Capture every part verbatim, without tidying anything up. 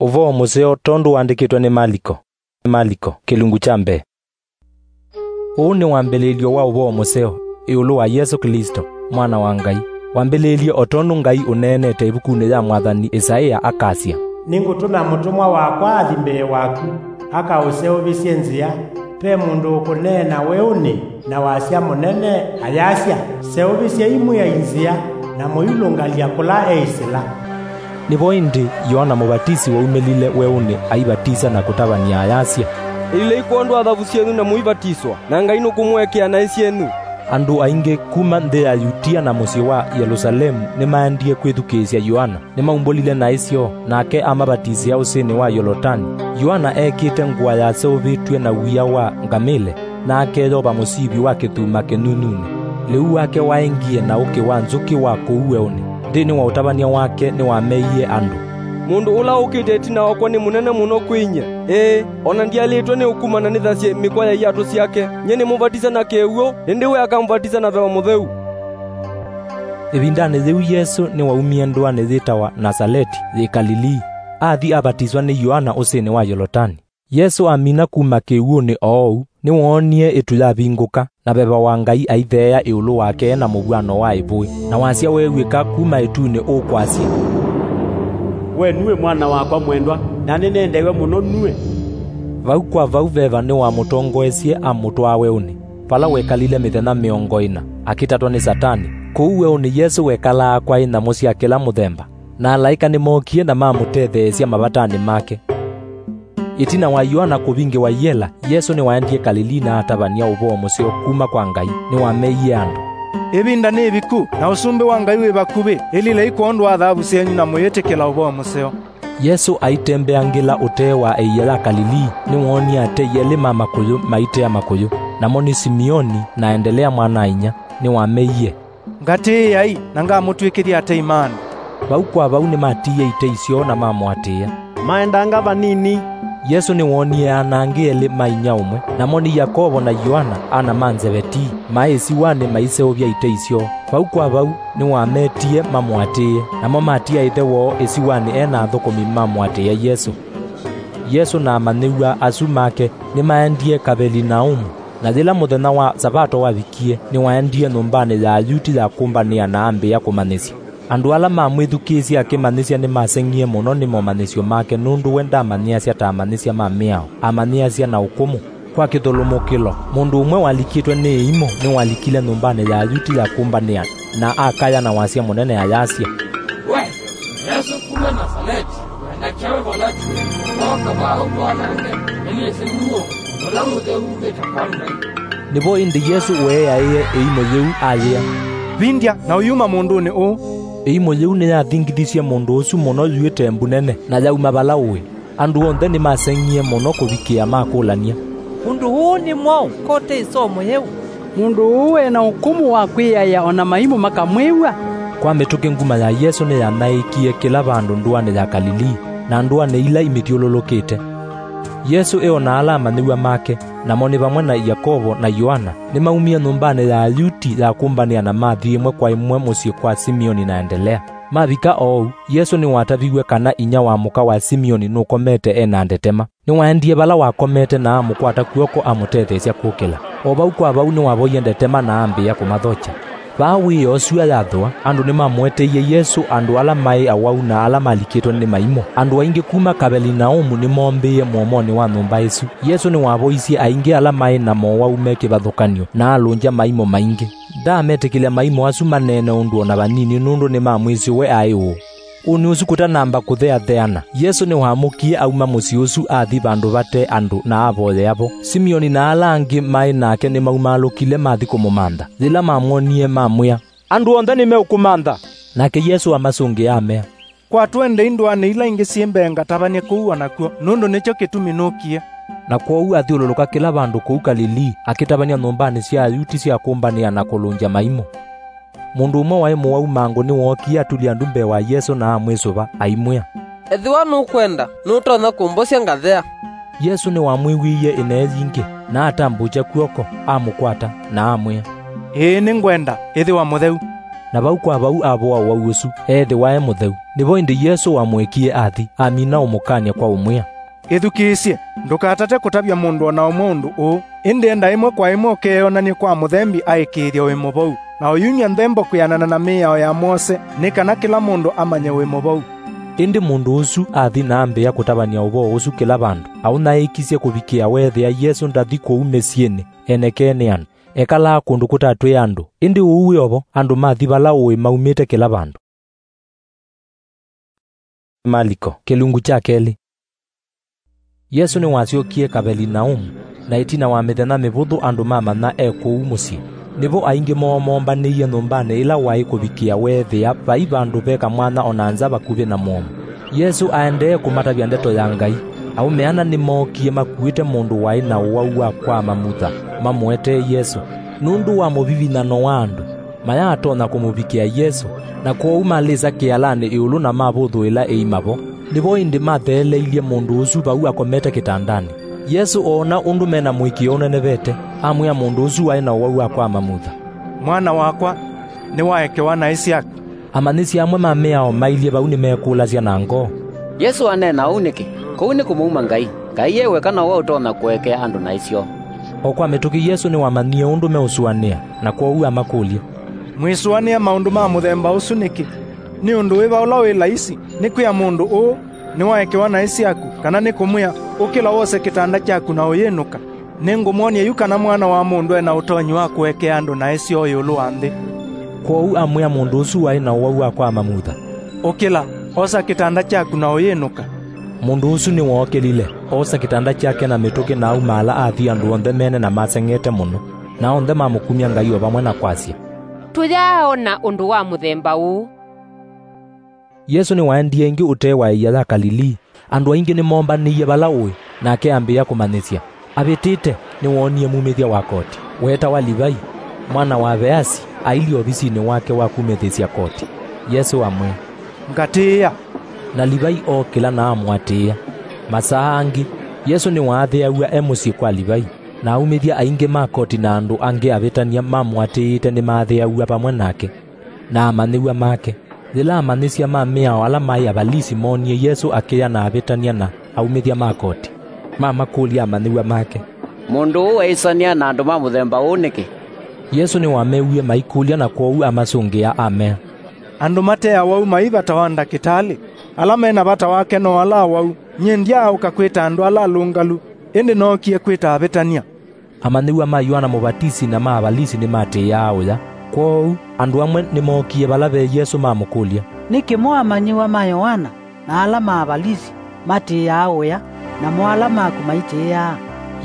Ũvoo mũseo tondũ wandĩkĩtwe nĩ Maliko. Maliko, kĩlungu kya mbee. Ũũ nĩ wambĩlĩĩlyo wa ũvoo mũseo ĩũlũ wa Yesũ Klĩsto, Mwana wa Ngai. Wambĩlĩĩlye o tondũ Ngai ũneenete ĩvukunĩ ya mwathani Ĩsaĩa, akasya, "Nĩngũtũma mũtũmwa wakwa athi mbee waku, akaũseũvĩsye nzĩa. Ve mũndũ ũkũneena weũnĩ na wasya mũnene, ayasya, 'Seũvĩsyai Mwĩai nzĩa, na mũilũngalya kũla eĩsĩla.'" Nĩvo ĩndĩ Yoana Mũvatisi waumĩlile weũnĩ aivatisya na kũtavany'a ayasya, "Ĩlilai kwondũ wa thavu syenyu na mũivatiswa, na Ngai nũkũmũekea naĩ syenyu." Andũ aingĩ kuma nthĩ ya Yutia na mũsyĩ wa Yelũsalemu nĩmaendie kwĩthukĩĩsya Yoana. Nĩmaumbũlile naĩ syoo, nake amavatisĩa ũsĩnĩ wa Yolotani. Yoana ekĩte ngũa yaseũvĩtw'e na wia wa ngamĩle, na akeyova mũsivi wa kĩthuma kĩnyunyunĩ. Lĩu wake waĩ ngie na ũkĩ wa nzũkĩ wa kũu weũnĩ. Nthĩnĩ wa ũtavany'a wake nĩwameie andũ, "Mũndũ ũla ũkĩte ĩtina wakwa nĩ mũnene mũno kwĩ nyie. Ĩĩ, o na ndyaĩlĩtwe nĩ ũkumana nĩthasye mĩkwa ya iatũ syake. Nyie nĩmũvatisya na kĩw'ũ, ĩndĩ we akamũvatisya na Veva Mũtheu." Ĩvindanĩ yĩu Yesũ nĩwaumie ndũanĩ yĩtawa Nasaleti yĩ Kalilii, athi avatiswa nĩ Yoana ũsĩnĩ wa Yolotani. Yesũ amina kuma kĩw'ũnĩ oou, nĩwoonie ĩtu yavingũka, na Veva wa Ngai aitheea ĩũlũ wake na mũvw'ano wa ĩvũĩ, na wasya weew'ĩka kuma ĩtunĩ ũkwasya, "We nue Mwana wakwa mwendwa, na nĩnendeew'a mũno nue." Vau kwa vau Veva nĩwamũtongoesye amũtwaa weũnĩ, vala wekalile mĩthenya mĩongo ĩna, akĩtatwa nĩ Satani. Kũu weũnĩ Yesũ wekalaa kwaĩ nyamũ sya kĩla mũthemba, na alaĩka nĩmookie na mamũtetheesya mavatanĩ make. Ĩtina wa Yoana kũvingĩwa iela, Yesũ nĩwaendie Kalilii na atavany'a ũvoo mũseo kuma kwa Ngai. Nĩwameie andũ, "Ĩvinda nĩ ĩviku, na Ũsumbĩ wa Ngai wĩ vakuvĩ. Ĩlilai kwondũ wa thavu syenyu na mũyĩtĩkĩla ũvoo mũseo." Yesũ aitembeangĩla ũtee wa ĩia ya Kalilii, nĩwoonie atei elĩ ma makũyũ maitea makũyũ, namo nĩ Simeoni na Endelea mwana-a-inyia. Nĩwameie, "Ngatĩĩai, na ngamũtw'ĩkĩthya atei ma andũ." Vau kwa vau nĩmatiie itei syoo na mamũatĩĩa. Maendanga vanini, Yesũ nĩwoonie ana angĩ elĩ ma inyia ũmwe, namo nĩ Yakovo na Yoana, ana ma Nzevetii, maĩ ĩsiwanĩ maiseũvya itei syoo. Vau kwa vau nĩwametie mamũatĩĩe, namo matia ĩthe woo ĩsiwanĩ e na athũkũmi mamũatĩĩa Yesũ. Yesũ na amanyĩw'a asu make nĩmaendie Kavelinaumu. Na yĩla mũthenya wa Savato wavikie, nĩwaendie nyũmbanĩ ya Ayuti ya kũmbanĩa na ambĩĩa kũmanyĩsya. Andũ ala mamwĩthukĩĩsye akĩmanyĩsya nĩmaseng'ie mũno nĩ momanyĩsyo make, nũndũ we ndamanyĩasya ta amanyĩsya ma mĩao, amanyĩasya na ũkũmũ. Kwa kĩthũlũmũkĩlo, mũndũ ũmwe walikĩtwe nĩ ĩimũ nĩwalikile nyũmbanĩ ya Ayuti ya kũmbanĩa, na akaya na wasya mũnene ayasya, "We Yesũ kuma Nasaleti, wendekea we vala tũĩ, ooka vaa ũtwanange, nĩnĩsĩ nue ũla mũtheu wumĩte kwa Ngai." Nĩvo ĩndĩ Yesũ weeaĩe ĩimũ yĩu ayĩa, "Vindya na ũyuma mũndũnĩ ũũ." Ĩimũ yĩu nĩyathingithisye mũndũ ũsu mũno yu ĩtembu nene, na yauma vala ũĩ. Andũ onthe nĩmaseng'ie mũno kũvikĩa makũlany'a, "Ũndũ ũũ nĩ mwaũ, ko tĩ ĩsomo yĩu? Mũndũ ũũ e na ũkũmũ wa kwĩaĩa o na maimũ makamwĩw'a?" Kwa mĩtũkĩ nguma ya Yesũ nĩyanaĩĩkie kĩla vandũ ndũanĩ ya Kalilii, na ndũanĩ ila imĩthyũlũlũkĩte. Yesũ ĩo na ala amanyĩw'a make, namo nĩ vamwe na Yakovo na Yoana, nĩmaumie nyũmbanĩ ya Ayuti ya kũmbanĩa na mathi ĩmwe kwa ĩmwe mũsyĩ kwa Simeoni na Endelea. Mavika oou, Yesũ nĩwataviw'e kana inyia wa mũka wa Simeoni nũkomete e na ndetema. Nĩwaendie vala wakomete na amũkwata kw'oko amũtetheesya kũkĩla. O vau kwa vau nĩwavoie ndetema na ambĩĩa kũmathokya. Vaa wĩoo syũa yathũa, andũ nĩmamũeteie Yesũ andũ ala maĩ awau na ala malikĩtwe nĩ maimũ. Andũ aingĩ kuma Kavelinaumu nĩmoombĩĩe mũomonĩ wa nyũmba ĩsu. Yesũ nĩwavoisye aingĩ ala maĩ na mowau me kĩvathũkany'o na alũngya maimũ maingĩ. Ndaametĩkĩlya maimũ asu maneene ũndũ o na vanini, nũndũ nĩmamwĩsĩ we aĩ ũũ. Ũnĩ ũsu kũtanamba kũtheatheana, Yesũ nĩwamũkie auma mũsyĩ ũsu athi vandũ vate andũ na avoyea vo. Simeoni na ala angĩ maĩ nake nĩmaumaalũkile mathi kũmũmantha. Yĩla mamwonie, mamwĩa, "Andũ onthe nĩmeũkũmantha." Nake Yesũ amasũngĩa, amea, "Kwa tũendei ndũanĩ ila ingĩ syĩ mbee ngatavany'e kũu o nakw'o, nũndũ nĩkyo kĩtumi nũkie." Na kwoou athyũlũlũka kĩla vandũ kũu Kalilii, akĩtavany'a nyũmbanĩ sya Ayuti sya kũmbanĩa na kũlũngya maimũ. Mũndũ ũmwe waĩ mũwau mangũ nĩwookie atulya ndu mbee wa Yesũ na amwĩsũva, aimwĩa, "Ethĩwa nũkwenda, nũtonya kũmbosya ngathea." Yesũ nĩwamwĩw'ĩie ĩnee yingĩ, na atambũũkya kw'oko, amũkwata, na amwĩa, "Ĩĩ, nĩngwenda, ĩthĩwa mũtheu." Na vau kwa vau avoa ũwau ũsu, eethĩwa e mũtheu. Nĩvo ĩndĩ Yesũ wamũekie athi, amina ũmũkany'a kwa ũmwĩa, "Ĩthukĩĩsye, ndũkatate kũtavya mũndũ o na ũmwe ũndũ ũũ, ĩndĩ enda ĩmwe kwa ĩmwe ũkeeyonany'e kwa mũthembi aĩkĩĩthya wĩ mũvou, na ũyumya nthembo kwĩanana na mĩao ya Mose, nĩ kana kĩla mũndũ amanye wĩ mũvou." Ĩndĩ mũndũ ũsu athi na ambĩĩa kũtavany'a ũvoo ũsu kĩla vandũ, aũnyaĩĩkisye kũvikĩa weethĩa Yesũ ndathi kũu mĩsyĩnĩ, enekee nĩ andũ. Ekalaa kũndũ kũtatwĩe andũ, ĩndĩ ũu wĩ o vo, andũ mathi vala ũĩ maumĩte kĩla vandũ. Maliko, kĩlungu kya kelĩ. Yesũ nĩwasyokie Kavelinaumu, na ĩtina wa mĩthenya mĩvũthũ andũ mamanya e kũu mũsyĩ. Nĩvo aingĩ moo moombanĩie nyũmbanĩ ĩla waĩ kũvikĩa weethĩa vai vandũ ve kamwanya o na nza vakuvĩ na mũomo. Yesũ aendee kũmatavya ndeto ya Ngai. Aũme ana nĩmookie makuĩte mũndũ waĩ na ũwau wa kwama mutha, mamũetee Yesũ. Nũndũ wa mũvivinyano wa andũ, mayaatonya kũmũvikĩa Yesũ, na kwoou malĩsa kĩalanĩ ĩũlũ na mavũthũĩla ĩima vo. Nĩvo ĩndĩ matheeleilye mũndũ ũsu vau akomete kĩtandanĩ. Yesũ oona ũndũ me na mũĩkĩĩo ũnenevete, amwĩa mũndũ ũsu waĩ na ũwau wa kwama mutha, "Mwana wakwa, nĩwaekewa naĩ syaku." Amanyĩsya amwe ma mĩao mailye vau nĩmeekũlasya na ngoo, "Yesũ aneena ũu nĩkĩ? Kũu nĩ kũmũuma Ngai. Ngai e weka nowe ũtonya kũekea andũ naĩ syoo." O kwa mĩtũkĩ Yesũ nĩwamanyie ũndũ meũsũanĩa, na kwoou amakũlya, "Mwĩsũanĩa maũndũ ma mũthemba ũsu nĩkĩ? Nĩ ũndũ wĩva ũla wĩ laisi, nĩ kwĩa mũndũ ũũ, 'Nĩwaekewa naĩ syaku,' kana nĩ kũmwĩa, 'Ũkĩla wose kĩtanda kyaku na ũyĩnũka'? Nĩngũmwony'a yu kana Mwana wa Mũndũ e na ũtonyi wa kũekea andũ naĩ syoo ĩũlũ wa nthĩ." Kwoou amwĩa mũndũ ũsu waĩ na ũwau wa kwama mutha, "Ũkĩla, osa kĩtanda kyaku na ũyĩnũka." Mũndũ ũsu nĩwookĩlile, oosa kĩtanda kyake na mĩtũkĩ na aumaala athi andũ onthe mene na maseng'ete mũno. Na onthe mamũkumya Ngai o vamwe na kwasya, "Tũyaaona ũndũ wa mũthemba ũũ." Yesũ nĩwaendie ĩngĩ ũtee wa ĩia ya Kalilii. Andũ aingĩ nĩmoombanĩie vala ũĩ, nake ambĩĩa kũmanyĩsya. Avĩtĩte, nĩwoonie mumĩthya wa koti, weetawa Livai, mwana wa Veasi, ailyĩ ovisinĩ wake wa kumĩthĩsya koti. Yesũ amwĩa, "Ngatĩĩa." Na Livai ookĩla na amũatĩĩa. Masaa angĩ, Yesũ nĩwaathĩaw'a e mũsyĩ kwa Livai, na aumĩthya aingĩ ma koti na andũ angĩ avĩtany'a mamũatĩĩte nĩmaathĩaw'a vamwe nake na amanyĩw'a make. Yĩla amanyĩsya ma mĩao ala maĩ Avalisi moonie Yesũ akĩya na avĩtany'a na aumĩthya ma koti, mamakũlya amanyĩw'a make, "Mũndũ ũũ eĩsanĩa na andũ ma mũthemba ũũ nĩkĩ?" Yesũ nĩwamewie maikũlya, na kwoou amasũngĩa amea, "Andũ mate awau mai vata wa ndakĩtalĩ. Ala me na vata wake no ala awau. Nyie ndyaaũka kwĩta andũ ala alũngalu, ĩndĩ nookie kwĩta avĩtany'a." Amanyĩw'a ma Yoana Mũvatisi na ma Avalisi nĩmatĩĩaa ũya. Kwoou andũ amwe nĩmookie vala ve Yesũ mamũkũlya, "Nĩkĩ mo amanyĩw'a ma Yoana na ala ma Avalisi matĩĩaa ũya, namo ala maku maitĩĩaa?"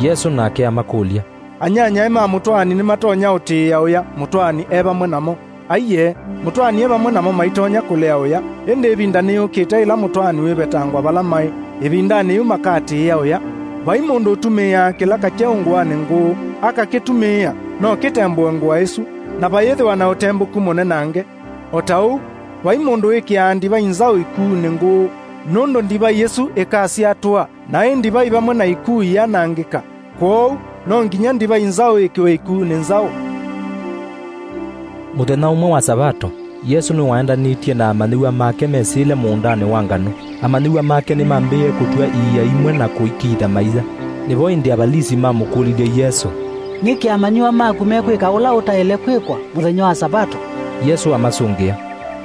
Yesũ nake amakũlya, "Anyanyae ma mũtwaani nĩmatonya ũtĩĩa ũya mũtwaani e vamwe namo? Aiee, mũtwaani e vamwe namo maitonya kũlea ũya, ĩndĩ ĩvinda nĩyũkĩte ĩla mũtwaani wĩvetangwa vala maĩ, ĩvindanĩ yĩu makatĩĩa ũya. Vai mũndũ ũtumĩĩaa kĩlaka kyeũ ngũanĩ ngũũ, akakĩtumĩĩa, no kĩtembũe ngũa ĩsu, na vayĩthĩwa na ũtembũku mũnenange. O ta ũu, vai mũndũ wĩkĩaa ndivai nzaũ ikuunĩ ngũũ, nũndũ ndivai ĩsu ĩkasya tũa, na ĩ ndivai vamwe na ikuu ianangĩka. Kwoou no nginya ndivai nzaũ ĩkĩwe ikuunĩ nzaũ." Mũthenya ũmwe wa Savato, Yesũ nĩwaendanĩtye na amanyĩw'a make mesĩle mũũndanĩ wa nganũ. Amanyĩw'a make nĩmambĩĩe kũtw'a iia imwe na kũikiitha maia. Nĩvo ĩndĩ Avalisi mamũkũlilye Yesũ, "Nĩkĩ amanyĩw'a maku mekwĩka ũla ũtaĩle kwĩkwa mũthenya wa Savato?" Yesũ amasũngĩa,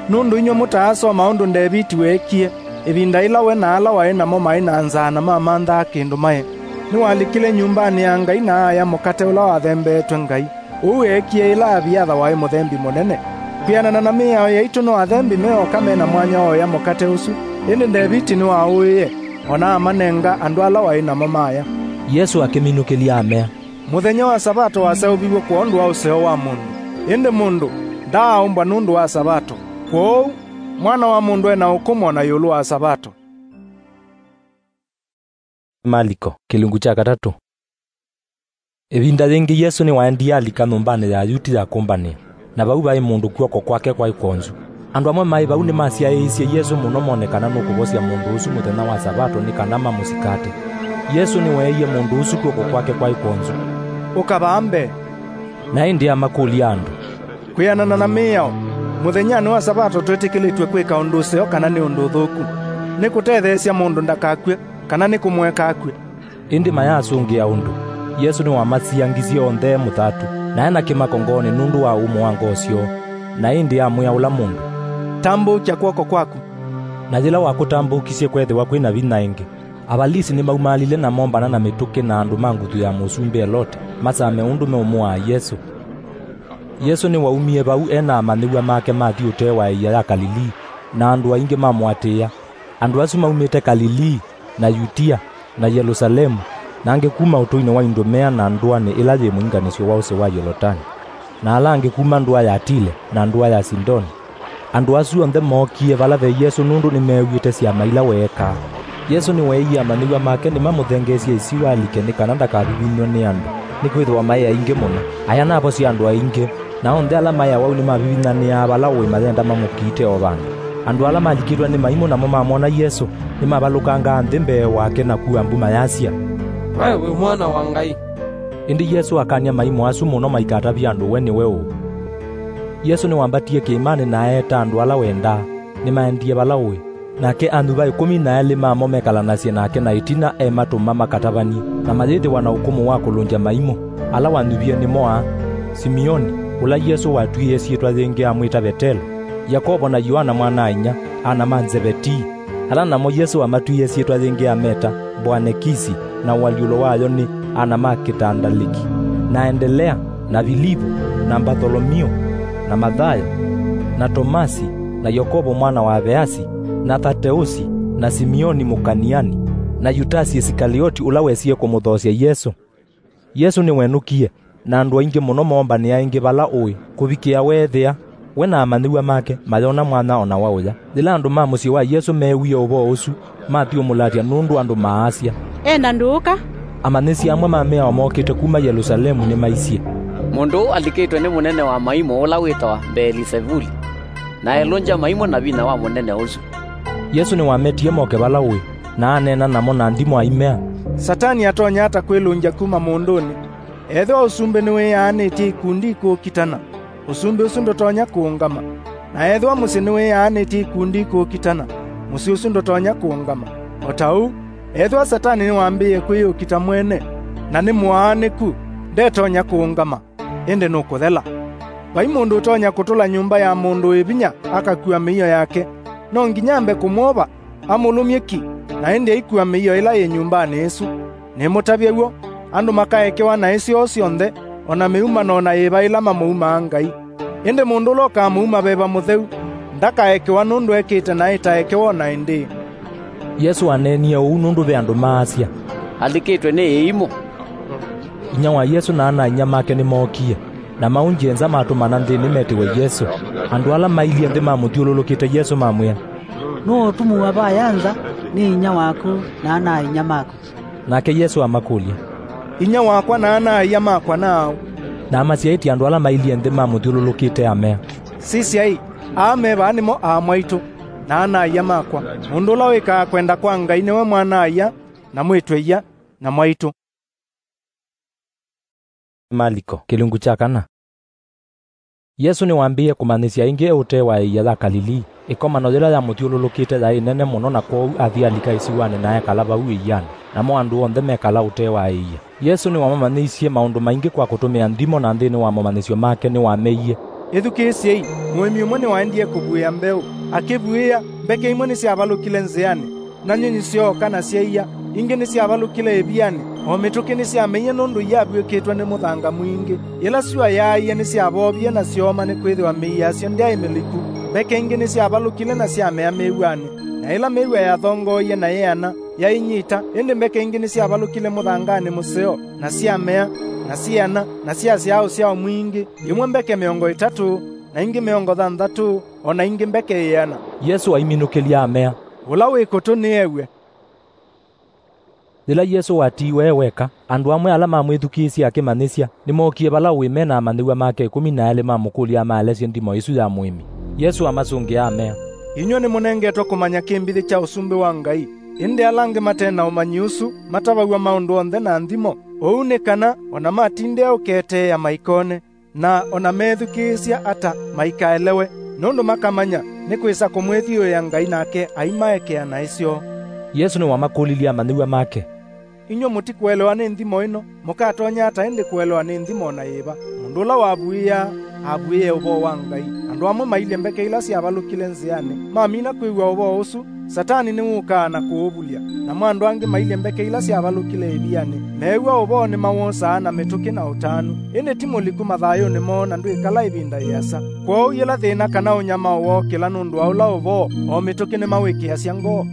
"Nũndũ inyw'ĩ mũtaasoma ũndũ Ndeviti weekie, ĩvinda yĩla we na ala waĩ namo maĩ na nzaa na mamanthaa kĩndũ maye. Nĩwalikile nyũmbanĩ ya Ngai na aaya mũkate ũla wathembeetwe Ngai. Ũu eekie yĩla Aviatha waĩ mũthembi mũnene. Kwĩanana na mĩao yaitũ, no athembi me oka me na mwanya wa ũya mũkate ũsu, ĩndĩ Ndeviti nĩwaũĩe, o na amanenga andũ ala waĩ namo maya." Yesũ akĩminũkĩlya amea, "Mũthenya wa Savato waseũviw'e kwondũ wa ũseo wa mũndũ, ĩndĩ mũndũ ndaaũmbwa nũndũ wa Savato. Kwoou Mwana wa Mũndũ e na ũkũmũ o na ĩũlũ wa Savato." Maliko, kĩlungu kya katatũ. Ĩvinda yĩngĩ Yesũ nĩwaendie alika nyũmbanĩ ya Ayuti ya kũmbanĩa, na vau vaĩ mũndũ kw'oko kwake kwaĩ kwonzu. Andũ amwe maĩ vau nĩmasyaĩĩsye Yesũ mũno mone kana nũkũvosya mũndũ ũsu mũthenya wa Savato nĩ kana mamũsikate. Yesũ nĩweeie mũndũ ũsu kw'oko kwake kwaĩ kwonzu, "Ũka vaa mbee." Na ĩndĩ amakũlya andũ, "Kwĩanana na mĩao, Mũthenyanĩ wa Savato twĩtĩkĩlĩtw'e kwĩka ũndũ ũseo kana nĩ ũndũ ũthũku, nĩ kũtetheesya mũndũ ndakakw'e, kana nĩ kũmũeka akw'e. Ĩndĩ mayasũngĩa ũndũ. Yesũ nĩwamasiangisye onthe e mũthatu, na e na kĩmako ngoonĩ nũndũ wa ũmũ wa ngoo syoo, na ĩndĩ amwĩa ũla mũndũ, "Tambũũkya kw'oko kwaku." Na yĩla wakũtambũũkisye kweethĩwa kwĩ na vinya ĩngĩ, Avalisi nĩmaumaalile na moombana na mĩtũkĩ na andũ ma nguthu ya mũsumbĩ Elote, masame ũndũ meũmũaa Yesũ. Yesũ nĩwaumie vau e na amanyĩw'a make mathi ũtee wa ĩia ya Kalilii, na andũ aingĩ mamũatĩĩa. Andũ asu maumĩte Kalilii, na Yutia, na Yelũsalemu, na angĩ kuma ũtũinĩ wa Indumea na ndũanĩ ĩla yĩ mũinganĩsyo wa ũsĩ wa Yolotani, na ala angĩ kuma ndũa ya Tile na ndũa ya Sidoni. Andũ asu onthe mookie vala ve Yesũ nũndũ nĩmeew'ĩte syama ila weekaa. Yesũ nĩweeie amanyĩw'a make nĩmamũthengeesye ĩsiwa alike nĩ kana ndakavivinywe nĩ andũ, nĩkwĩthĩwa maĩ aingĩ mũno. Aya navo sya andũ aingĩ, na onthe ala maĩ awau nĩmavivinyanĩaa vala ũĩ mayenda mamũkiite o vandũ. Andũ ala malikĩtwe nĩ maimũ namo mamwona Yesũ, nĩmavalũkangaa nthĩ mbee wake na kua mbu mayasya, "We wĩ Mwana wa Ngai." Ĩndĩ Yesũ akany'a maimũ asu mũno maikatavye andũ we nĩwe ũ. Yesũ nĩwambatie kĩĩmanĩ na eeta andũ ala wendaa, nĩmaendie vala ũĩ. Nake anyuva ĩkũmi na elĩ mamo mekalanasye nake na ĩtina ematũma makatavany'e, na mayĩthĩwa na ũkũmũ wa kũlũngya maimũ. Ala wanyuvie nĩmo aa: Simioni, ũla Yesũ watw'ĩĩe syĩtwa yĩngĩ amwĩta Vetelo, Yakovo na Yoana mwana-a-inyia, ana ma Nzevetii, ala namo Yesũ wamatw'ĩĩe syĩtwa yĩngĩ ameta Mboanekisi, na ũalyũlo wayo nĩ ana ma Kĩtandalĩki, na Endelea, na Vilivu, na Mbatholomio, na Mathayo, na Tomasi, na Yakovo mwana wa Aveasi, na Thateusi, na Simioni Mũkaniani, na Yutasi Isikalioti, ũla wesie kũmũthoosya Yesũ. Yesũ nĩwenũkie, na andũ aingĩ mũno moombanĩa ĩngĩ vala ũĩ, kũvikĩa weethĩa, we na amanyĩw'a make mayona mwanya o na wa ũya. Yĩla andũ ma mũsyĩ wa Yesũ meewie ũvoo ũsu, mathyũmũlatya nũndũ andũ maasya, "E na ndũũka." Amanyĩsya amwe ma mĩao mookĩte kuma Yelũsalemu nĩmaisye, "Mũndũ ũũ alikĩtwe nĩ mũnene wa maimũ ũla wĩtawa Mbeelizevuli, na elũngya maimũ na vinya wa mũnene ũsu." Yesũ nĩwametie moke vala ũĩ, na aneena namo na nthimo aimea, "Satani atonya ata kwĩlũngya kuma mũndũnĩ? Ethĩwa ũsumbĩ nĩwĩyaanĩtye ikundi ikũũkitana, ũsumbĩ ũsu ndũtonya kũũngama. Na ethĩwa mũsyĩ nĩwĩyaanĩtye ikundi ikũũkitana, mũsyĩ ũsu ndũtonya kũũngama. O ta ũu, ethĩwa Satani nĩwambĩĩe kwĩyũkita mwene, na nĩ mũaanĩku, ndetonya kũũngama, ĩndĩ nũkũthela. Vai mũndũ ũtonya kũtũla nyũmba ya mũndũ wĩ vinya akakua mĩio yake. No nginya ambe kũmwova, amũlũmye ki, na ĩndĩ aikua mĩio ĩla yĩ nyũmbanĩ ĩsu. Nĩmũtavye w'o, andũ makaekewa naĩ syoo syonthe, o na mĩumano o na yĩva ĩla mamũumaa Ngai. Ĩndĩ mũndũ ũla ũkamũuma Veva Mũtheu, ndakaekewa nũndũ ekĩte naĩ ta ekewa o na ĩndĩĩ." Yesũ aneenie ũu nũndũ ve andũ maasya, "Alikĩtwe nĩ ĩimũ." Inyia wa Yesũ na ana-a-inyia make nĩmookie, na maũngyĩe nza matũmana nthĩnĩ metĩwe Yesũ. Andũ ala mailyĩ nthĩ mamũthyũlũlũkĩte Yesũ mamwĩa, "Nũũ ũtumuwa vaya nza nĩ inyia waku na ana-a-inyia maku?" Nake Yesũ amakũlya, "Inyia wakwa na ana-a-ia makwa naaũ?" Na amasyaĩtye andũ ala mailyĩ nthĩ mamũthyũlũlũkĩte amea, "Sisyai, aa me vaa nĩmo aa mwaitũ na ana-a-ia makwa. Mũndũ ũla wĩkaa kwenda kwa Ngai nĩwe mwana-a-ia na mwĩĩtu-a-ia na mwaitũ." Maliko, kĩlungu kya kana. Yesũ nĩwambĩĩe kũmanyĩsya ĩngĩ e ũtee wa ĩia ya Kalilii. Ĩkomano yĩla yamũthyũlũlũkĩte yaĩ nene mũno, na kwoou athi alika ĩsiwanĩ na ekala vau ĩianĩ, namo andũ onthe mekala ũtee wa ĩia. Yesũ nĩwamamanyĩisye maũndũ maingĩ kwa kũtũmĩa nthimo, na nthĩnĩ wa momanyĩsyo make nĩwameie, "Ĩthukĩĩsyei, mũĩmi ũmwe nĩwaendie kũvuĩa mbeũ. Akĩvuĩa, mbeke imwe nĩsyavalũkile nzĩanĩ, na nyũnyi syooka na syaia. Ingĩ nĩsyavalũkile ĩvianĩ, o mĩtũkĩ nĩsyameie nũndũ iyavuĩkĩtwe nĩ mũthanga mwingĩ. Yĩla syũa yaaie nĩsyavoovie na syooma, nĩkwĩthĩwa mĩi yasyo ndyaĩ mĩliku. Mbeke ingĩ nĩsyavalũkile na syamea mĩw'anĩ, na ĩla mĩw'a yathongooie na yeana, yainyita. Ĩndĩ mbeke ingĩ nĩsyavalũkile mũthanganĩ mũseo, na syamea, na syeana, na syasyaa ũsyao mwingĩ, imwe mbeke mĩongo ĩtatũ, na ingĩ mĩongo thanthatũ, o na ingĩ mbeke ĩana." Yesũ aiminũkĩlya amea, "Ũla wĩ kũtũ nĩew'e." Yĩla Yesũ watiiwe e weka, andũ amwe ala mamwĩthukĩĩsye akĩmanyĩsya nĩmookie vala ũĩ me na amanyĩw'a make ĩkũmi na elĩ mamũkũlya amaelesye nthimo ĩsu ya mũĩmi. Yesũ amasũngĩa amea, "Inyw'ĩ nĩmũnengetwe kũmanya kĩmbithĩ kya Ũsumbĩ wa Ngai, ĩndĩ ala angĩ mate na ũmanyi ũsu matavaw'a maũndũ onthe na nthimo, ũu nĩ kana o na matindĩa ũketeea maikone, na o na meethukĩĩsya ata maikaelewe." nũndũ makamanya nĩ kwĩsa kũmwĩthyũĩa Ngai nake aimaekea naĩ syoo. Yesũ nĩwamakũlilye amanyĩw'a make, "Inyw'ĩ mũtikũelewa nĩ nthimo ĩno, mũkatonya ata ĩndĩ kũelewa nĩ nthimo o na yĩva? Mũndũ ũla wavuĩaa, avuĩe ũvoo wa Ngai. Andũ amwe mailye mbeke ila syavalũkile nzĩanĩ, mamina kwĩw'a ũvoo ũsu, Satani nĩwũkaa na kũũvulya. Namo andũ angĩ mailye mbeke ila syavalũkile ĩvianĩ, meew'a ũvoo nĩmawosaa na mĩtũkĩ na ũtanu, ĩndĩ ti mũliku mathayũnĩ moo na ndwĩkala ĩvinda yĩasa. Kwoou yĩla thĩna kana ũnyamao wookĩla nũndũ wa ũla ũvoo, o mĩtũkĩ nĩmawĩkĩĩasya ngoo.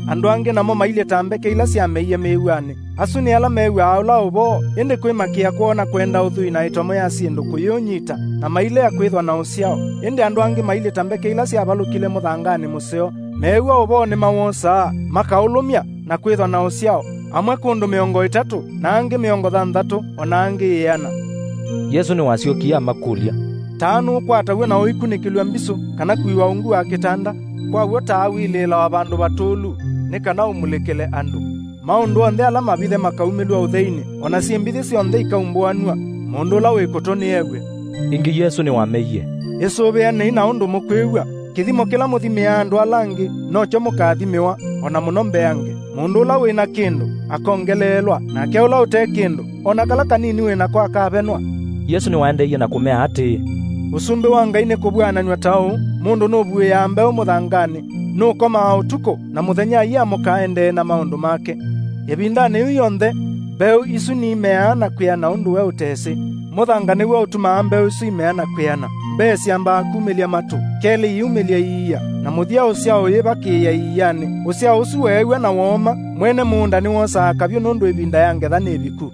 Andũ angĩ namo mailye ta mbeke ila syameie mĩĩw'anĩ. Asu nĩ ala mew'aa ũla ũvoo, ĩndĩ kwĩmakĩa kwoo na kwenda ũthwii na ĩtomo ya syĩndũ kũyĩũnyita, na mailea kwĩthwa na ũsyao. Ĩndĩ andũ angĩ mailye ta mbeke ila syavalũkile mũthanganĩ mũseo, meew'a ũvoo nĩmawosaa, makaũlũmya, na kwĩthwa na ũsyao, amwe kũndũ mĩongo ĩtatũ, na angĩ mĩongo thanthatũ, o na angĩ ĩana." Yesũ nĩwasyokie amakũlya, "Taa nũkwataw'a na ũikunĩkĩlw'a mbisũ, kana kũiwa ungu wa kĩtanda? Kwa w'o taa wilĩĩlawa vandũ vatũlu, nĩ kana ũmulĩkĩle andũ. Maũndũ onthe ala mavithe makaumĩlw'a ũtheinĩ, o na syĩmbithĩ syonthe ikaumbũanw'a. Mũndũ ũla wĩ kũtũ nĩew'e." Ĩngĩ Yesũ nĩwameie, "Ĩsũvĩanei na ũndũ mũkwĩw'a. Kĩthimo kĩla mũthimĩaa andũ ala angĩ, nokyo mũkathimĩwa, o na mũno mbeange. Mũndũ ũla wĩ na kĩndũ, akongeleelwa, nake ũla ũte kĩndũ, o na kala kanini wĩ nako akavenwa." Yesũ nĩwaendeeie na kũmea atĩĩ, "Ũsumbĩ wa Ngai nĩ kũvw'ananw'a ta ũũ, mũndũ nũvuĩaa mbeũ mũthanganĩ, nũkomaa ũtukũ, na mũthenya aiamũka aendee na maũndũ make. Ĩvindanĩ yĩu yonthe, mbeũ isu nimeaa na kwĩana ũndũ we ũtesĩ. Mũthanga nĩw'o ũtumaa mbeũ isu imea na kwĩana. Mbee syambaa kumĩlya matũ, kelĩ iumĩlya iia, na mũthya ũsyao ũyĩvakĩĩa iianĩ. Ũsyao ũsu weew'a na wooma, mwene mũũnda nĩwosaa kavyũ nũndũ ĩvinda ya ngetha nĩ ĩviku."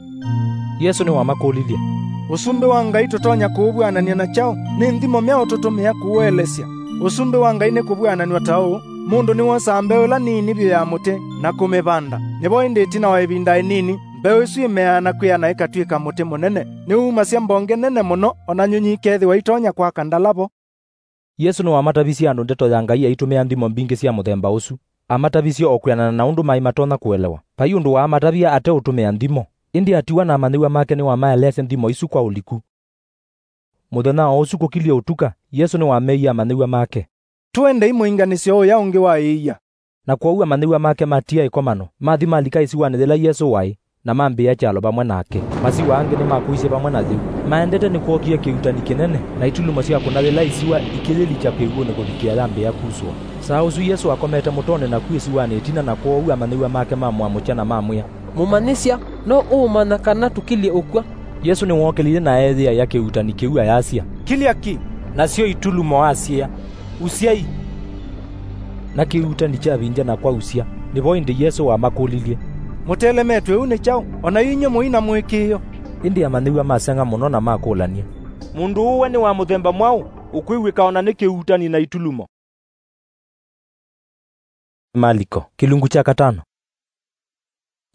Yesũ nĩwamakũlilye, "Ũsumbĩ wa Ngai tũtonya kũũvw'anany'a na kyaũ? Nĩ nthimo myaũ tũtũmĩa kũũelesya? Ũsumbĩ wa Ngai nĩ kũvw'ananw'a ta ũũ, mũndũ nĩwosaa mbeũ ĩla nini vyũ ya mũtĩ na kũmĩvanda. Nĩvo ĩndĩ ĩtina wa ĩvinda ĩnini, mbeũ ĩsu ĩmeaa na kwĩana ĩkatw'ĩka mũtĩ mũnene. Nĩwumasya mbonge nene mũno, o na nyũnyi ikeethĩwa itonya kwaka ndala vo." Yesũ nĩwamatavisye andũ ndeto ya Ngai aitũmĩa nthimo mbingĩ sya mũthemba ũsu. Amatavisye o kwĩanana na ũndũ maĩ matonya kũelewa. Vai ũndũ waamatavya ate ũtũmĩa nthimo, ĩndĩ atiwa na amanyĩw'a make nĩwamaeleesya nthimo isu kwa ũliku. Mũthenya o ũsu kũkilyĩ ũtuka, Yesũ nĩwameie amanyĩw'a make, "Tũendei mũinganĩsyo ũya ũngĩ wa ĩia." Na kwoou amanyĩw'a make matiĩa ĩkomano, mathi malika ĩsiwanĩ yĩla Yesũ waĩ, na mambĩĩa kyalo vamwe nake. Masiwa angĩ nĩmakũisye vamwe na yĩu. Maendete nĩkwookie kĩuutani kĩnene, na itulumo syakũna yĩla ĩsiwa ikĩyĩlikya kĩw'ũnĩ kũvikĩa yambĩĩa kusũa. Saa ũsu Yesũ akomete mũtonĩ naku ĩsiwanĩ ĩtina, na kwoou amanyĩw'a make mamũamũkya na mamwĩa, "Mũmanyĩsya, no ũũmanya kana tũkilyĩ ũkw'a?" Yesũ nĩwookĩlile na eeyĩaĩa kĩuutani kĩu ayasya, "Kilya ki!" Nasyo itulumo asyĩa, "Usyai!" Na kĩuutani kyavindya na kwausya. Nĩvo ĩndĩ Yesũ wamakũlilye, "Mũtelemetw'e ũu nĩ kyaũ? O na inyw'ĩ mũi na mũĩkĩĩo?" Ĩndĩ amanyĩw'a maseng'a mũno na makũlany'a, "Mũndũ ũũ we nĩ wa mũthemba mwaũ, ũkwĩw'ĩka o na nĩ kĩuutani na itulumo?" Maliko, kĩlungu kya katano.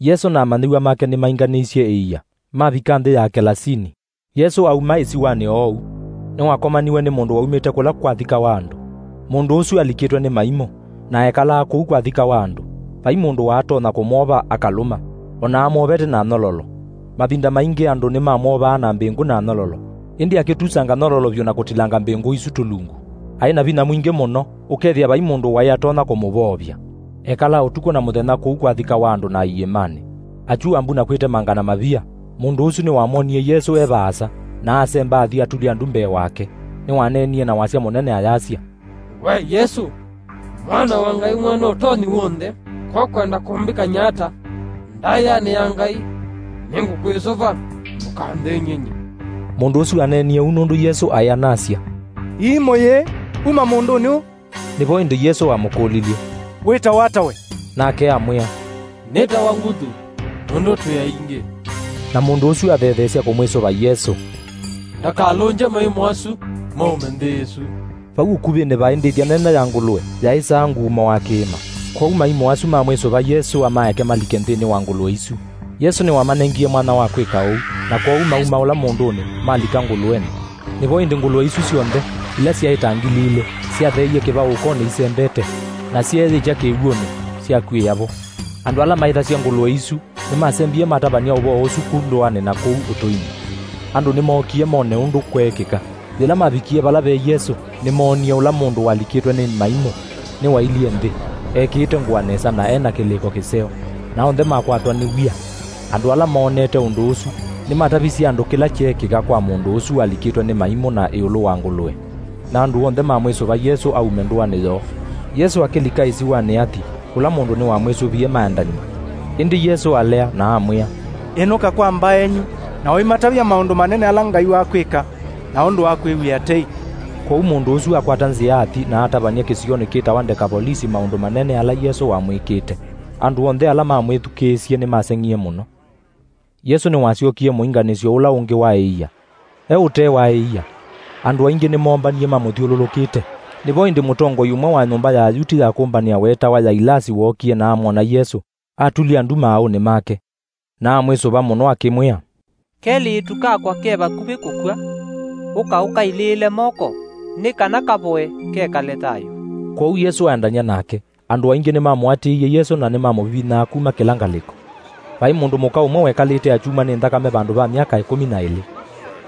Yesũ na amanyĩw'a make nĩmainganĩisye ĩia, mavika nthĩ ya Kelasini. Yesũ auma ĩsiwanĩ oou, nĩwakomaniwe nĩ mũndũ waumĩte kũla kwathikawa andũ. Mũndũ ũsu alikĩtwe nĩ maimũ, na ekalaa kũu kwathikawa andũ. Vai mũndũ waatonya kũmwova akalũma, o na amwovete na nyololo. Mavinda maingĩ andũ nĩmamwovaa na mbĩngũ na nyololo, ĩndĩ akĩtusanga nyololo vyũ na kũtilanga mbĩngũ isu tũlungu. Aĩ na vinya mwingĩ mũno, ũkethĩa vai mũndũ waĩ atonya kũmũvoovya. Ekalaa ũtukũ na mũthenya kũu kwathikawa andũ na iĩmanĩ. Akyua mbu na kwĩtemanga na mavia, mũndũ ũsu nĩwamwonie Yesũ e vaasa, na asemba athi atulya ndu mbee wake. Nĩwaneenie na wasya mũnene ayasya, "We Yesũ, Mwana wa Ngai Mwene Ũtonyi W'onthe, ko kwenda kũmbĩkany'a ata ndaĩanĩ ya Ngai? Nĩngũkwĩsũva, ndũkanthĩny'e nyie." Mũndũ ũsu aneenie ũu nũndũ Yesũ aĩ anasya, "Iimũ yĩĩ, uma mũndũnĩ ũũ!" Nĩvo ĩndĩ Yesũ wamũkũlilye, "Wĩtawa ata we?" Nake amwĩa, "Nĩtawa Nguthu, nũndũ twĩ aingĩ." Na mũndũ ũsu athetheesya kũmwĩsũva Yesũ, "Ndakalũngye maimũ asu maume nthĩ ĩsu." Vau ũkuvĩnĩ vaĩ ndĩthya nene ya ngũlũe yaĩsaa nguumo wa kĩĩma. Kwoou maimũ asu mamwĩsũva Yesũ amaeke malike nthĩnĩ wa ngũlũe isu. Yesũ nĩwamanengie mwanya wa kwĩka ũu, na kwoou maumaũla mũndũnĩ, malika ngũlũenĩ. Nĩvo ĩndĩ ngũlũe isu syonthe, ila syaĩ ta ngili ilĩ, syatheeie kĩvaũũkonĩ isembete, na syeeyĩkya kĩw'ũnĩ, syakuĩĩa vo. Andũ ala maĩthasya ngũlũe isu nĩmasembie matavany'a ũvoo ũsu ku ndũanĩ na kũu ũtũinĩ. Andũ nĩmookie mone ũndũ kweekĩka. Yĩla mavikie vala ve Yesũ, nĩmoonie ũla mũndũ walikĩtwe nĩ maimũ nĩwailyĩ nthĩ, ekĩĩte ngũa nesa na e na kĩlĩko kĩseo, na onthe makwatwa nĩ wia. Andũ ala moonete ũndũ ũsu nĩmatavisye andũ kĩla kyeekĩka kwa mũndũ ũsu walikĩtwe nĩ maimũ na ĩũlũ wa ngũlũe. Na andũ onthe mamwĩsũva Yesũ aume ndũanĩ yoo. Yesũ akĩlika ĩsiwanĩ Athi, kũla mũndũ nĩwamwĩsũvie maendany'e. Ĩndĩ Yesũ alea na amwĩa, "Ĩnũka kwa mbaenyu, na ũimatavya maũndũ manene ala Ngai wakwĩka, na ũndũ wa kwĩw'ĩa tei." Kwoou mũndũ ũsu akwata nzĩa athi na atavany'a kĩsionĩ kĩtawa Ndekavolisi maũndũ manene ala Yesũ wamwĩkĩte. Andũ onthe ala mamwĩthukĩĩsye nĩmaseng'ie mũno. Yesũ nĩwasyokie mũinganĩsyo ũla ũngĩ wa ĩia. E ũtee wa ĩia, andũ aingĩ nĩmoombanie mamũthyũlũlũkĩte. Nĩvo ĩndĩ mũtongoi ũmwe wa nyũmba ya Ayuti ya kũmbanĩa weetawa Yailasi wookie na amwona Yesũ, atulya ndu maaũnĩ make, na amwĩsũva mũno akĩmwĩa, "Kelĩtu kakwa ke vakuvĩ kũkw'a. Ũka ũkailĩĩle moko, nĩ kana kavoe, kekale thayũ." Kwoou Yesũ aendany'a nake. Andũ aingĩ nĩmamũatĩĩie Yesũ na nĩmamũvivithaa kuma kĩla ngalĩko. Vaĩ mũndũ mũka ũmwe wekalĩte akyumwa nĩ nthakame vandũ va myaka ĩkũmi na ĩlĩ.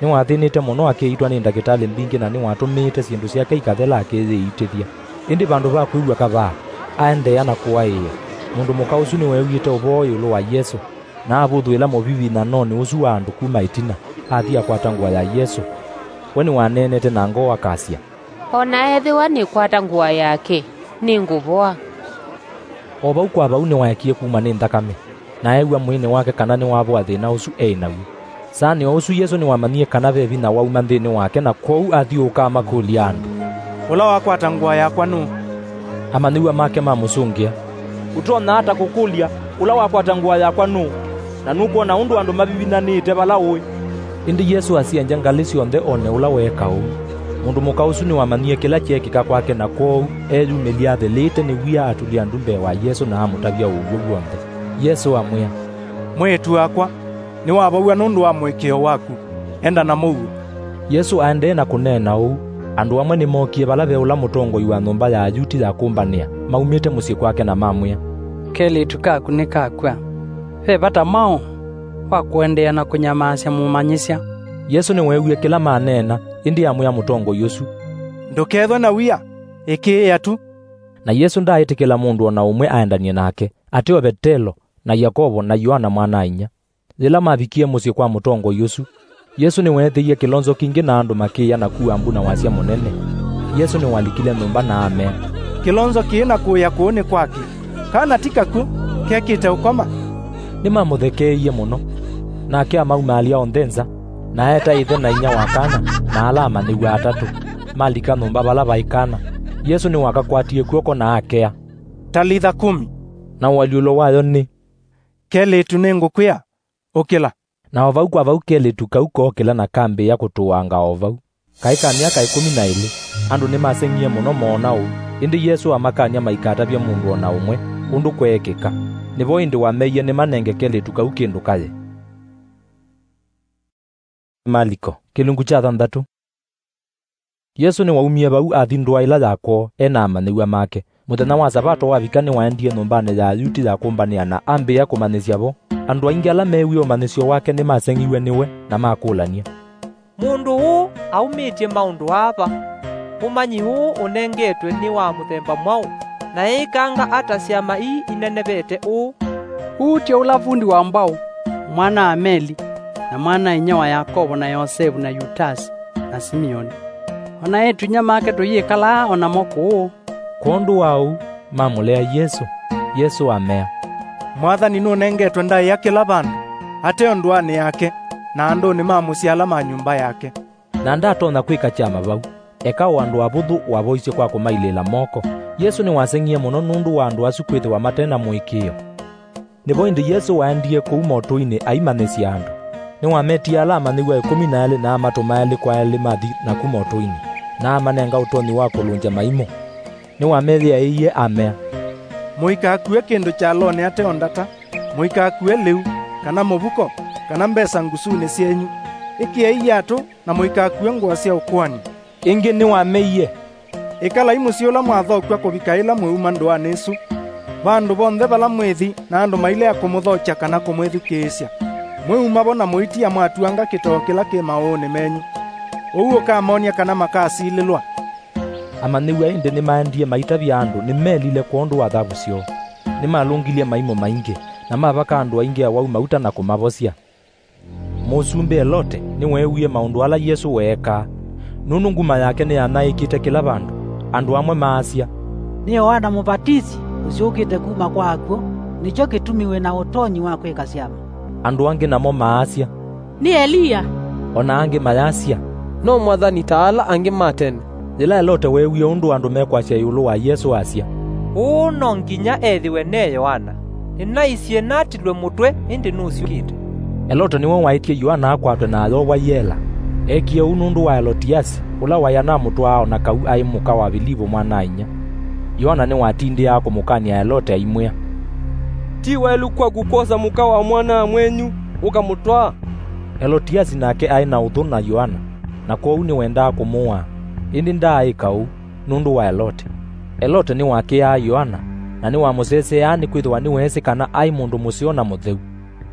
Nĩwathĩnĩte mũno akĩiitwa nĩ ndakĩtalĩ mbingĩ na nĩwatũmĩĩte syĩndũ syake ikathela akĩyĩitĩthya. Ĩndĩ vandũ va kwĩw'a kavaa, aendeea na kũaĩĩa. Mũndũ mũka ũsu nĩweew'ĩte ũvoo ĩũlũ wa Yesũ, na avũthũĩla mũvivithanonĩ ũsu wa andũ kuma ĩtina, athi akwata ngũa ya Yesũ. We nĩwaneenete na ngoo akasya, "O na ethĩwa nĩkwata ngũa yake, nĩngũvoa." O vau kwa vau nĩwaekie kumwa nĩ nthakame, na eew'a mwĩĩnĩ wake kana nĩwavoa thĩna ũsu eĩ naw'o. Saanĩ o ũsu Yesũ nĩwamanyie kana ve vinya wauma nthĩnĩ wake, na kwoou athyũũka amakũlya andũ, "Ũla wakwata ngũa yakwa nũũ?" Amanyĩw'a make mamũsũngĩa, "Ũtonya ata kũkũlya, 'Ũla wakwata ngũa yakwa nũũ?' Na nũkwona ũndũ andũ mavivithanĩte vala ũĩ?" Ĩndĩ Yesũ asyenja ngalĩ syonthe one ũla weeka ũu. Mũndũ mũka ũsu nĩwamanyie kĩla kyeekĩka kwake, na kwoou eeyumĩlya athĩlĩte nĩ wia atulya ndu mbee wa Yesũ na amũtavya ũw'o w'onthe. Yesũ amwĩa, "Mwĩĩtu wakwa, nĩwavow'a nũndũ wa mũĩkĩĩo waku. Enda na mũuo." Yesũ aendee na kũneena ũu, andũ amwe nĩmookie vala ve ũla mũtongoi wa nyũmba ya Ayuti ya kũmbanĩa maumĩte mũsyĩ kwake na mamwĩa, "Kelĩtu kaku nĩkakw'a. Ve vata mwaũ wa kũendeea na kũnyamaasya Mũmanyĩsya?" Yesũ nĩweewie kĩla maneena, ĩndĩ amwĩa mũtongoi ũsu, "Ndũkethwe na wia, ĩkĩĩa tu." Na Yesũ ndaaĩtĩkĩla mũndũ o na ũmwe aendany'e nake, ateo Vetelo, na Yakovo, na Yoana mwana-a-inyia. Yĩla mavikie mũsyĩ kwa mũtongoi ũsu, Yesũ nĩweethĩie kĩlonzo kingĩ na andũ makĩĩa na kua mbu na wasya mũnene. Yesũ nĩwalikile nyũmba na amea, "Kĩlonzo kĩĩ na kũĩa kũũ nĩ kwakĩ? Kana ti kakw'ũ, kekĩte ũkoma?" Nĩmamũthekeeie mũno. Nake amaumaalya onthe nza, na eeta ĩthe na inyia wa kana na ala amanyĩw'a atatũ, malika nyũmba vala vaĩ kana. Yesũ nĩwakakwatie kw'oko na akea, "Talitha kumi," na ũalyũlo wayo nĩ, "Kelĩtu, nĩngũkwĩa, ũkĩla." Na o vau kwa vau kelĩtu kau kookĩla na kambĩĩa kũtũanga o vau. Kaĩ ka myaka ĩkũmi na ĩlĩ. Andũ nĩmaseng'ie mũno moona ũu, ĩndĩ Yesũ amakany'a maikatavye mũndũ o na ũmwe ũndũ kweekĩka. Nĩvo ĩndĩ wameie nĩmanenge kelĩtu kau kĩndũ kaye. Maliko, kĩlungu kya thanthatũ. Yesũ nĩwaumie vau athi ndũa ĩla ya kwoo e na amanyĩw'a make. Mũthenya wa Savato wavika, nĩwaendie nyũmbanĩ ya Ayuti ya kũmbanĩa na ambĩĩa kũmanyĩsya vo. Andũ aingĩ ala meewie ũmanyĩsyo wake nĩmaseng'iw'e nĩwe na makũlany'a, "Mũndũ ũũ aumĩtye maũndũ aa va? Ũmanyi ũũ ũnengetwe nĩ wa mũthemba mwaũ, na eĩkanga ata syama ii inenevete ũũ? Ũũ ti ũla vundi wa mbwaũ, mwana-a-Meli, na mwana-a-inyia wa Yakovo na Yosevu na Yutasi na Simioni? O na eĩtu-inyia make tũyĩkalaa o namo kũũ?" Kwondũ wa ũu, mamũlea Yesũ. Yesũ amea, "Mwathani nũnengetwe ndaĩa kĩla vandũ, ateo ndũanĩ yake, na andũnĩ ma mũsyĩ ala ma nyũmba yake. Na ndatonya kwĩka kyama vau, eka o andũ avũthũ wavoisye kwa kũmailĩĩla moko." Yesũ nĩwaseng'ie mũno nũndũ wa andũ asu kwĩthĩwa mate na mũĩkĩĩo. Nĩvo ĩndĩ Yesũ waendie kũu motũinĩ aimanyĩsya andũ. Nĩwametie ala amanyĩw'a ĩkũmi na elĩ na amatũma elĩ kwa elĩ mathi naku motũinĩ, na amanenga ũtonyi wa kũlũngya maimũ. Nĩwameyĩaĩie amea, "Mũikakue kĩndũ kyalonĩ ateo ndata, mũikakue lĩu, kana mũvuko, kana mbesa ngusunĩ syenyu. Ĩkĩai iatũ na mũikakue ngũa sya ũkũani." Ĩngĩ nĩwameie, "Ĩkalai mũsyĩ ũla mwathokw'a kũvika ĩla mwĩuma ndũanĩ ĩsu. Vandũ vonthe vala mwĩthi na andũ mailea kũmũthokya kana kũmwĩthukĩĩsya, mwĩuma vo na mũitia mwatuanga kĩtoo kĩla kĩ maũũnĩ menyu." ũu ũkamonia kana makasilĩlwa. Amanyĩw'a ĩndĩ nĩmaendie maitavya andũ nĩmelile kwondũ wa thavu syoo. Nĩmalũngilye maimũ maingĩ, na mavaka andũ aingĩ awau mauta na kũmavosya. Mũsumbĩ Elote nĩweewie maũndũ ala Yesũ weekaa, nũndũ nguma yake nĩyanyaĩĩkĩte kĩla vandũ. Andũ amwe maasya, "Nĩ Yoana Mũvatisi ũsyũkĩte kuma kwa akw'ũ, nĩkyo kĩtumi wĩ na ũtonyi wa kwĩka syama." Andũ angĩ namo maasya, "Nĩ Eliya." O na angĩ mayasya, "No mwathani ta ala angĩ ma tene." Yĩla Elote weewie ũndũ andũ mekwasya ĩũlũ wa Yesũ, asya, "Ũũ no nginya ethĩwe ne Yoana. Nĩnaisye natilwe mũtwe, ĩndĩ nũsyũkĩte." Elote nĩwe waĩtye Yoana akwatwe na ayovwa yela. Eekie ũu nũndũ wa Elotiasi, ũla waĩ anamũtwaa o na kau aĩ mũka wa Vilivu mwana-a-inyia. Yoana nĩwatindĩaa kũmũkany'a Elote aimwĩa, "Ti waĩlu kwaku kwosa mũka wa mwana-a-mwenyu ũkamũtwaa?" Elotiasi nake aĩ na ũthũ na Yoana, na kwoou nĩwendaa kũmũaa, ĩndĩ ndaaĩka ũu nũndũ wa Elote. Elote nĩwakĩaa Yoana, na nĩwamũseseaa nĩkwĩthĩwa nĩweesĩ kana aĩ mũndũ mũseo na mũtheu.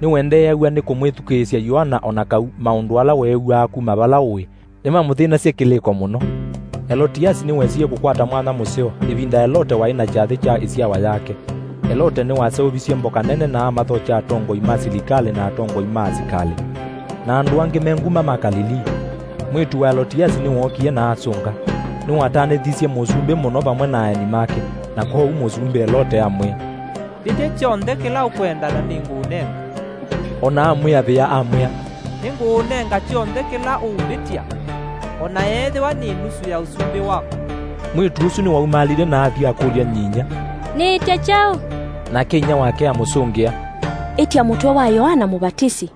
Nĩwendeeaw'a nĩ kũmwĩthukĩĩsya Yoana o na kau maũndũ ala weew'aa kuma vala ũĩ nĩmamũthĩnasya kĩlĩko mũno. Elotiasi nĩwesie kũkwata mwanya mũseo ĩvinda Elote waĩ na kyathĩ kya ĩsyawa yake. Elote nĩwaseũvisye mboka nene na amathokya atongoi ma silikalĩ na atongoi ma asikalĩ, na andũ angĩ me nguma ma Kalilii. Mwĩĩtu wa Elotiasi nĩwookie na asũnga. Nĩwatanĩthisye mũsumbĩ mũno vamwe na aeni make, na kwoou mũsumbĩ Elote amwĩa, "Mbĩtya kyonthe kĩla ũkwenda na nĩngũũnenga." O na amwĩavĩa amwĩa, "Nĩngũũnenga kyonthe kĩla ũũmbĩtya, o na yeethĩwa nĩ nusu ya ũsumbĩ waku." Mwĩĩtu ũsu nĩwaumaalile na athi akũlya nyinyia, "Nĩĩtye kyaũ?" Nake inyia wake amũsũngĩa, "Ĩtya mũtwe wa Yoana Mũvatisi."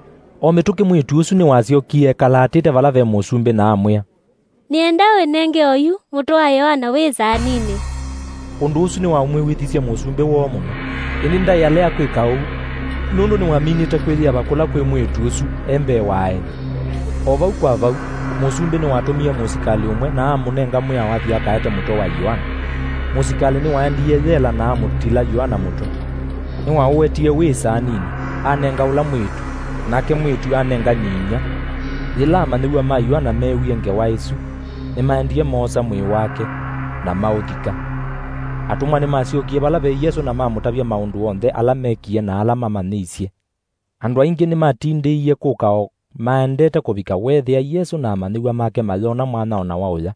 O mĩtũkĩ mwĩĩtu ũsu nĩwasyokie ekalaatĩte vala ve mũsumbĩ na amwĩa, "Nĩenda wĩnenge oyu mũtwe wa Yoana wĩ saaninĩ." Ũndũ ũsu nĩwamwĩw'ĩthisye mũsumbĩ woo mũno, ĩndĩ ndaĩ alea kwĩka ũu, nũndũ nĩwaminĩte kwĩyĩava kũla kwĩ mwĩĩtu ũsu e mbee wa aeni. O vau kwa vau, mũsumbĩ nĩwatũmie mũsikalĩ ũmwe na amũnenga mwĩao athi akaete mũtwe wa Yoana. Mũsikalĩ nĩwaendie yela na amũtila Yoana mũtwe. Nĩwaũetie wĩ saaninĩ, anenga ũla mwĩĩtu, nake mwĩĩtu anenga nyinyia. Yĩla amanyĩw'a ma Yoana meewie ngewa ĩsu, nĩmaendie moosa mwĩĩ wake, na maũthika. Atũmwa nĩmasyokie vala ve Yesũ na mamũtavya maũndũ onthe ala mekie na ala mamanyĩisye. Andũ aingĩ nĩmatindĩie kũka o maendete kũvika weethĩa Yesũ na amanyĩw'a make mayona mwanya o na wa ũya.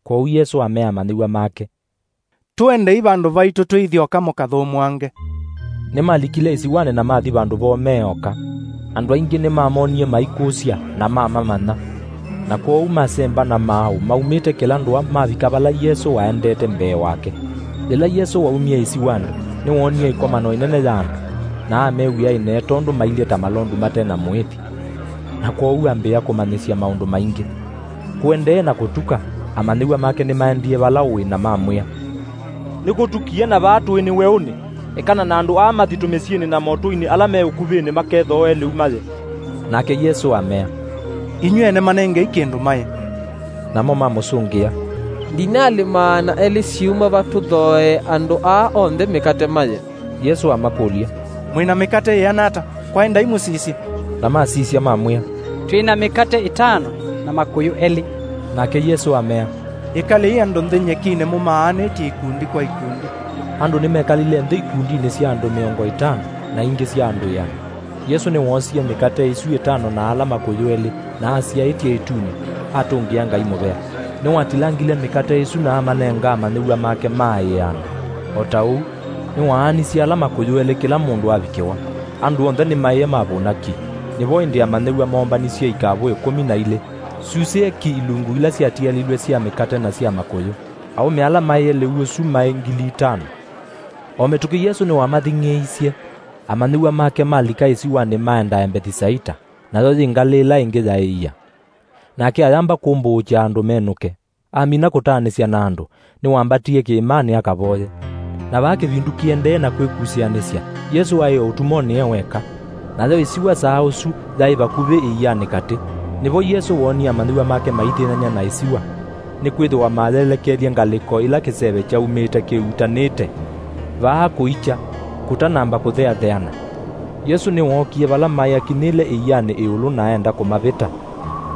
Kwoou Yesũ amea amanyĩw'a make, "Tũendei vandũ vaitũ tũithi oka mũkathũmũange." Nĩmalikile ĩsiwanĩ na mathi vandũ voo me oka. Andũ aingĩ nĩmamonie maikũsya na mamamanya. Na kwoou masemba na maaũ maumĩte kĩla ndũa mavika vala Yesũ waendete mbee wake. Yĩla Yesũ waumie ĩsiwanĩ, nĩwoonie ĩkomano ĩnene ya andũ, na amew'ĩa ĩnee tondũ mailye ta malondu mate na mũĩthi. Na kwoou ambĩĩa kũmanyĩsya maũndũ maingĩ. Kũendee na kũtuka, amanyĩw'a make nĩmaendie vala ũĩ na mamwĩa, "Nĩkũtukie na vaa tũĩ nĩ weũnĩ. Ekana na andũ aa mathi tũmĩsyĩnĩ na motũinĩ ala me ũkuvĩnĩ makethooe lĩu maye." Nake Yesũ amea, "Inyw'ĩ ene manengei kĩndũ maye." Namo mamũsũngĩa, "Ndinalĩ maana elĩ syiuma va tũthooee andũ aa onthe mĩkate maye." Yesũ amakũlya, "Mwĩ na mĩkate yĩana ata? Kwaĩ ndaimũsisye." Na masisya mamwĩa, "Twĩ na mĩkate ĩtano na makũyũ elĩ." Nake Yesũ amea, "Ĩkalei andũ nthĩ nyekinĩ mũmaanĩtye ikundi kwa ikundi." Andũ nĩmekalile nthĩ ikundinĩ sya andũ mĩongo ĩtano na ingĩ sya andũ ĩana. Yesũ nĩwoosie mĩkate ĩsu ĩtano na ala makũyũ elĩ, na asyaĩtye ĩtunĩ, atũngĩa Ngai mũvea. Nĩwatilangile mĩkate ĩsu na amanenga amanyĩw'a make maaĩe andũ. O ta ũu, nĩwaanisye ala makũyũ elĩ kĩla mũndũ avikĩwa. Andũ onthe nĩmaĩe mavũna ki. Nĩvo ĩndĩ amanyĩw'a moombanisye ikavũ ĩkũmi na ilĩ, syusĩe ki ilungu ila syatialilw'e sya mĩkate na sya makũyũ. Aũme ala maĩe lĩu ũsu maĩ ngili itano. O mĩtũkĩ Yesũ nĩwamathing'ĩĩisye. Amanyĩw'a make malika ĩsiwanĩ maendae Mbethisaita, nayo yĩ ngalĩ ĩla ĩngĩ yaĩ ia. Nake ayamba kũmbũũkya andũ menũke. Amina kũtaanĩsya na andũ, nĩwambatie kĩĩmanĩ akavoye. Na vaa kĩvindu kĩendee na kwĩkusĩanĩsya, Yesũ aĩ o ũtumonĩ e weka. Nayo ĩsiwa saa ũsu yaĩ vakuvĩ ĩianĩ katĩ. Nĩvo Yesũ woonie amanyĩw'a make maithĩnany'a na ĩsiwa, nĩkwĩthĩwa mayelekelye ngalĩko ĩla kĩseve kyaumĩte kĩutanĩte. Vaa kũikya, kũtanamba kũtheatheana. Yesũ nĩwookie vala maĩ akinyĩle ĩianĩ ĩũlũ na aenda kũmavĩta.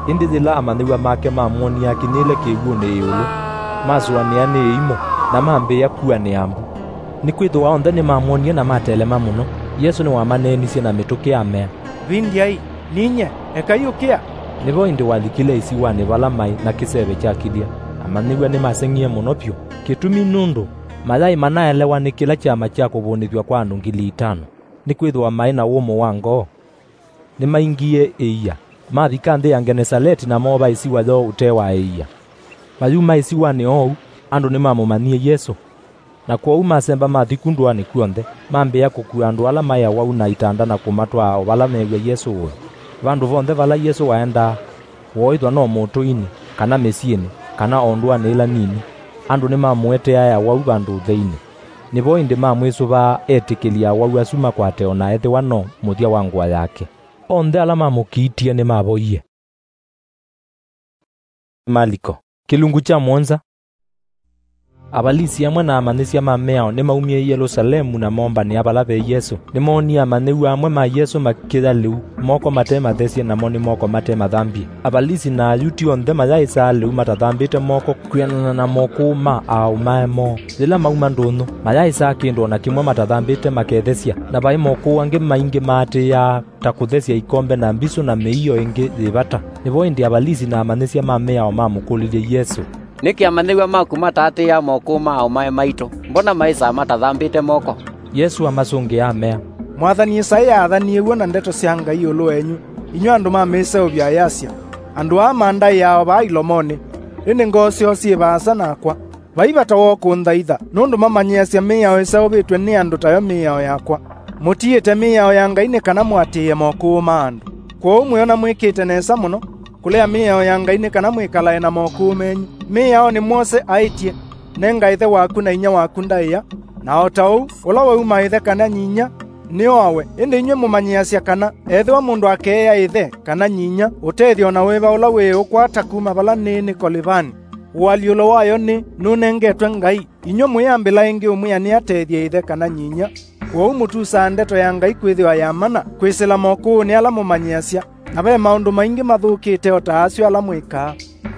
Ĩndĩ yĩla amanyĩw'a make mamwonie akinyĩle kĩw'ũnĩ ĩũlũ, masũanĩa nĩ ĩimũ, na mambĩĩa kuanĩa mbu. Nĩkwĩthĩwa onthe nĩmamwonie na matelema mũno. Yesũ nĩwamaneenisye na mĩtũkĩ amea, "Vindyai, ninyie, ekai ũkĩa." Nĩvo ĩndĩ walikile ĩsiwanĩ vala maĩ na kĩseve kya kĩthya. Amanyĩw'a nĩmaseng'ie mũno vyũ. Kĩtumi nũndũ mayaĩ manaelewa nĩ kĩla kyama kya kũvũnĩthw'a kwa andũ ngili itano, nĩkwĩthĩwa maĩ na wũmũ wa ngoo. Nĩmaingie ĩia, mavika nthĩ ya Ngenesaleti na moova ĩsiwa yoo ũtee wa ĩia. Mayuma ĩsiwanĩ oou, andũ nĩmamũmanyie Yesũ. Na kwoou masemba mathi ku ndũanĩ kw'onthe, mambĩĩa kũkua andũ ala maĩ awau na itanda na kũmatwaa o vala meew'a Yesũ ũĩ. Vandũ vonthe vala Yesũ waendaa, wooĩthwa no mũtũinĩ, kana mĩsyĩnĩ, kana o ndũanĩ ĩla nini, andũ nĩmamũeteae awau vandũ ũtheinĩ. Nĩvo ĩndĩ mamwĩsũvaa etĩkĩlye awau asu makwate o na ethĩwa no mũthya wa ngũa yake. Onthe ala mamũkiitie nĩmavoie. Maliko. Kĩlungu kya mũonza. Avalisi amwe na amanyĩsya ma mĩao nĩmaumie Yelũsalemu na moombanĩa vala ve Yesũ. Nĩmoonie amanyĩw'a amwe ma Yesũ makĩya lĩu, moko mate mathesye, namo nĩ moko mate mathambie. Avalisi na Ayuti onthe mayaĩsaa lĩu matathambĩte moko kwĩanana na mokũũ ma aaũmae moo. Yĩla mauma ndũnyũ, mayaĩsaa kĩndũ o na kĩmwe matathambĩte makethesya, na vaĩ mokũũ angĩ maingĩ maatĩĩaa ta kũthesya ikombe na mbisũ na mĩio ĩngĩ yĩ vata. Nĩvo ĩndĩ Avalisi na amanyĩsya ma mĩao mamũkũlilye Yesũ, "Nĩkĩ amanyĩw'a maku mataatĩĩa mokũũ ma aũmae maitũ? Mbona maĩsaa matathambĩte moko?" Yesũ amasũngĩa amea, "Mwathani Ĩsaĩa aathanie w'o na ndeto sya Ngai ĩũlũ wenyu, inyw'ĩ andũ ma mĩseũvyo ayasya, 'Andũ aa mandaĩaa o vaa ilomonĩ, ĩndĩ ngoo syoo syĩ vaasa nakwa. Vai vata woo kũnthaitha, nũndũ mamanyĩasya mĩao ĩseũvĩtw'e nĩ andũ tayo mĩao yakwa. Mũtiĩte mĩao ya Ngai nĩ kana mũatĩĩe mokũũ ma andũ. Kwoou mwĩona mwĩkĩte nesa mũno kũlea mĩao ya Ngai nĩ kana mwĩkalae na mokũũ menyu. Mĩaonĩ mwose aĩtye, 'Nenga ĩthe waku na inyia waku ndaĩa,' na o ta ũu, ũla wauma ĩthe kana nyinyia nĩoawe. Ĩndĩ inyw'ĩ mũmanyĩasya kana ethĩwa mũndũ akeea ĩthe kana nyinyia, ũtethyo o na wĩva ũla wĩũkwata kuma vala nĩĩ nĩ Kolivani, ũalyũlo wayo nĩ nũnengetwe Ngai. Inyw'ĩ mũyambĩla ĩngĩ ũmwĩa nĩatethye ĩthe kana nyinyia. Kwoou mũtusaa ndeto ya Ngai kwĩthĩwa ya mana kwĩsĩla mokũũnĩ ala mũmanyĩasya, na ve maũndũ maingĩ mathũkĩte o ta asu ala mwĩkaa."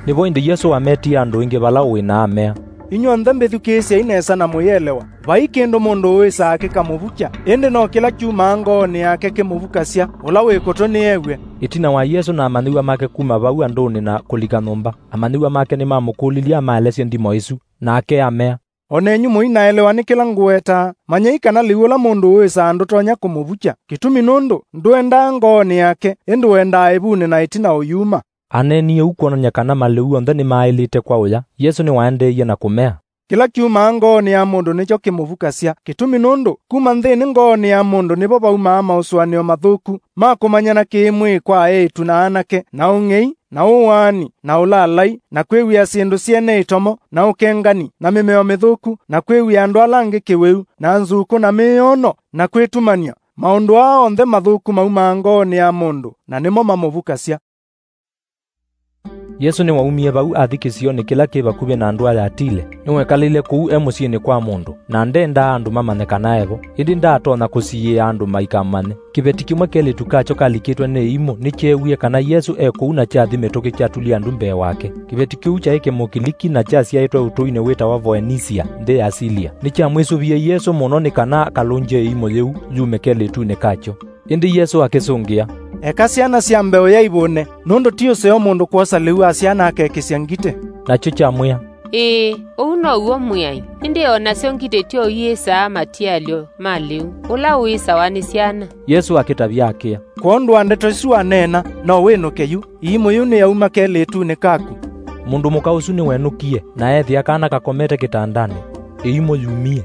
Nĩvo ĩndĩ Yesũ wametie andũ aingĩ vala ũĩ na amea, "Inyw'onthe mbĩthukĩĩsyei nesa na mũyĩelewa. Vai kĩndũ mũndũ ũĩsaa kĩkamũvukya, ĩndĩ no kĩla kyumaa ngoonĩ yake kĩmũvukasya. Ũla wĩ kũtũ nĩew'e." Ĩtina wa Yesũ na amanyĩw'a make kuma vau andũnĩ na kũlika nyũmba, amanyĩw'a make nĩmamũkũlilye amaelesye nthimo ĩsu, nake amea, "O nenyu mũinaelewa nĩ kĩla ngũwetaa. Manyai kana lĩu ũla mũndũ ũĩsaa ndũtonya kũmũvukya, kĩtumi nũndũ ndũendaa ngoonĩ yake, ĩndĩ wendaa ĩvunĩ na ĩtina ũyuma." Aneenie ũu kwonany'a kana malĩu onthe nĩmaaĩlĩte kwa ũya. Yesũ nĩwaendeeie na kũmea, "Kĩla kyumaa ngoonĩ ya mũndũ nĩkyo kĩmũvukasya, kĩtumi nũndũ kuma nthĩnĩ ngoonĩ ya mũndũ nĩvo vaumaa maũsũanĩo mathũku ma kũmanyana kĩ-mwĩĩ kwa eĩtu na anake, na ũng'ei, na ũwaani, na ũlaalai, na kwĩw'ĩa syĩndũ syene ĩtomo, na ũkengani, na mĩmeo mĩthũku, na kwĩw'ĩa andũ ala angĩ kĩwĩu, na nzukũ, na mĩyoono, na kwĩtumany'a. Maũndũ aa onthe mathũku maumaa ngoonĩ ya mũndũ, na nĩmo mamũvukasya." Yesũ nĩwaumie vau athi kĩsionĩ kĩla kĩ vakuvĩ na ndũa ya Tile. Nĩwekalile kũu e mũsyĩnĩ kwa mũndũ, na ndendaa andũ mamanye kana e vo. Ĩndĩ ndaatonya kũsiĩĩa andũ maikamanye. Kĩveti kĩmwe kelĩtu kakyo kalikĩtwe nĩ ĩimũ nĩkyeewie kana Yesũ e kũu na kyathi mĩtũkĩ kyatulie ndu mbee wake. Kĩveti kĩu kyaĩ Kĩmũkiliki na kyasyaĩtwe ũtũinĩ wĩtawa Voenisia, nthĩ ya Silia. Nĩkyamwĩsũvie Yesũ mũno nĩ kana akalũngye ĩimũ yĩu yume kelĩtunĩ kakyo. Ĩndĩ Yesũ akĩsũngĩa, "Eka syana sya mbeũ ya ivũne, nũndũ ti ũseo mũndũ kwosa lĩu wa syana akekĩsya ngitĩ." Nakyo kyamwĩa, "Ĩĩ, ũu now'o Mwĩai, ĩndĩ o nasyo ngitĩ tyo iĩsaa matialyo ma lĩu, ũla ũĩsawa nĩ syana." Yesũ akĩtavya akĩa, "Kwondũ wa ndeto isu waneena, no wĩnũke yu. Ĩimũ yĩu nĩyauma kelĩtunĩ kaku." Mũndũ mũka ũsu nĩwenũkie, na eethĩa kana kakomete kĩtandanĩ, ĩimũ yumie.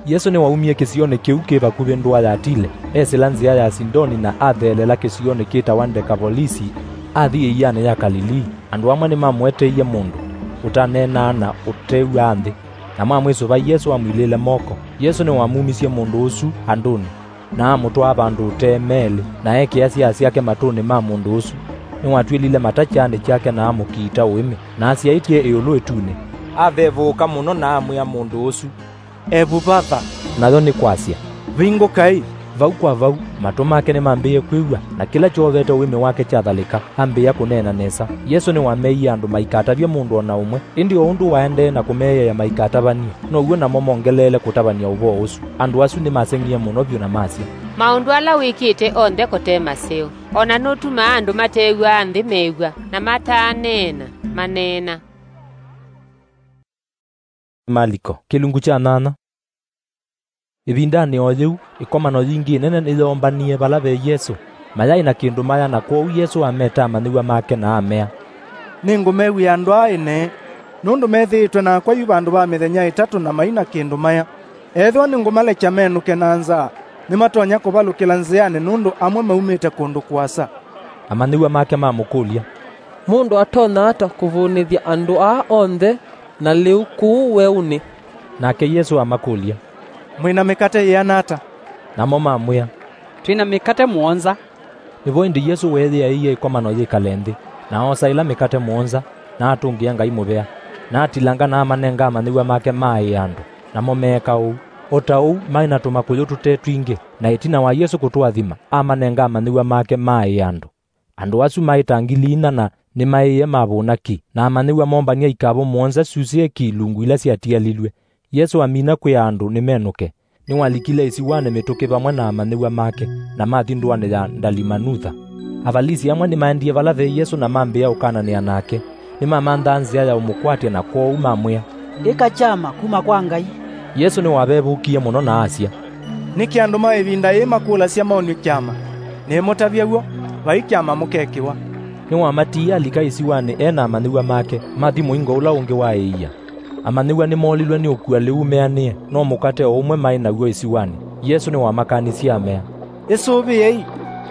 Yesũ nĩwaumie kĩsionĩ kĩu kĩ vakuvĩ ndũa ya Tile, esĩla nzĩa ya Sidoni na atheelela kĩsionĩ kĩtawa Ndekavolisi, athi ĩianĩ ya Kalilii. Andũ amwe nĩmamũeteie mũndũ ũtaneenaa na ũtew'aa nthĩ, na mamwĩsũva Yesũ amwilĩĩle moko. Yesũ nĩwamumisye mũndũ ũsu andũnĩ, na amũtwaa vandũ ũtee meelĩ, na ekĩa siaa syake matũnĩ ma mũndũ ũsu. Nĩwatw'ĩlile mata kyaanĩ kyake na amũkiita ũĩmĩ, na asyaĩtye ĩũlũ ĩtunĩ, avevũũka mũno na amwĩa mũndũ ũsu, "Evuvatha," nayo nĩ kwasya, "Vingũkai." Vau kwa vau, matũ make nĩmambĩĩe kwĩw'a, na kĩla kyoovete ũĩmĩ wake kyathalĩka, ambĩĩa kũneena nesa. Yesũ nĩwameeie andũ maikatavye mũndũ o na ũmwe, ĩndĩ o ũndũ waendee na kũmeeĩa maikatavany'e, now'o namo mongeleele kũtavany'a ũvoo ũsu. Andũ asu nĩmaseng'ie mũno vyũ na masya, "Maũndũ ala wĩkĩte onthe kote maseo, o na nũtumaa andũ matew'aa nthĩ mew'a, na mataaneena maneena." Maliko, kĩlungu kya nyanya. Ĩvindanĩ o yĩu, ĩkomano yingĩ ĩnene nĩyoombanie vala ve Yesũ. Mayaĩ na kĩndũ maya, na kwoou Yesũ ameta amanyĩw'a make na amea, "Nĩngũmew'ĩa andũ aa ene, nũndũ methĩĩtwe nakwa yu vandũ va mĩthenya ĩtatũ na mai na kĩndũ maya. Ethĩwa nĩngũmalekya menũke na nzaa, nĩmatonya kũvalũkĩla nzĩanĩ, nũndũ amwe maumĩte kũndũ kũasa." Amanyĩw'a make mamũkũlya, "Mũndũ atonya ata kũvũnĩthya andũ aa onthe na lĩu kũu weũnĩ?" Nake Yesũ amakũlya, "Mwĩ na mĩkate yĩana ata?" Namo mamwĩa, "Twĩ na mĩkate mũonza." Nĩvo ĩndĩ Yesũ weeyĩaĩie ĩkomano yĩkale nthĩ, na oosa ĩla mĩkate mũonza, na atũngĩa Ngai mũvea, na atilanga na amanenga amanyĩw'a make maaĩe andũ, namo meeka ũu. O ta ũu, maĩ na tũmakũyũ tũte twingĩ, na ĩtina wa Yesũ kũtũathima, amanenga amanyĩw'a make maaĩe andũ. Andũ asu maĩ ta ngili inya, na nĩmaĩĩe mavũna ki, na amanyĩw'a moombany'a ikavũ mũonza syusĩe ki ilungu ila syatialilw'e. Yesũ amina kwĩa andũ nĩmenũke, nĩwalikile ĩsiwanĩ mĩtũkĩ vamwe na amanyĩw'a make, na mathi ndũanĩ ya Ndalimanutha. Avalisi amwe nĩmaendie vala ve Yesũ na mambĩĩa ũkananĩa nake. Nĩmamanthaa nzĩa ya ũmũkwatya, na kwoou mamwĩa, "Ĩka kyama kuma kwa Ngai." Yesũ nĩwavevũkie mũno na asya, "Nĩkĩ andũ ma ĩvinda yĩĩ makũlasya maonw'e kyama? Nĩmũtavya w'o, vai kyama mũkekĩwa." Nĩwamatiie alika ĩsiwanĩ e na amanyĩw'a make, mathi mũingo ũla ũngĩ wa ĩia. Amanyĩw'a nĩmoolilwe nĩ ũkua lĩu meanĩe, no mũkate o ũmwe maĩ naw'o ĩsiwanĩ. Yesũ nĩwamakanisye amea, "Ĩsũvĩei,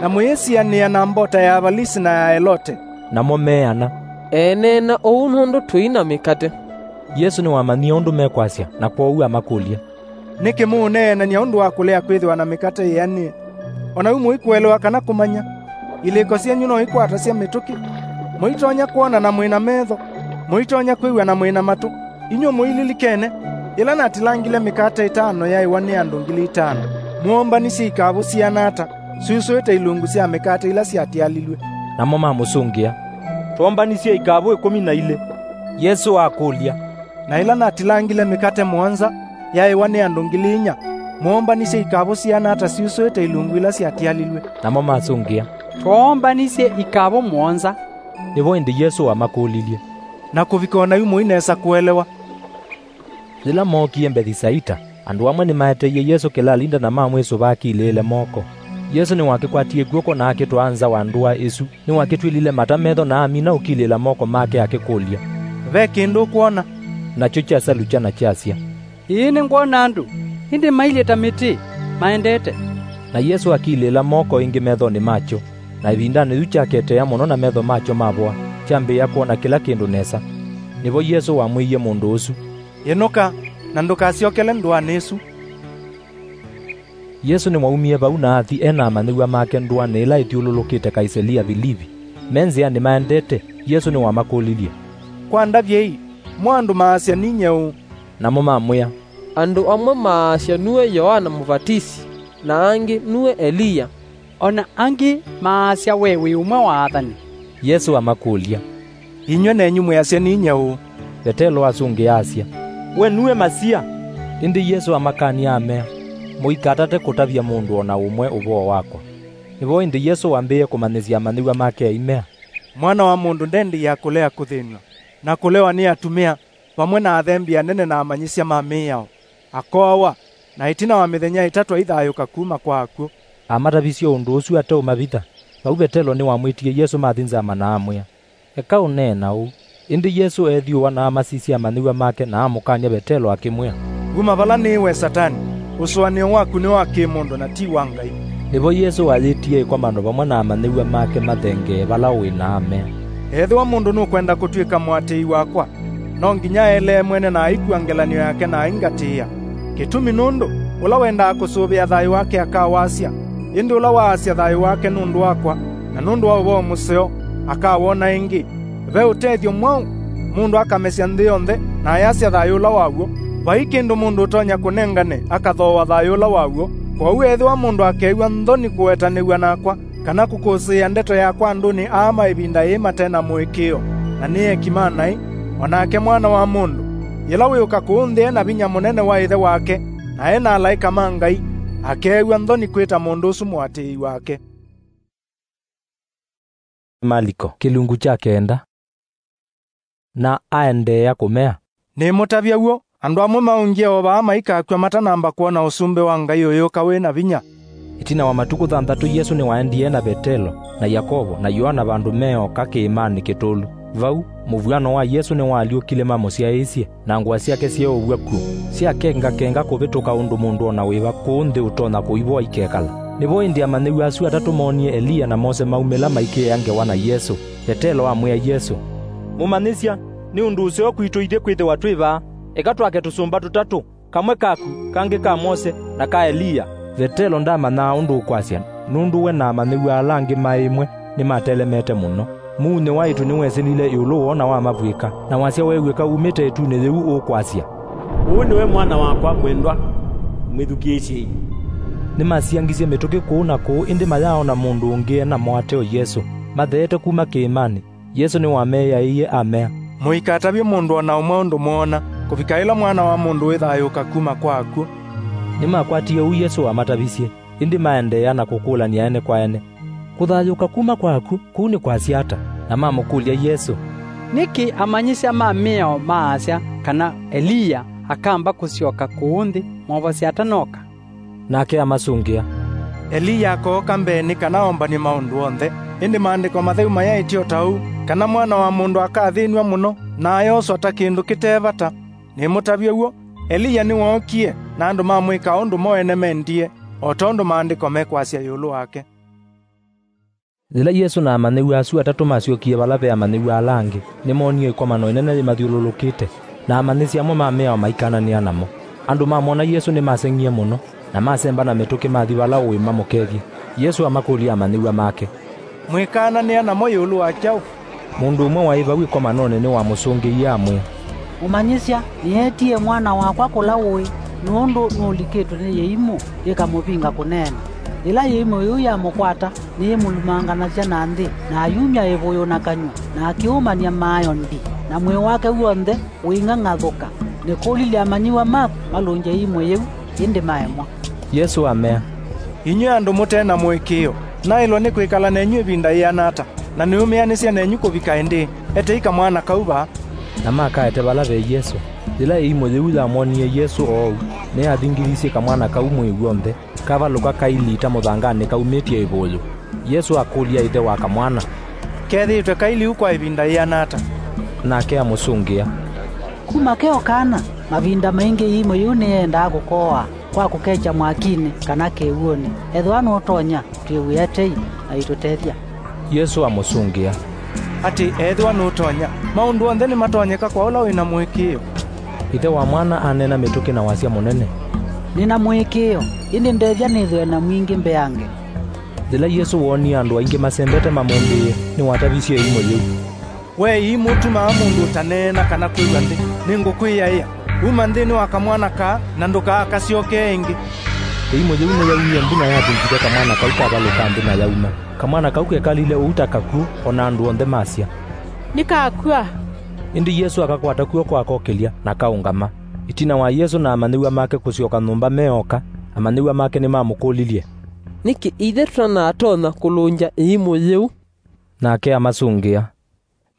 na mũyĩsianĩa na mbota ya Avalisi na ya Elote." Namo meana, "Eeneena ũu nũndũ tũi na mĩkate." Yesũ nĩwamanyie ũndũ mekwasya, na kwoou amakũlya, "Nĩkĩ mũũneenany'a ũndũ wa kũlea kwĩthĩwa na mĩkate yĩanĩe? O na yu mũikũelewa kana kũmanya? Ilĩko syenyu no ikwatasya mĩtũkĩ? Mũitonya kwona na mwĩ na metho? Mũitonya kwĩw'a na mwĩ na matũ? Inyw'ĩ mũililikene, yĩla natilangile mĩkate ĩtano yaĩwa nĩ andũ ngili itano, mwoombanisye ikavũ siana ata, syusũĩte ilungu sya mĩkate ila syatialilw'e?" Namo mamũsũngĩa, "Twoombanisye ikavũ ĩkũmi na ilĩ." Yesũ akũlya, "Na ĩla natilangile mĩkate mũonza yaĩwa nĩ andũ ngili inya, mwoombanisye ikavũ siana ata syusũĩte ilungu ila syatialilw'e?" Namo masũngĩa, "Twoombanisye ikavũ mũonza." Nĩvo ĩndĩ Yesũ wamakũlilye, "Na kũvika o na yu mũi nesa kũelewa?" Yĩla mookie Mbethisaita, andũ amwe nĩmaeteie Yesũ kĩlalinda na mamwĩsũva akilĩĩle moko. Yesũ nĩwakĩkwatie kw'oko na akĩtwaa nza wa ndũa ĩsu. Nĩwakĩtw'ĩlile mata metho na amina ũkilĩĩla moko make akĩkũlya, "Ve kĩndũ ũkwona?" Nakyo kyasalukya na kyasya, "Ĩĩ, nĩngwona andũ, ĩndĩ mailyĩ ta mĩtĩ, maendete." Na Yesũ akilĩĩla moko ĩngĩ methonĩ makyo, na ĩvindanĩ yu kyaketea mũno na metho makyo mavoa, kyambĩĩa kwona kĩla kĩndũ nesa. Nĩvo Yesũ wamwĩie mũndũ ũsu, "Ĩnũka, na ndũkasyokele ndũanĩ ĩsu." Yesũ nĩwaumie vau na athi e na amanyĩw'a make ndũanĩ ĩla ĩthyũlũlũkĩte Kaisalia Vilivi. Me nzĩanĩ maendete, Yesũ nĩwamakũlilye, "Kwa ndavyei, mo andũ maasya ninyie ũũ?" Namo mamwĩa, "Andũ amwe maasya nue Yoana Mũvatisi, na angĩ nue Eliya, o na angĩ maasya we wĩ ũmwe wa athani." Yesũ amakũlya, "Inyw'ĩ nenyu mwĩasya ninyie ũũ?" Vetelo asũngĩa asya, "We nue Masia." Ĩndĩ Yesũ amakany'a amea, "Mũikatate kũtavya mũndũ o na ũmwe ũvoo wakwa." Nĩvo ĩndĩ Yesũ wambĩĩe kũmanyĩsya amanyĩw'a make aimea, "Mwana wa mũndũ ndendeea kũlea kũthĩnw'a, na kũlewa nĩ atumĩa, vamwe na athembi anene na amanyĩsya ma mĩao, akoawa, na ĩtina wa mĩthenya ĩtatũ aithayũũka kuma kwa akw'ũ." Amatavisye ũndũ ũsu ateũmavitha. Vau Vetelo nĩwamwĩtie Yesũ mathi nzama na amwĩa, "Eka ũneena ũu." Ĩndĩ Yesũ eethyũũa na amasisya amanyĩw'a make na amũkany'a Vetelo akĩmwĩa, "Uma vala nĩĩ we Satani! Ũsũanĩo waku nĩ wa kĩ-mũndũ na ti wa Ngai." Nĩvo Yesũ ayĩtie ĩkomano vamwe na amanyĩw'a make mathengee vala ũĩ na amea, "Ethĩwa mũndũ nũkwenda kũtw'ĩka mũatĩĩi wakwa, no nginya aelee mwene na aikw'a ngelany'o yake na aingatĩĩa. Kĩtumi nũndũ, ũla wendaa kũsũvĩa thayũ wake akawasya, ĩndĩ ũla waasya thayũ wake nũndũ wakwa na nũndũ wa ũvoo mũseo akawona ĩngĩ. Ve ũtethyo mwaũ mũndũ akamesya nthĩ yonthe na ayasya thayũ ũla waw'o? Vai kĩndũ mũndũ ũtonya kũnengane akathooa thayũ ũla waw'o. Kwoou ethĩwa mũndũ akeew'a nthoni kũwetanĩw'a nakwa, kana kũkũsĩĩa ndeto yakwa andũnĩ aa ma ĩvinda yĩĩ mate na mũĩkĩĩo, na nĩ eki ma naĩ, o nake Mwana wa Mũndũ, yĩla wĩũka kũũ nthĩ e na vinya mũnene wa Ĩthe wake, na e na alaĩka ma Ngai, akeew'a nthoni kwĩta mũndũ ũsu mũatĩĩi wake. Maliko, kĩlungu kya kenda. Na aendeea kũmea, "Nĩmũtavya w'o, andũ amwe maũngie o vaa maikakw'a matanamba kwona ũsumbĩ wa Ngai ũyũka wĩ na vinya." Ĩtina wa matukũ thanthatũ, Yesũ nĩwaendie na Vetelo, na Yakovo, na Yoana vandũ me oka kĩĩmanĩ kĩtũlu. Vau, mũvw'ano wa Yesũ nĩwaalyũkile mamũsyaĩĩsye, na ngũa syake syeeũw'a kw'o, syakengakenga kũvĩtũka ũndũ mũndũ o na wĩva kũũ nthĩ ũtonya kũivoa ikekala. Nĩvo ĩndĩ amanyĩw'a asu atatũ moonie Eliya na Mose maumĩla maikĩĩa ngewa na Yesũ. Vetelo amwĩa Yesũ, "Mũmanyĩsya, nĩ ũndũ ũseo kwitũ ithyĩ kwĩthĩwa twĩ vaa. Eka twake tũsũmba tũtatũ, kamwe kaku, kangĩ ka Mose, na ka Eliya." Vetelo ndaamanyaa ũndũ ũkwasya, nũndũ we na amanyĩw'a ala angĩ maĩ ĩmwe nĩmatelemete mũno. Muunyĩ wa ĩtu nĩwesĩlile ĩũlũ woo na wamavw'ĩka, na wasya weew'ĩka umĩte ĩtunĩ yĩu ũkwasya, "Ũũ nĩwe Mwana wakwa mwendwa, mwĩthukĩĩsyei." Nĩmasiangisye mĩtũkĩ kũũ na kũũ, ĩndĩ mayaaona mũndũ ũngĩ e namo ate o Yesũ. Matheete kuma kĩĩmanĩ, Yesũ nĩwameeaĩie amea, "Mũikatavye mũndũ o na ũmwe ũndũ mwoona, kũvika ĩla Mwana wa Mũndũ wĩthayũũka kuma kwa akw'ũ." Nĩmakwatie ũu Yesũ wamatavisye, ĩndĩ maendeea na kũkũlany'a ene kwa ene, "Kũthayũũka kuma kwa akw'ũ kũu nĩ kwasya ata?" Na mamũkũlya Yesũ, "Nĩkĩ amanyĩsya ma mĩao maasya kana Eliya akamba kũsyoka kũũ nthĩ movosya atanooka?" Nake amasũngĩa, "Eliya akooka mbee nĩ kana ombany'e maũndũ onthe, ĩndĩ Maandĩko Matheu mayaĩtye o ta ũu, kana Mwana wa Mũndũ akathĩnw'a mũno, na ayoswa ta kĩndũ kĩte vata. Nĩmũtavye w'o, Eliya nĩwookie, na andũ mamwĩka ũndũ mo ene mendie, o tondũ Maandĩko mekwasya ĩũlũ wake." Yĩla Yesũ na amanyĩw'a asu atatũ masyokie vala ve amanyĩw'a ala angĩ, nĩmoonie ĩkomano ĩnene yĩmathyũlũlũkĩte, na amanyĩsya amwe ma mĩao maikananĩa namo. Andũ mamwona Yesũ nĩmaseng'ie mũno, na masemba na mĩtũkĩ mathi vala ũĩ mamũkethye. Yesũ amakũlya amanyĩw'a make, "Mwĩkaananĩa namo ĩũlũ wa kyaũ?" Mũndũ ũmwe waĩ vau ĩkomanonĩ nĩwamũsũngĩie amwĩa, "Mũmanyĩsya, nĩeetie mwana wakwa kũla ũĩ, nũndũ nũlikĩtwe nĩ yĩimũ yĩkamũvinga kũneena. Yĩla yĩimũ yĩu yamũkwata, nĩyĩmũlumanganasya na nthĩ, na ayumya ĩvũyũ na kanyw'a, na akĩũmany'a maayo ndi, na mwĩĩ wake w'onthe ũing'ang'athũka. Nĩkũlilye amanyĩw'a maku malũngye yĩimũ yĩu, ĩndĩ maemwa." Yesũ amea, "Inyw'ĩ andũ mũte na mũĩkĩĩo, naĩlwe nĩ kwĩkala nenyu ĩvinda yĩana ata, na nĩũmĩanĩsya nenyu kũvika ĩndĩĩ? Etei kamwana kau vaa." Na makaete vala ve Yesũ. Yĩla ĩimũ yĩu yamwonie Yesũ oou, nĩyathingithisye kamwana kau mwĩĩ w'onthe, kavalũka kailita mũthanganĩ kaumĩtye ĩvũyũ. Yesũ akũlya ĩthe wa kamwana, "Kethĩĩtwe kailiu kwa ĩvinda yĩana ata?" Nake amũsũngĩa, "Kuma ke o kana, mavinda maingĩ ĩimũ yĩu nĩyendaa kũkooa kwa kũkekya mwakinĩ kana kĩw'ũnĩ. Ethĩwa nũtonya, twĩw'ĩe tei na ũitũtethya." Yesũ amũsũngĩa, "Atĩ ethĩwa nũtonya, maũndũ onthe nĩmatonyeka kwa ũla wĩ na mũĩkĩĩo." Ĩthe wa mwana aneena mĩtũkĩ na wasya mũnene, "Nĩ na mũĩkĩĩo, ĩndĩ ndethya nĩthĩwe na mwingĩ mbeange." Yĩla Yesũ woonie andũ aingĩ masembete mamũmbĩĩe, nĩwatavisye ĩimũ yĩu, "We ĩimũ ũtumaa mũndũ ũtaneena kana kwĩw'a nthĩ, nĩngũkwĩaĩa. Uma nthĩnĩ wa kamwana kaa, na ndũkaakasyokee ĩngĩ." Ĩimũ yĩu nĩyaumie nthĩ na yavingithya kamwana kau kavalũka nthĩ na yauma. Kamwana kau kekalile ũu ta kakw'ũ, o na andũ onthe masya, "Nĩkakw'a." Ĩndĩ Yesũ akakwata kw'oko akokĩlya, na kaũngama. Ĩtina wa Yesũ na amanyĩw'a make kũsyoka nyũmba me oka, amanyĩw'a make nĩmamũkũlilye, "Nĩkĩ ithyĩ tũtanatonya kũlũngya ĩimũ yĩu?" Nake amasũngĩa,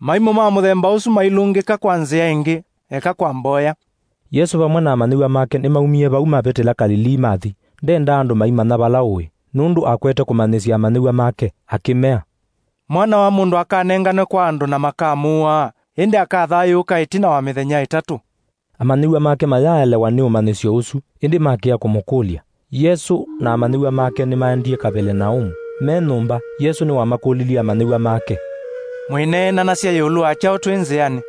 "Maimũ ma mũthemba ũsu mailũngĩka kwa nzĩa ĩngĩ, eka kwa mboya." Yesũ vamwe na amanyĩw'a make nĩmaumie vau mavĩtĩla Kalilii mathi. Ndendaa andũ maimanya vala ũĩ, nũndũ akwete kũmanyĩsya amanyĩw'a make, akĩmea, "Mwana wa Mũndũ akanenganwe kwa andũ na makamũaa, ĩndĩ akathayũũka ĩtina wa mĩthenya ĩtatũ." Amanyĩw'a make mayaaelewa nĩ ũmanyĩsyo ũsu, ĩndĩ makĩa kũmũkũlya. Yesũ na amanyĩw'a make nĩmaendie Kavelanaũmu. Me nyũmba, Yesũ nĩwamakũlilye amanyĩw'a make, "Mwĩneenanasya ĩũlũ wa kyaũ twĩ nzĩanĩ?"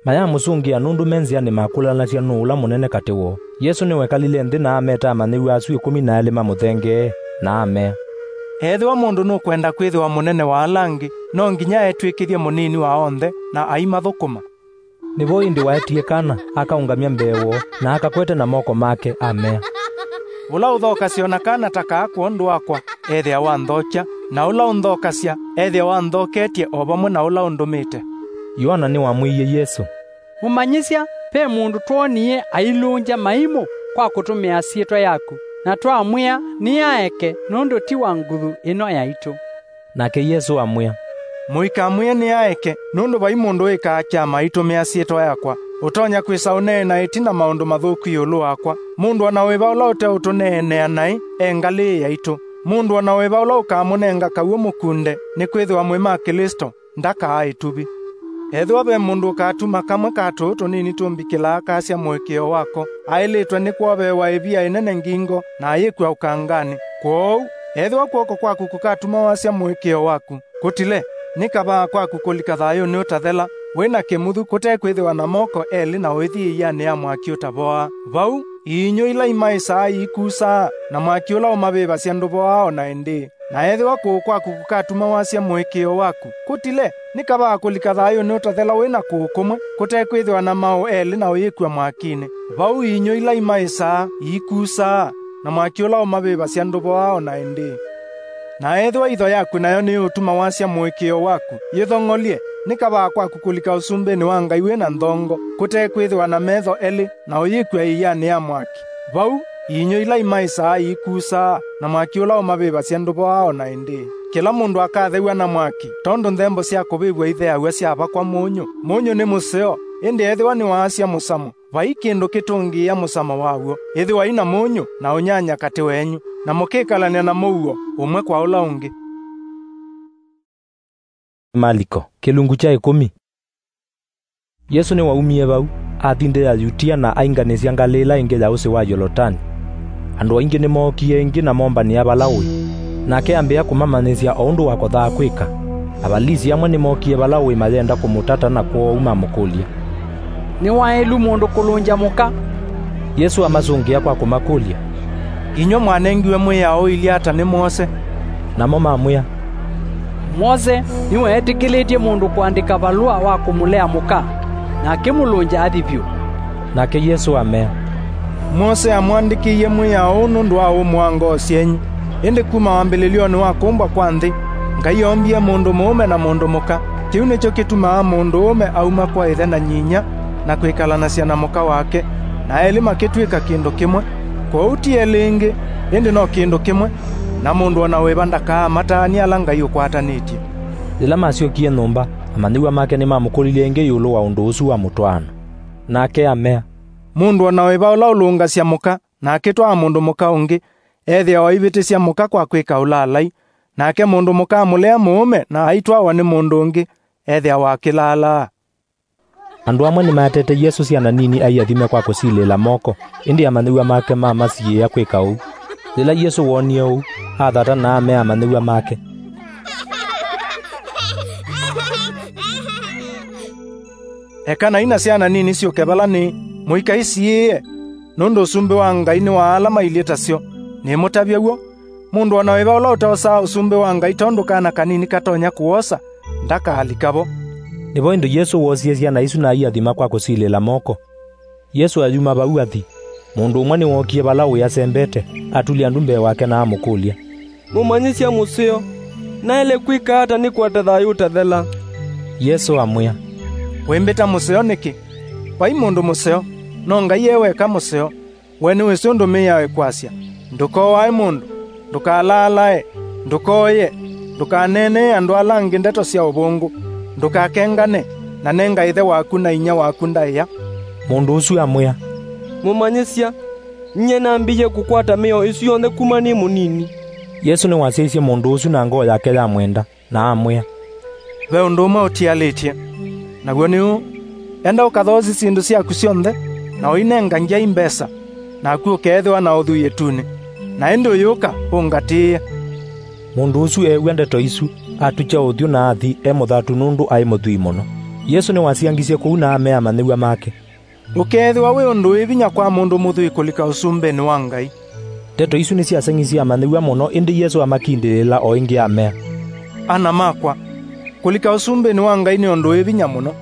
Mayamũsũngĩa nũndũ me nzĩanĩ makũlanasya nũũ ũla mũnene katĩ woo. Yesũ nĩwekalile nthĩ na ameta amanyĩw'a asu ĩkũmi na elĩ mamũthengee, na amea, "Ethĩwa mũndũ nũkwenda kwĩthĩwa mũnene wa ala angĩ, no nginya etw'ĩkĩthye mũnini wa onthe na aimathũkũma." Nĩvo ĩndĩ waetie kana, akaũngamya mbee woo, na akakwete na moko make, amea, Ũla ũthokasya o na kana ta kaa kwondũ wakwa, ethĩawa anthokya, na ũla ũnthokasya, ethĩawa anthoketye o vamwe na ũla ũndũmĩte." Yoana nĩwamwĩie Yesũ, "Mũmanyĩsya, ve mũndũ twoonie ailũngya maimũ kwa kũtũmĩa syĩtwa yaku, na twamwĩa, 'Nĩaeke, nũndũ ti wa nguthu ĩno yaitũ.'" Nake Yesũ amwĩa, "Mũikamwĩe, 'Nĩaeke,' nũndũ vai mũndũ wĩkaa kyama aitũmĩa syĩtwa yakwa, ũtonya kwĩsa ũneena ĩtina maũndũ mathũku ĩũlũ wakwa. Mũndũ o na wĩva ũla ũteũtũneenea naĩ e ngalĩ yaitũ. Mũndũ o na wĩva ũla ũkamũnenga kaw'ũ mũkunde nĩkwĩthĩwa mwĩ ma Klĩsto, ndakaa ĩtuvi. Ethĩwa ve mũndũ ũkatuma kamwe ka tũũ tũnini tũmbikĩlaa kasya mũĩkĩĩo wako, aĩlĩtwe nĩ kwoveewa ĩvia ĩnene ngingo na ayĩkw'a ũkanganĩ. Kwoou, ethĩwa kw'oko kwaku kũkatuma wasya mũĩkĩĩo waku, kũtile, nĩ kavaa kwaku kũlika thayũnĩ ũtathela, wĩ na kĩmuthu kũtekwĩthĩwa na moko elĩ na ũithi ĩianĩ ya mwaki ũtavoaa. Vau, iinyũ ila imaĩsaa iikusaa, na mwaki ũla ũmavĩvasya ndũvoaa o na ĩndĩĩ. Na ethĩwa kũũ kwaku kũkatuma wasya mũĩkĩĩo waku, kũtile, nĩ kavaa kũlika thayũnĩ ũtathela wĩ na kũũ kũmwe, kũtekwĩthĩwa na maũ elĩ na ũyĩkw'a mwakinĩ. Vau iinyũ ila imaĩsaa iikusaa, na mwaki ũla ũmavĩvasya ndũvoaa o na ĩndĩĩ. Na ethĩwa itho yaku nayo nĩyũtuma wasya mũĩkĩĩo waku, yĩthong'olye, nĩ kavaa kwaku kũlika ũsumbĩnĩ wa Ngai wĩ na nthongo, kũtekwĩthĩwa na metho elĩ, na ũyĩkw'a ĩianĩ ya mwaki. Vau, iinyũ ila imaĩsaa iikusaa, na mwaki ũla ũmavĩvasya ndũvoaa o na ĩndĩĩ. Kĩla mũndũ akathew'a na mwaki, tondũ nthembo sya kũvĩvw'a itheaw'a syavakwa mũnyũ. Mũnyũ nĩ mũseo, ĩndĩ ethĩwa nĩwaasya mũsamo, vai kĩndũ kĩtũngĩĩa mũsamo waw'o. Ĩthĩwai na mũnyũ na ũnyanya katĩ wenyu, na mũkĩkalany'a na mũuo ũmwe kwa ũla ũngĩ." Maliko, kĩlungu kya ĩkũmi. Yesũ nĩwaumie vau, athi nthĩ ya Yutia na ainganĩsya ngalĩ ĩla ĩngĩ ya ũsĩ wa Yolotani. Andũ aingĩ nĩmookie ĩngĩ na mombanĩa vala ũĩ, nake ambĩa kũmamanyĩsya o ũndũ wakothaa kwĩka. Avalisi amwe nĩmookie vala ũĩ mayenda kũmũtata, na kwoou mamũkũlya, "Nĩ waĩlu mũndũ kũlũngya mũka?" Yesũ amasũngĩa kwa kũmakũlya, "Inyw'ĩ mwanengiwe mwĩao ũilye ata nĩ Mwose?" Namo mamwĩa, "Mwose nĩweetĩkĩlĩtye mũndũ kũandĩka valũa wa kũmũlea mũka, na akĩmũlũngya athi vyũ." Nake Yesũ amea, "Mwose amwandĩkĩie mwĩao ũũ nũndũ wa ũmũ wa ngoo syenyu. Ĩndĩ kuma wambĩlĩlyonĩ wa kũmbwa kwa nthĩ, Ngai oombie mũndũ mũũme na mũndũ mũka. Kĩu nĩkyo kĩtumaa mũndũũme auma kwa ĩthe na nyinyia na kwĩkalanasya na mũka wake, na elĩ makĩtw'ĩka kĩndũ kĩmwe. Kwoou ti elĩ ĩngĩ, ĩndĩ no kĩndũ kĩmwe, na mũndũ o na wĩva ndakaamataanĩe ala Ngai ũkwatanĩtye." Yĩla masyokie nyũmba, amanyĩw'a make nĩmamũkũlilye ĩngĩ ĩũlũ wa ũndũ ũsu wa mũtwaano. Nake amea, "Mũndũ o na wĩva ũla ũlũngasya mũka na akĩtwaa mũndũ mũka ũngĩ, ethĩawa aivĩtĩsya mũka kwa kwĩka ũlaalai, nake mũndũ mũka amũlea mũũme na aitwawa nĩ mũndũ ũngĩ, ethĩawa akĩlaalaa." Andũ amwe nĩmaetete Yesũ syana nini aiathime kwa kũsilĩĩla moko, ĩndĩ amanyĩw'a make mamasiĩĩa kwĩka ũu. Yĩla Yesũ woonie ũu, athata na amea amanyĩw'a make, "Ekanai na syana nini syũke vala nĩĩ, mũikaisiĩĩe, nũndũ ũsumbĩ wa Ngai nĩ wa ala mailyĩ ta syo. Nĩmũtavya w'o, mũndũ o na wĩva ũla ũtosaa ũsumbĩ wa Ngai tondũ kana kanini katonya kũwosa, ndakaalika vo." Nĩvo ĩndĩ Yesũ woosie syana isu na aiathima kwa kũsilĩĩla moko. Yesũ ayuma vau athi, mũndũ ũmwe nĩwookie vala ũĩ asembete, atulya ndu mbee wake na amũkũlya, "Mũmanyĩsya mũseo, naĩle kwĩka ata nĩkwate thayũ ũtathela?" Yesũ amwĩa, "Wĩmbĩta mũseo nĩkĩ? Vai mũndũ mũseo, no Ngai e weka mũseo. We nĩwĩsĩ ũndũ mĩao ĩkwasya, 'Ndũkooae mũndũ, ndũkalaalae, ndũkooye, ndũkaneenee andũ ala angĩ ndeto sya ũvũngũ, ndũkakengane, na nenga ĩthe waku na inyia waku ndaĩa.'" Mũndũ ũsu amwĩa, "Mũmanyĩsya, nyie nambĩĩie kũkwata mĩao ĩsu yonthe kuma nĩ mũnini." Yesũ nĩwasyaisye mũndũ ũsu na ngoo yake yamwenda, na amwĩa, "Ve ũndũ ũmwe ũtialĩtye, naw'o nĩ ũũ, enda ũkathoosye syĩndũ syaku syonthe, na ũinenga ngyai mbesa, naku ũkeethĩwa na ũthwii ĩtunĩ, na ĩndĩ ũyũka ũngatĩĩe." Mũndũ ũsu eew'a ndeto isu, atukya ũthyũ na athi e mũthatu nũndũ aĩ mũthwii mũno. Yesũ nĩwasiangisye kũu na amea amanyĩw'a make, "Ũkeethĩwa wĩ ũndũ wĩ vinya kwa mũndũ mũthwii kũlika ũsumbĩnĩ wa Ngai." Ndeto isu nĩsyaseng'isye amanyĩw'a mũno, ĩndĩ Yesũ amakindĩlĩla o ĩngĩ amea, "Ana makwa, kũlika ũsumbĩnĩ wa Ngai nĩ ũndũ wĩ vinya mũno.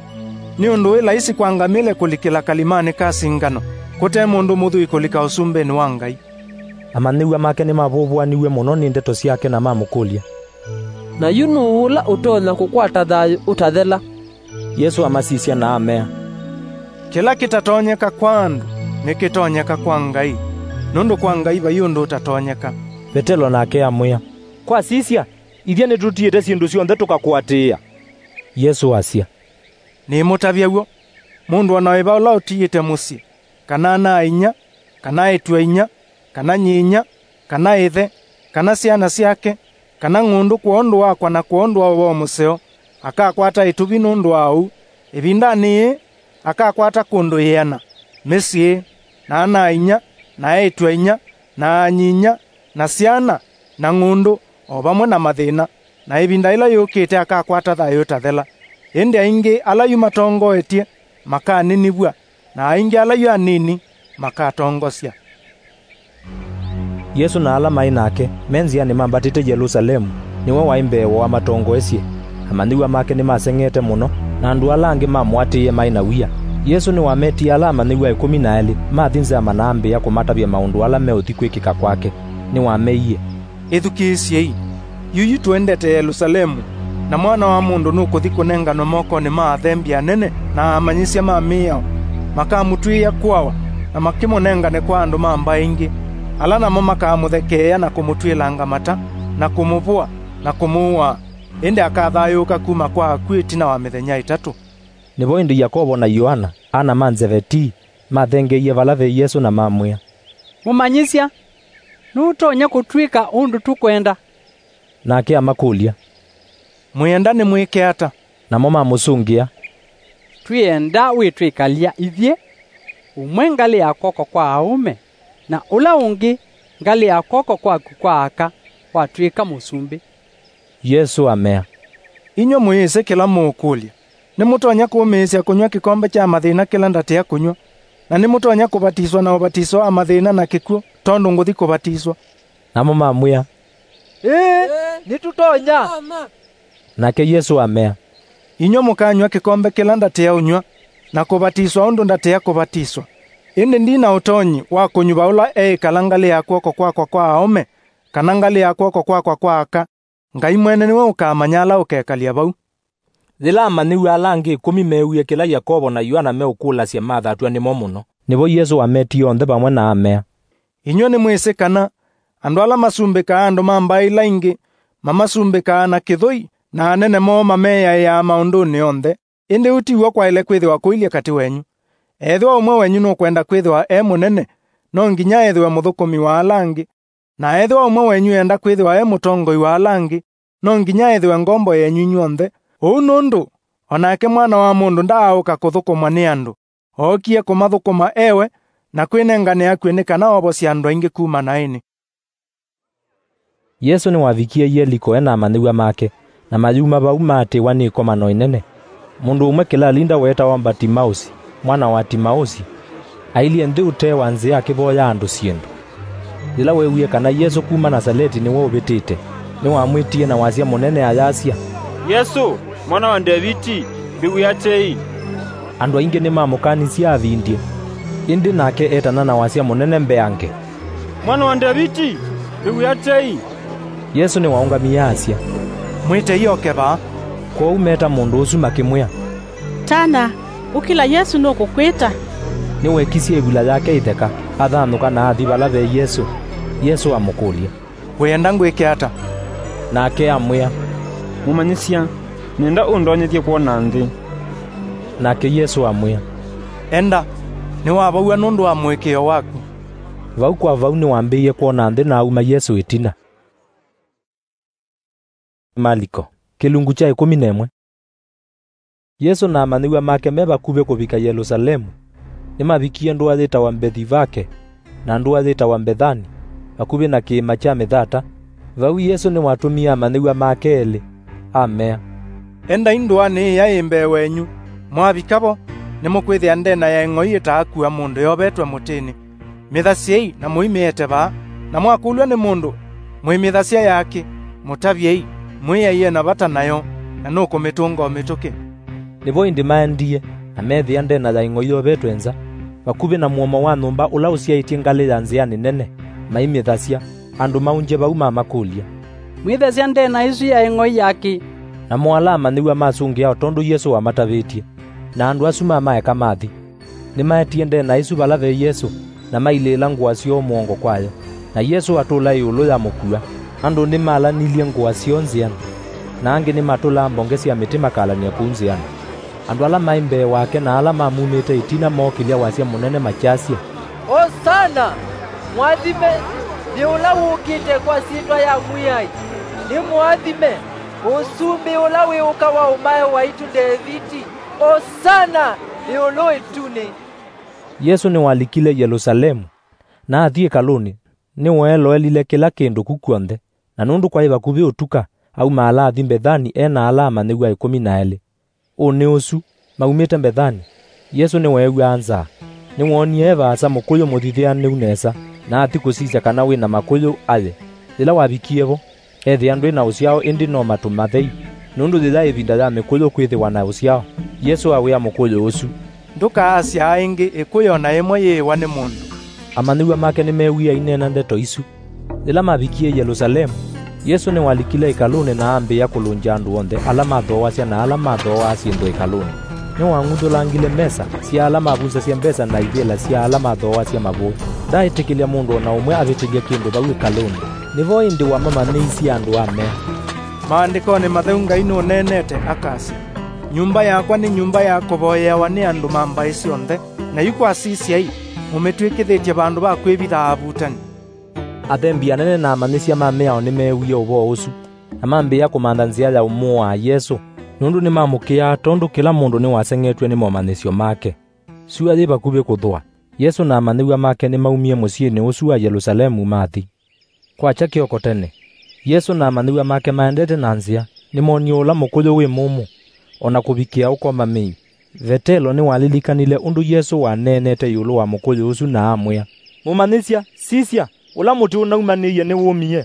Nĩ ũndũ wĩ laisi kwa ngamĩle kũlikĩla kalimanĩ ka singano, kũte mũndũ mũthwii kũlika ũsumbĩnĩ wa Ngai." Amanyĩw'a make nĩmavũvũaniw'e mũno nĩ ndeto syake na mamũkũlya, "Na yu nũũ ũla ũtonya kũkwata thayũ ũtathela?" Yesũ amasisya na amea, "Kĩla kĩtatonyeka kwa andũ nĩkĩtonyeka kwa Ngai, nũndũ kwa Ngai vai ũndũ ũtatonyeka." Vetelo nake amwĩa, "Kwa sisya, ithyĩ nĩtũtiĩte syĩndũ syonthe tũkakũatĩĩa." Yesũ asya, "Nĩmũtavya w'o, mũndũ o na wĩva ũla ũtiĩte mũsyĩ, kana ana-a-inyia, kana eĩtu-a-inyia, kana nyinyia, kana ĩthe, kana syana syake, kana ng'ũndũ kwondũ wakwa na kwondũ wa ũvoo mũseo, akakwata ĩtuvi nũndũ wa ũu, ĩvindanĩ yĩĩ akakwata kũndũ ĩana, mĩsyĩ, na ana-a-inyia, na eĩtu-a-inyia, na aa-nyinyia, na syana, na ng'ũndũ, o vamwe na mathĩna, na ĩvinda yĩla yũkĩte akakwata thayũ ũtathela. Ĩndĩ aingĩ ala yu matongoetye makaninivw'a, na aingĩ ala yu anini makatongosya." Yesũ na ala maĩ nake me nzĩanĩ mambatĩte Yelũsalemu, nĩwe waĩ mbee woo amatongoesye. Amanyĩw'a make nĩmaseng'ete mũno, na andũ ala angĩ mamũatĩĩe maĩ na wia. Yesũ nĩwametie ala amanyĩw'a ĩkũmi na elĩ mathi nza na mambĩĩa kũmatavya maũndũ ala meũthi kwĩkĩka kwake. Nĩwameie, "Ĩthukĩĩsyei! Yuyu tũendete Yelũsalemu, na Mwana wa Mũndũ nũkũthi kũnenganwa mokonĩ ma athembi anene na amanyĩsya ma mĩao. Makamũtw'ĩĩa kũawa, na makĩmũnengane kwa andũ ma mbaĩ ingĩ, ala namo makamũthekeea na kũmũtw'ĩlanga mata, na kũmũvũa, na kũmũũa. Ĩndĩ akathayũũka kuma kwa akw'ũ ĩtina wa mĩthenya ĩtatũ." Nĩvo ĩndĩ Yakovo na Yoana, ana ma Nzevetii, mathengeeie vala ve Yesũ na mamwĩa, "Mũmanyĩsya, nũtonya kũtw'ĩka ũndũ tũkwenda?" Nake amakũlya, "Mwĩenda nĩmwĩke ata?" Namo mamũsũngĩa, "Twĩenda wĩtwĩkalya ithyĩ, ũmwe ngalĩ ya kw'oko kwa aũme, na ũla ũngĩ ngalĩ ya kw'oko kwaku kwa aka, watw'ĩka mũsumbĩ." Yesũ amea, "Inyw'ĩ mũyĩsĩ kĩla mũũkũlya. Nĩmũtonya kũũmĩĩsya kũnyw'a kĩkombe kya mathĩna kĩla ndatĩa kũnyw'a, na nĩmũtonya kũvatiswa na ũvatiso wa mathĩna na kĩkw'ũ tondũ ngũthi kũvatiswa?" Namo mamwĩa, "Ĩĩ, nĩtũtonya." Nake Yesũ amea, "Inyw'ĩ mũkanyw'a kĩkombe kĩla ndatĩa ũnyw'a, na kũvatiswa ũndũ ndatĩa kũvatiswa. Ĩndĩ ndi na ũtonyi wa kũnyuva ũla eĩkala ngalĩ ya kw'oko kwakwa kwa aũme, kana ngalĩ ya kw'oko kwakwa kwa aka. Ngai mwene nĩwe ũkamanya ala ũkekalya vau." Yĩla amanyĩw'a ala angĩ ĩkũmi meewie kĩla Yakovo na Yoana meũkũlasya, mathatw'a nĩmo mũno. Nĩvo Yesũ wametie onthe vamwe na amea, "Inyw'ĩ nĩmwĩsĩ kana andũ ala masumbĩkaa andũ ma mbaĩ ila ingĩ mamasumbĩkaa na kĩthũi na anene moo mameyaĩaa maũndũnĩ onthe. Ĩndĩ ũu ti w'o kwaĩle kwĩthĩwa kũilye katĩ wenyu. Ethĩwa ũmwe wenyu nũkwenda kwĩthĩwa e mũnene, no nginya ethĩwe mũthũkũmi wa ala angĩ. Na ethĩwa ũmwe wenyu eenda kwĩthĩwa e mũtongoi wa ala angĩ, no nginya ethĩwe ngombo yenyu inyw'onthe. Ũu nũndũ o nake Mwana wa Mũndũ ndaaũka kũthũkũmwa nĩ andũ, ookie kũmathũkũma e we, na kwĩnengane akw'ũ nĩ kana ovosye andũ aingĩ kuma naĩnĩ." Yesũ nĩwavikie Yeliko e na amanyĩw'a make, na mayuma vau maatĩĩwa nĩ ĩkomano ĩnene. Mũndũ ũmwe kĩlalinda weetawa Mbatimaũsi, mwana wa Timaũsi, ailyĩ nthĩ ũtee wa nzĩa akĩvoya andũ syĩndũ. Yĩla weewie kana Yesũ kuma Nasaleti nĩwe ũvĩtĩte, nĩwamwĩtie na wasya mũnene ayasya, "Yesũ, Mwana wa Ndeviti, mbĩw'ĩa tei!" Andũ aingĩ nĩmamũkanisye avindye, ĩndĩ nake eetana na wasya mũnene mbeange, "Mwana wa Ndeviti, mbĩw'ĩa tei!" Yesũ nĩwaũngamie asya, "Mwĩtei oke vaa." Kwoou meeta mũndũ ũsu makĩmwĩa, "Tana, ũkĩla, Yesũ nũkũkwĩta." Nĩweekisye ĩvula yake ĩtheka, athanũka na athi vala ve Yesũ. Yesũ amũkũlya, "Wĩenda ngwĩke ata?" Nake amwĩa, "Mũmanyĩsya, nĩenda ũndonyethye kwona nthĩ." Nake Yesũ amwĩa, "Enda, nĩwavow'a nũndũ wa mũĩkĩĩo waku." Vau kwa vau nĩwambĩĩie kwona nthĩ na auma Yesũ ĩtina. Maliko, kĩlungu kya ĩkũmi na ĩmwe. Yesũ na amanyĩw'a make me vakuvĩ kũvika Yelũsalemu, nĩmavikie ndũa yĩtawa Mbethivake na ndũa yĩtawa Mbethani, vakuvĩ na kĩĩma kya Mĩthata. Vau Yesũ nĩwatũmie amanyĩw'a make elĩ, amea, "Endai ndũanĩ ĩya yĩ mbee wenyu. Mwavika vo, nĩmũkwĩthĩa ndena ya ĩng'oi ĩtaakua mũndũ yovetwe mũtĩnĩ. Mĩthasyei na mũimĩete vaa, na mwakũlw'a nĩ mũndũ, mwĩmĩthasya yakĩ, mũtavyei, mwĩai e na vata nayo, na nũkũmĩtũnga o mĩtũkĩ." Nĩvo ĩndĩ maendie, na meethĩa ndena ya ĩng'oi yovetwe nza, vakuvĩ na mũomo wa nyũmba ũla ũsyaĩtye ngalĩ ya nzĩanĩ nene. maimĩthasya. Andũ maũngye vau mamakũlya, "Mwĩthasya ndeena ĩsu yaĩ ng'oi ya kĩ?" Namo ala amanyĩw'a masũngĩa o tondũ Yesũ wamatavĩtye, na andũ asu mamaeka mathi. Nĩmaetie ndeena ĩsu vala ve Yesũ, na mailĩĩla ngũa syoo mũongo kwayo. Na Yesũ atũla ĩũlũ ya mũkua. Andũ nĩmalanilye ngũa syoo nzĩanĩ, na angĩ nĩmatũlaa mbonge sya mĩtĩ makalany'a kũu nzĩanĩ. Andũ ala maĩ mbee wake na ala mamumĩte ĩtina mookĩlya wasya mũnene makyasya, "Osana! Mũathime nĩ ũla wũkĩte kwa syĩtwa ya Mwĩai! Nĩ mũathime ũsumbĩ ũla wĩũka wa ũmae waitũ Ndeviti! Osana ĩũlũ ĩtunĩ!" Yesũ nĩwalikile Yelũsalemu, na athi ĩkalũnĩ, nĩweeloelile kĩla kĩndũ ku kw'onthe, na nũndũ kwaĩ vakuvĩ ũtuka, aumaala athi Mbethani e na ala amanyĩw'a ĩkũmi na elĩ. Ũnĩ ũsu, maumĩte Mbethani, Yesũ nĩweew'aa nzaa. Nĩwoonie e vaasa mũkũyũ mũthithĩanĩu nesa, na athi kũsisya kana wĩ na makũyũ aye. Yĩla wavikie vo, eethĩa ndwĩ na ũsyao, ĩndĩ no matũ mathei, nũndũ yĩya ĩvinda ya mĩkũyũ kwĩthĩwa na ũsyao. Yesũ awĩa mũkũyũ ũsu, "Ndũkaasyaa ĩngĩ ĩkũyũ o na ĩmwe yĩĩwa nĩ mũndũ." Amanyĩw'a make nĩmeewie aineena ndeto isu. Yĩla mavikie Yelũsalemu, Yesũ nĩwalikile ĩkalũnĩ na ambĩĩa kũlũngya andũ onthe ala mathooasya na ala mathooaa syĩndũ ĩkalũnĩ. Nĩwang'uthũlangile mesa sya ala mavusasya mbesa na ivĩla sya ala mathooasya mavũĩ. Ndaaĩtĩkĩlya mũndũ o na ũmwe avĩtĩlye kĩndũ vau ĩkalũnĩ. Nĩvo ĩndĩ wamamanyĩisye andũ amea, "Maandĩkonĩ Matheu Ngai nũneenete akasya, 'Nyũmba yakwa nĩ nyũmba ya kũvoyeawa nĩ andũ ma mbaĩ syonthe, na yu kwa sisyai, mũmĩtw'ĩkĩthĩtye vandũ va kwĩvitha avutani.'" Athembi anene na amanyĩsya ma mĩao nĩmeewie ũvoo ũsu, na mambĩĩa kũmantha nzĩa ya ũmũaa Yesũ, nũndũ nĩmamũkĩaa tondũ kĩla mũndũ nĩwaseng'etw'e nĩ momanyĩsyo make. Syũa yĩ vakuvĩ kũthũa, Yesũ na amanyĩw'a make nĩmaumie mũsyĩnĩ ũsu wa Yelũsalemu mathi. Kwakya kĩoko tene, Yesũ na amanyĩw'a make maendete na nzĩa, nĩmoonie ũla mũkũyũ wĩ mũmũ, o na kũvikĩa ũkoma mĩi. Vetelo nĩwalilikanile ũndũ Yesũ waneenete ĩũlũ wa mũkũyũ ũsu na amwĩa, "Mũmanyĩsya, sisya, ũla mũtĩ ũnaumanĩie nĩwũmie."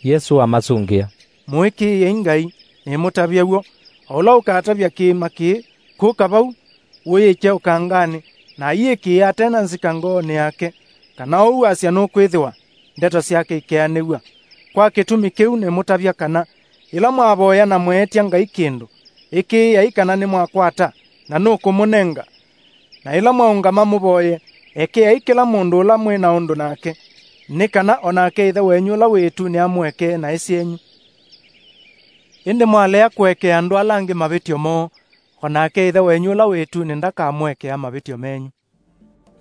Yesũ amasũngĩa, "Mũĩkĩĩei Ngai, nĩmũtavya w'o. O ũla ũkatavya kĩĩma kĩĩ, 'Kũka vau, ũyĩkye ũkanganĩ,' na aiĩkĩĩa ate na nzika ngoonĩ yake, kana ũu asya nũkwĩthĩwa, ndeto syake ikeanĩw'a. Kwa kĩtumi kĩu nĩmũtavya kana, yĩla mwavoya na mweetya Ngai kĩndũ, ĩkĩĩai kana nĩmwakwata, na nũkũmũnenga. Na yĩla mwaũngama mũvoye, ekeai kĩla mũndũ ũla mwĩ na ũndũ nake, nĩ kana o nake Ĩthe wenyu ũla wĩ ĩtunĩ amũekee naĩ syenyu. Ĩndĩ mwalea kũekea andũ ala angĩ mavĩtyo moo, o nake Ĩthe wenyu ũla wĩ ĩtunĩ ndakamũekea mavĩtyo menyu."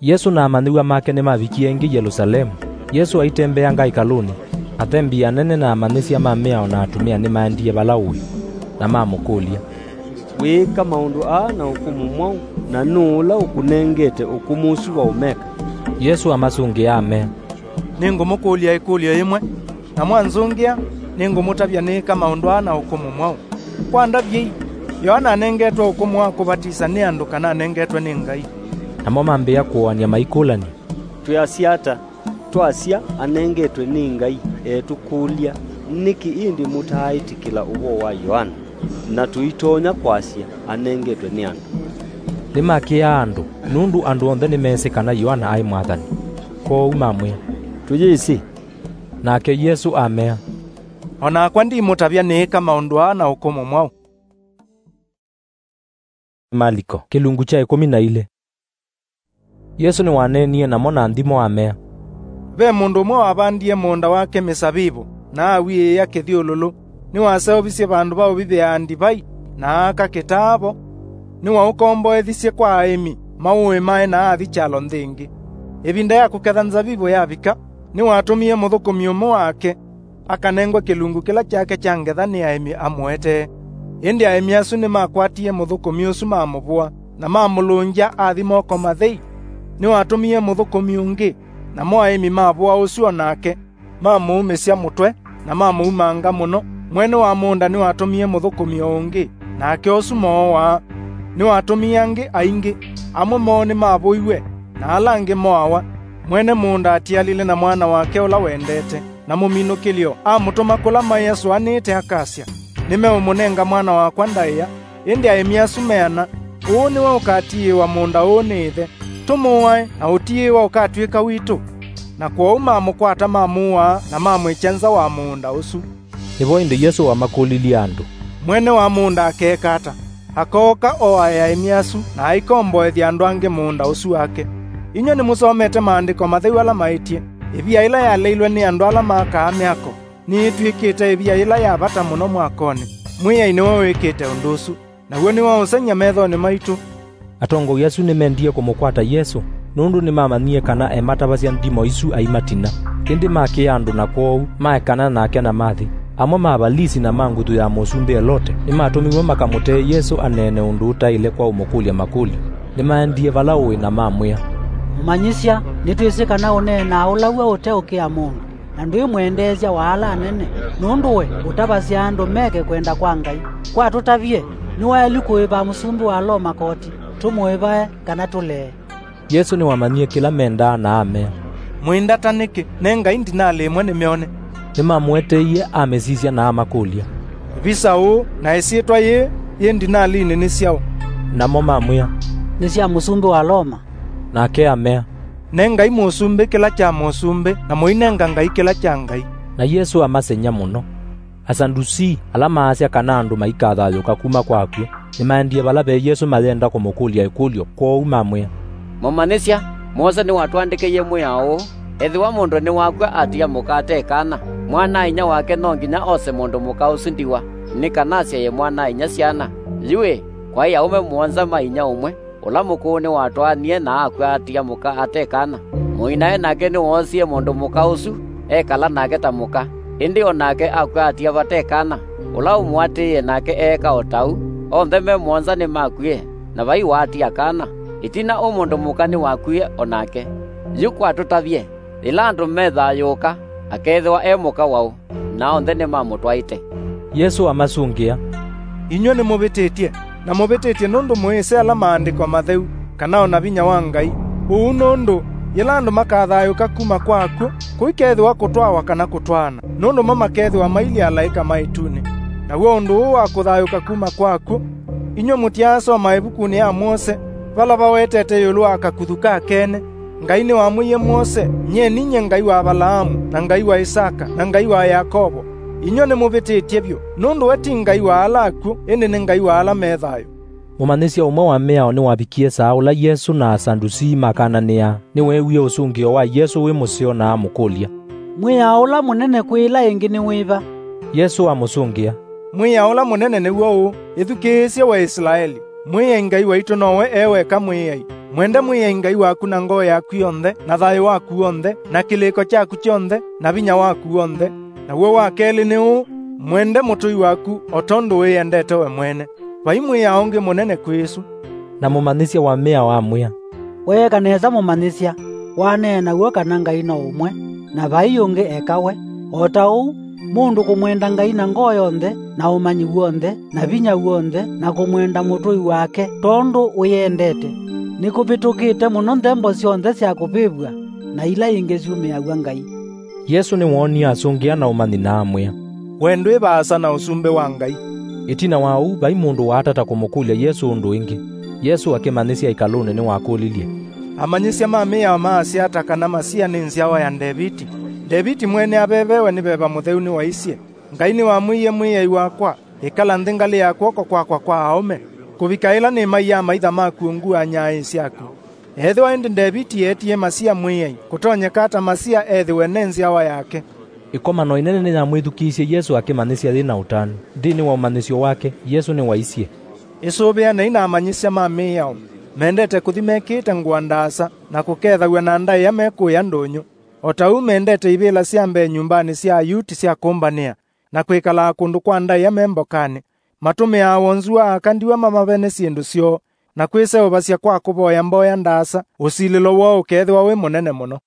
Yesũ na amanyĩw'a make nĩmavikie ĩngĩ Yelũsalemu. Yesũ aitembeanga ĩkalũnĩ, athembi anene na amanyĩsya ma mĩao na atumĩa nĩmaendie vala ũĩ, na mamũkũlya, "Wĩĩka maũndũ aa na ũkũmũ mwaũ, na nũũ ũla ũkũnengete ũkũmũ ũsu wa ũmeka?" Yesũ amasũngĩa amea, "Nĩngũmũkũlya ĩkũlyo yĩmwe, na mwanzũngĩa, nĩngũmũtavya nĩĩka maũndũ aa na ũkũmũ mwaũ. Kwa ndavyei, Yoana anengetwe ũkũmũ wa kũvatisa nĩ andũ kana anengetwe nĩ Ngai?" Namo mambĩĩa kũoany'a maikũlany'a, "Twĩasya ata? Twasya, 'Anengetwe nĩ Ngai,' etũkũlya, 'Nĩkĩ ĩndĩ mũtaaĩtĩkĩla ũvoo wa Yoana?' Na tũitonya kwasya, 'Anengetwe nĩ andũ.'" Nĩmakĩaa andũ, nũndũ andũ onthe nĩmeesĩ kana Yoana aĩ mwathani. Kwoou mamwĩa, "Tũyĩsĩ." Nake Yesũ amea, "O nakwa ndimũtavya nĩĩka maũndũ aa na ũkũmũ mwaũ." Maliko, kĩlungu kya ĩkũmi na ilĩ. Yesũ nĩwaneenie namo na nthimo amea, "Ve mũndũ ũmwe wavandie mũũnda wake mĩsavivũ, na awiĩĩa kĩthyũlũlũ. Nĩwaseũvisye vandũ va ũvithĩaa ndivai, na aaka kĩtaa vo. Nĩwaũkomboethisye kwa aĩmi maũĩmae na athi kyalo nthĩ ĩngĩ. Ĩvinda ya kũketha nzavivũ yavika, nĩwatũmie mũthũkũmi ũmwe wake akanengwe kĩlungu kĩla kyake kya ngetha nĩ aĩmi amũetee. Ĩndĩ aĩmi asu nĩmakwatie mũthũkũmi ũsu mamũvũa, na mamũlũngya athi moko mathei. Nĩwatũmie mũthũkũmi ũngĩ, namo aĩmi mavũa ũsu o nake, mamũumĩsya mũtwe, na mamũumanga mũno. Mwene wa mũũnda nĩwatũmie mũthũkũmi o ũngĩ, nake ũsu moowaa. Nĩwatũmie angĩ aingĩ, amwe moo nĩmavũiwe, na ala angĩ moawa. Mwene mũũnda atialile na mwana wake ũla wendete, na mũminũkĩlyo amũtũma kũla maĩ asũanĩĩte akasya, 'Nĩmeũmũnenga mwana wakwa ndaĩa.' Ĩndĩ aĩmi asu meana, 'Ũũ nĩwe ũkatiĩĩwa mũũnda ũũ nĩ ĩthe. Tũmũae, na ũtiĩwa ũkatw'ĩka witũ.' Na kwoou mamũkwata, mamũaa, na mamwĩkya nza wa mũũnda ũsu. Nĩvo ĩndĩ Yesũ wamakũlilye andũ, "Mwene wa mũũnda akeeka ata? Akooka oae aĩmi asu, na aikomboethya andũ angĩ mũũnda ũsu wake. Inyw'ĩ nĩmũsomete Maandĩko Matheu ala maĩtye, 'Ĩvia ĩla yaleilwe nĩ andũ ala makaa myako nĩyĩtw'ĩkĩte ĩvia yĩla ya vata mũno mwakonĩ.' Mwĩai nĩwe wĩkĩte ũndũ ũsu, naw'o nĩ wa ũsengy'a methonĩ maitũ." Atongoi asu nĩmendie kũmũkwata Yesũ, nũndũ nĩmamanyie kana ematavasya ndimo isu aimatina. Ĩndĩ makĩa andũ na kwoou maekana nake na mathi. Amwe ma Avalisi na ma nguthu ya Mũsumbĩ Elote nĩmatũmiw'e makamũtee Yesũ aneene ũndũ ũtaĩle kwa ũmũkũlya makũlyo. Nĩmaendie vala ũĩ na mamwĩa, "Mũmanyĩsya, nĩtwĩsĩ kana ũneenaa ũlaw'a ũteũkĩa mũndũ, na ndwĩ mwendeesya wa ala anene, nũndũ we ũtavasya andũ meke kwenda kwa Ngai. Kwa tũtavye, nĩwaĩlu kũĩva mũsumbĩ wa Loma koti, tũmũĩvae kana tũlee?" Yesũ nĩwamanyie kĩla mendaa na amea, "Mũindata nĩkĩ? Nengai ndinalĩ ĩmwe nĩmyone." Nĩmamũeteie amĩsisya na amakũlya, "Visa ũũ na ĩsyĩtwa yĩĩ yĩ ndinalinĩ nĩ syaũ?" Namo mamwĩa, "Nĩ sya mũsumbĩ wa Loma." Nake amea, "Nengai mũsumbĩ kĩla kya mũsumbĩ, na mũinenga Ngai kĩla kya Ngai." Na Yesũ amasengy'a mũno. Asandusii, ala maasya kana andũ maikathayũũka kuma kwa akw'ũ, nĩmaendie vala ve Yesũ mayenda kũmũkũlya ĩkũlyo, kwoou mamwĩa, "Mũmanyĩsya, Mose nĩwatũandĩkĩie mwĩao ũũ, 'Ethĩwa mũndũ nĩwakw'a atia mũka ate kana, mwana-a-inyia wake no nginya ose mũndũ mũka ũsu ndiwa, nĩ kana asyaĩe mwana-a-inyia syana.' Yu-ĩ, kwaĩ aũme mũonza ma inyia ũmwe. Ũla mũkũũ nĩwatwaanie na akw'a atia mũka ate kana. Mũinae nake nĩwoosie mũndũ mũka ũsu, ekala nake ta mũka. Ĩndĩ o nake akw'a atia vate kana. Ũla ũmũatĩĩe nake eeka o ta ũu. Onthe me mũonza nĩmakwie, na vai waatia kana. Ĩtina ũũ mũndũ mũka nĩwakwie o nake. Yu kwa tũtavye, yĩla andũ methayũũka, akeethĩwa e mũka waũ?" Na onthe nĩmamũtwaĩte. Yesũ amasũngĩa, "Inyw'ĩ nĩmũvĩtĩtye, na mũvĩtĩtye nũndũ mũĩsĩ ala Maandĩko Matheu, kana o na vinya wa Ngai. Ũu nũndũ, yĩla andũ makathayũũka kuma kwa akw'ũ, kũikethĩwa kũtwawa kana kũtwaana, nũndũ mo makethĩwa mailyĩ alaĩka ma ĩtunĩ. Naw'o ũndũ ũũ wa kũthayũũka kuma kwa akw'ũ, inyw'ĩ mũtyaasoma ĩvukunĩ ya Mose, vala vawetete ĩũlũ wa kakuthu ka kene, Ngai nĩwamwĩie Mose, 'Nyie ninyie Ngai wa Avalaamu, na Ngai wa Isaka, na Ngai wa Yakovo'? Inyw'ĩ nĩmũvĩtĩtye vyũ, nũndũ we ti Ngai wa ala akw'ũ, ĩndĩ nĩ Ngai wa ala me thayũ." Mũmanyĩsya ũmwe wa mĩao nĩwavikie saa ũla Yesũ na Asandusii makananĩaa. Nĩweewie ũsũngĩo wa Yesũ wĩ mũseo na amũkũlya, "Mwĩao ũla mũnene kwĩ ĩla ĩngĩ nĩ wĩva?" Yesũ amũsũngĩa, "Mwĩao ũla mũnene nĩw'o ũũ, 'Ĩthukĩĩsye, we Isilaeli. Mwĩai Ngai waitũ nowe e weka Mwĩai. Mwende Mwĩai Ngai waku na ngoo yaku yonthe, na thayũ waku w'onthe, na kĩlĩko kyaku kyonthe, na vinya waku w'onthe.' Naw'o wa kelĩ nĩ ũũ, 'Mwende mũtũi waku o tondũ wĩyendete we mwene.' Vai mwĩao ũngĩ mũnene kwĩ ĩsu." Na mũmanyĩsya wa mĩao amwĩa, "Weeka nesa, Mũmanyĩsya, waneena w'o kana Ngai no ũmwe, na vai ũngĩ eka we. O ta ũu, mũndũ kũmwenda Ngai na ngoo yonthe, na ũmanyi w'onthe, na vinya w'onthe, na kũmwenda mũtũi wake tondũ wĩyendete, nĩkũvĩtũkĩte mũno nthembo syonthe sya kũvĩvw'a na ila ingĩ syumĩaw'a Ngai." Yesũ nĩwoonie asũngĩa na ũmanyi na amwĩa, "We ndwĩ vaasa na ũsumbĩ wa Ngai." Ĩtina wa ũu, vai mũndũ waatata kũmũkũlya Yesũ ũndũ ĩngĩ. Yesũ akĩmanyĩsya ĩkalũnĩ nĩwakũlilye, "Amanyĩsya ma mĩao maasya ata kana Masia nĩ nzyawa ya Ndeviti? Ndeviti mwene avevewe nĩ Veva Mũtheu nĩwaisye, 'Ngai nĩwamwĩie Mwĩai wakwa, ĩkala nthĩ ngalĩ ya kw'oko kwakwa kwa aũme, kũvika ĩla nĩmaiaa amaitha maku ungu wa nyaaĩ syaku.' Ethĩwa ĩndĩ Ndeviti eetie Masia Mwĩai, kũtonyeka ata Masia ethĩwe ne nzyawa yake?" Ĩkomano ĩnene nĩyamwĩthukĩĩsye Yesũ akĩmanyĩsya yĩ na ũtanu. Nthĩnĩ wa ũmanyĩsyo wake, Yesũ nĩwaisye, "Ĩsũvĩanei na amanyĩsya ma mĩao. Mendete kũthi mekĩĩte ngũa ndaasa, na kũkethaw'a na ndaĩa mekũĩa ndũnyũ. O ta ũu mendete ivĩla sya mbee nyũmbanĩ sya Ayuti sya kũmbanĩa, na kwĩkalaa kũndũ kwa ndaĩa me mbokanĩ. Matũmĩaa wonzu wa aka ndiwa mamave nĩ syĩndũ syoo, na kwĩseũvasya kwa kũvoya mboya ndaasa, ũsilĩlo woo ũkeethĩwa wĩ mũnene mũno."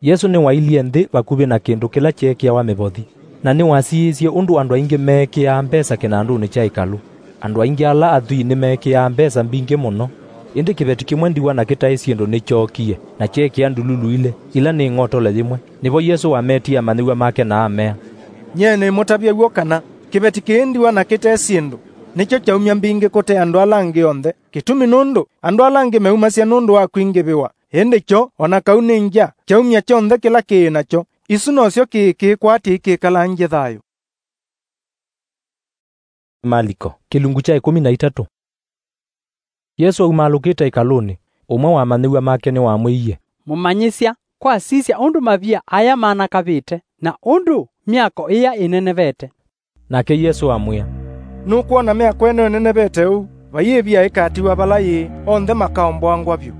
Yesũ nĩwailye nthĩ vakuvĩ na kĩndũ kĩla kyeekĩawa mĩvothi, na nĩwasiĩĩsye ũndũ andũ aingĩ meekĩaa mbesa kĩnandũnĩ kya ĩkalũ. Andũ aingĩ ala athwii nĩmeekĩaa mbesa mbingĩ mũno, ĩndĩ kĩveti kĩmwe ndiwa na kĩtaĩ syĩndũ nĩkyookie, na kyeekĩa ndululu ilĩ, ila nĩ ng'otole yĩmwe. Nĩvo Yesũ wametie amanyĩw'a make na amea, "Nyie nĩmũtavya w'o kana, kĩveti kĩĩ ndiwa na kĩte syĩndũ nĩkyo kyaumya mbingĩ kũte andũ ala angĩ onthe. Kĩtumi nũndũ andũ ala angĩ meumasya nũndũ wa kwingĩvĩwa, Ĩndĩ kyo, o na kau nĩ ngya, kyaumya kyonthe kĩla kĩĩ nakyo, isu nosyo kĩĩ kĩĩkwatya ikĩkalangye thayũ. Maliko, kĩlungu kya ĩkũmi na itatũ. Yesũ aumaalũkĩte ĩkalũnĩ, ũmwe wa amanyĩw'a make nĩwamwĩie, "Mũmanyĩsya, kwasisya ũndũ mavia aya manakavĩte, na ũndũ myako ĩya ĩnenevete." Nake Yesũ amwĩa, "Nũkwona myako ĩno ĩnenevete ũu? Vai ĩvia ĩkatiwa vala yĩĩ, onthe makaomboangwa vyũ."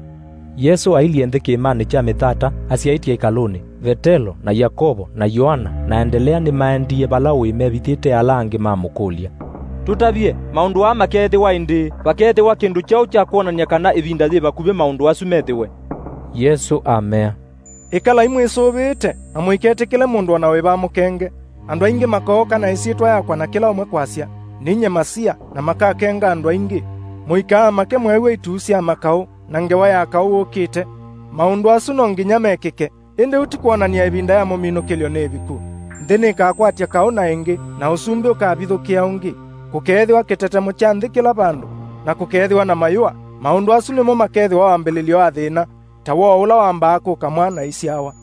Yesũ ailyĩ nthĩ kĩĩmanĩ kya Mĩthata, asyaĩtye ĩkalũnĩ. Vetelo, na Yakovo, na Yoana, na Andelea nĩmaendie vala ũĩ mevithĩte ala angĩ mamũkũlya, "Tũtavye, maũndũ aa makeethĩwa ĩndĩĩ? Vakeethĩwa kĩndũ kyaũ kya kwonany'a kana ĩvinda yĩ vakuvĩ maũndũ asu methĩwe?" Yesũ amea, "Ĩkalai mwĩsũvĩĩte, na mũiketĩkĩle mũndũ o na wĩva amũkenge. Andũ aingĩ makooka na ĩsyĩtwa yakwa na kĩla ũmwe kwasya, 'Ninyie Masia,' na makakenga andũ aingĩ. Mũikaamake mweew'a ituu sya makaũ na ngewa ya kaũ wũkĩte. Maũndũ asu no nginya mekĩke, ĩndĩ ũu ti kwonany'a ĩvinda ya mũminũkĩlyo nĩ ĩviku. Nthĩ nĩkakwatya kaũ na ĩngĩ, na ũsumbĩ ũkavithũkĩa ũngĩ. Kũkeethĩwa kĩtetemo kya nthĩ kĩla vandũ, na kũkeethĩwa na mayũa. Maũndũ asu nĩmo makeethĩwa wambĩlĩlyo wa thĩna, ta woo ũla wambaa kũka mwana aisyawa.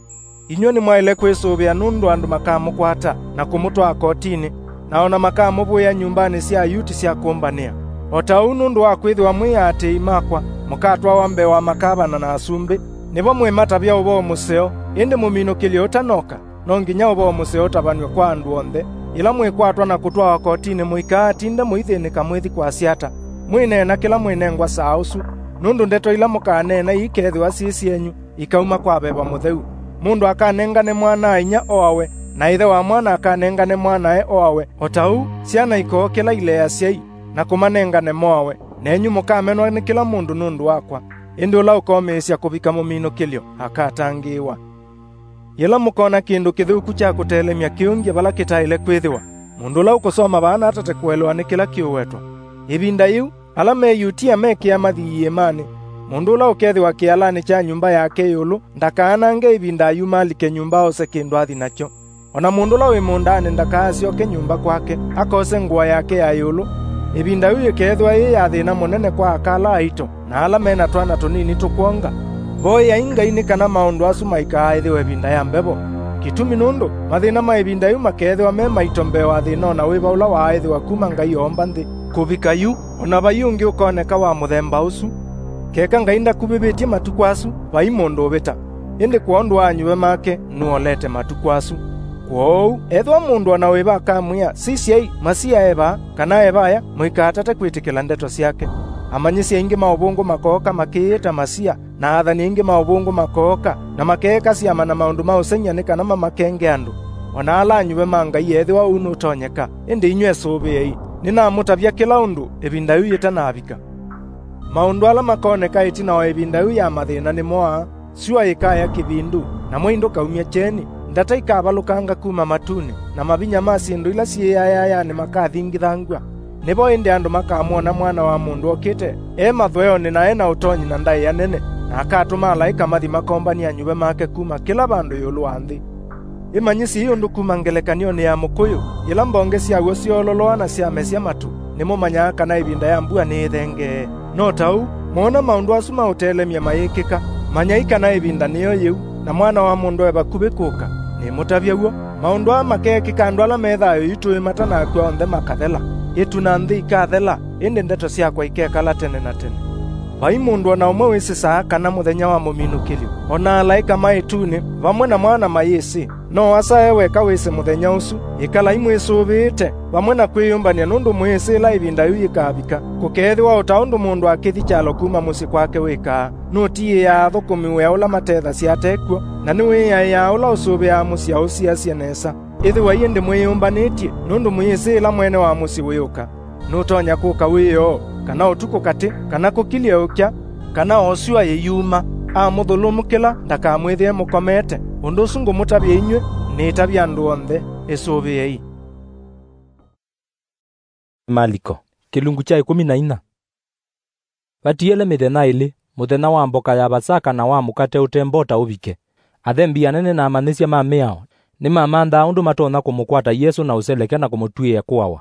Inyw'ĩ nĩmwaĩle kwĩsũvĩa nũndũ andũ makamũkwata na kũmũtwaa kotinĩ, na o na makamũvũĩa nyũmbanĩ sya Ayuti sya kũmbanĩa. O ta ũu, nũndũ wa kwĩthĩwa mwĩ aatĩĩi makwa, mũkatwawa mbee wa makavana na asumbĩ, nĩvo mwĩmatavya ũvoo mũseo. Ĩndĩ mũminũkĩlyo ũtanoka, no nginya ũvoo mũseo ũtavanw'e kwa andũ onthe. Yĩla mwĩkwatwa na kũtwawa kotinĩ, mũikaatinda mũithĩnĩka mwĩthi kwasya ata. Mwĩneena kĩla mwĩnengwa saa ũsu, nũndũ ndeto ila mũkaneena iikeethĩwa syĩ syenyu, ikauma kwa Veva Mũtheu. Mũndũ akanengane mwana-a-inyia oawe, na ĩthe wa mwana akanengane mwanae oawe, o ta ũu syana ikookĩla ilea asyai, na kũmanengane moawe. Nenyu mũkamenwa nĩ kĩla mũndũ nũndũ wakwa, ĩndĩ ũla ũkomĩĩsya kũvika mũminũkĩlyo akatangĩĩwa. Yĩla mũkoona kĩndũ kĩthũku kya kũtelemya kĩũngye vala kĩtaĩle kwĩthĩwa, mũndũ ũla ũkũsoma vaa na atate kũelewa nĩ kĩla kĩũwetwa. Ĩvinda yĩu, ala me Yutia mekĩa mathi iĩmanĩ. Mũndũ ũla ũkethĩwa kĩalanĩ kya nyũmba yake ĩũlũ ndakaanange ĩvinda ayumalike nyũmba ose kĩndũ athi nakyo. O na mũndũ ũla wĩ mũũndanĩ ndakaasyoke nyũmba kwake, akose ngũa yake ya ĩũlũ. Ĩvinda yĩu yĩkeethĩwa yĩ ya thĩna mũnene kwa aka ala aito na ala me na twana tũnini tũkwonga. Voyai Ngai nĩ kana maũndũ asu maikaaĩthĩwe ĩvinda ya mbevo. Kĩtumi nũndũ mathĩna ma ĩvinda yĩu makeethĩwa me maito mbee wa thĩna o na wĩva ũla waaĩthĩwa kuma Ngai oomba nthĩ. Kũvika yu, o na vai ũngĩ ũkoneka wa mũthemba ũsu. Keka Ngai ndakuvĩvĩtye matukũ asu, vai mũndũ ũvĩta. Ĩndĩ kwondũ wa anyuve make, nũolete matukũ asu. Kwoou, ethĩwa mũndũ o na wĩva akamwĩa, 'Sisyai, Masia e vaa,' kana e vaya, mũikaatate kwĩtĩkĩla ndeto syake. Amanyĩsya aingĩ ma ũvũngũ makooka makĩyĩta Masia, na athani aingĩ ma ũvũngũ makooka, na makeeka syama na maũndũ ma ũsengy'a nĩ kana mamakenge andũ. O na ala anyuve ma Ngai, ethĩwa ũu nũtonyeka. Ĩndĩ inyw'ĩ esũvĩei, nĩnamũtavya kĩla ũndũ ĩvinda yĩu yĩtanavika. Maũndũ ala makoneka ĩtina wa ĩvinda yĩu ya mathĩna nĩ mo aa: Syũa yĩkaya kĩvindu, namo indũ kaumya kyeni, ndata ikavalũkanga kuma matunĩ, na mavinya ma syĩndũ ila syĩyayayanĩ makathingithangw'a. Nĩvo ĩndĩ andũ makamwona Mwana wa Mũndũ okĩte e mathweonĩ na e na ũtonyi na ndaĩa nene, na akatũma alaĩka mathi makombany'e anyuve make kuma kĩla vandũ ĩũlũ wa nthĩ. Ĩmanyĩsyei ũndũ kuma ngelekany'onĩ ya mũkũyũ, yĩla mbonge syaw'o syoololoa na syamesya matu, nĩmũmanyaa kana ĩvinda ya mbua nĩĩthengee. No ta ũu, mwoona maũndũ asu ma ũtelemya mayĩkĩka, manyai kana ĩvinda nĩyo yĩu, na Mwana wa Mũndũ e vakuvĩ kũka. Nĩmũtavya w'o, maũndũ aa makeekĩka andũ ala me thayũ yu tũĩ matanakw'a onthe makathela. Ĩtu na nthĩ ikathela, ĩndĩ ndeto syakwa ikekala tene na tene. Vai mũndũ o na ũmwe wĩsĩ saa kana mũthenya wa mũminũkĩlyo, o na alaĩka ma ĩtunĩ vamwe na Mwana mayĩsĩ. No Asa e weka wĩsĩ mũthenya ũsu. Ĩkalai mwĩsũvĩĩte vamwe na kwĩyũmbany'a, nũndũ mũyĩsĩ ĩla ĩvinda yĩu yĩkavika. Kũkeethĩwa o ta ũndũ mũndũ akĩthi kyalo kuma mũsyĩ kwake wĩkaa, nũtiĩaa athũkũmi wĩa ũla matethasya ate kw'o, na nĩwĩaĩaa ũla ũsũvĩaa mũsyĩ aũsiasye nesa. Ĩthĩwai ĩndĩ mwĩyũmbanĩtye, nũndũ mũyĩsĩ ĩla mwene wa mũsyĩ wĩũka. Nũtonya kũka wĩoo, kana ũtukũ katĩ, kana kũkilye ũkya, kana o syũa yĩyuma, amũthũlũmũkĩla ndakamwĩthĩe mũkomete. Ũndũ ũsu ngũmũtavya inyw'ĩ, nĩtavya andũ onthe, ĩsũvĩei. Maliko, kĩlungu kya ĩkũmi na inya. Vatiele mĩthenya ĩlĩ, mũthenya wa mboka ya Vasaka na wa mũkate ũte mbota ũvike. Athembi anene na amanyĩsya ma mĩao nĩmamanthaa ũndũ matonya kũmũkwata Yesũ na ũseleke na kũmũtw'ĩĩa kũawa.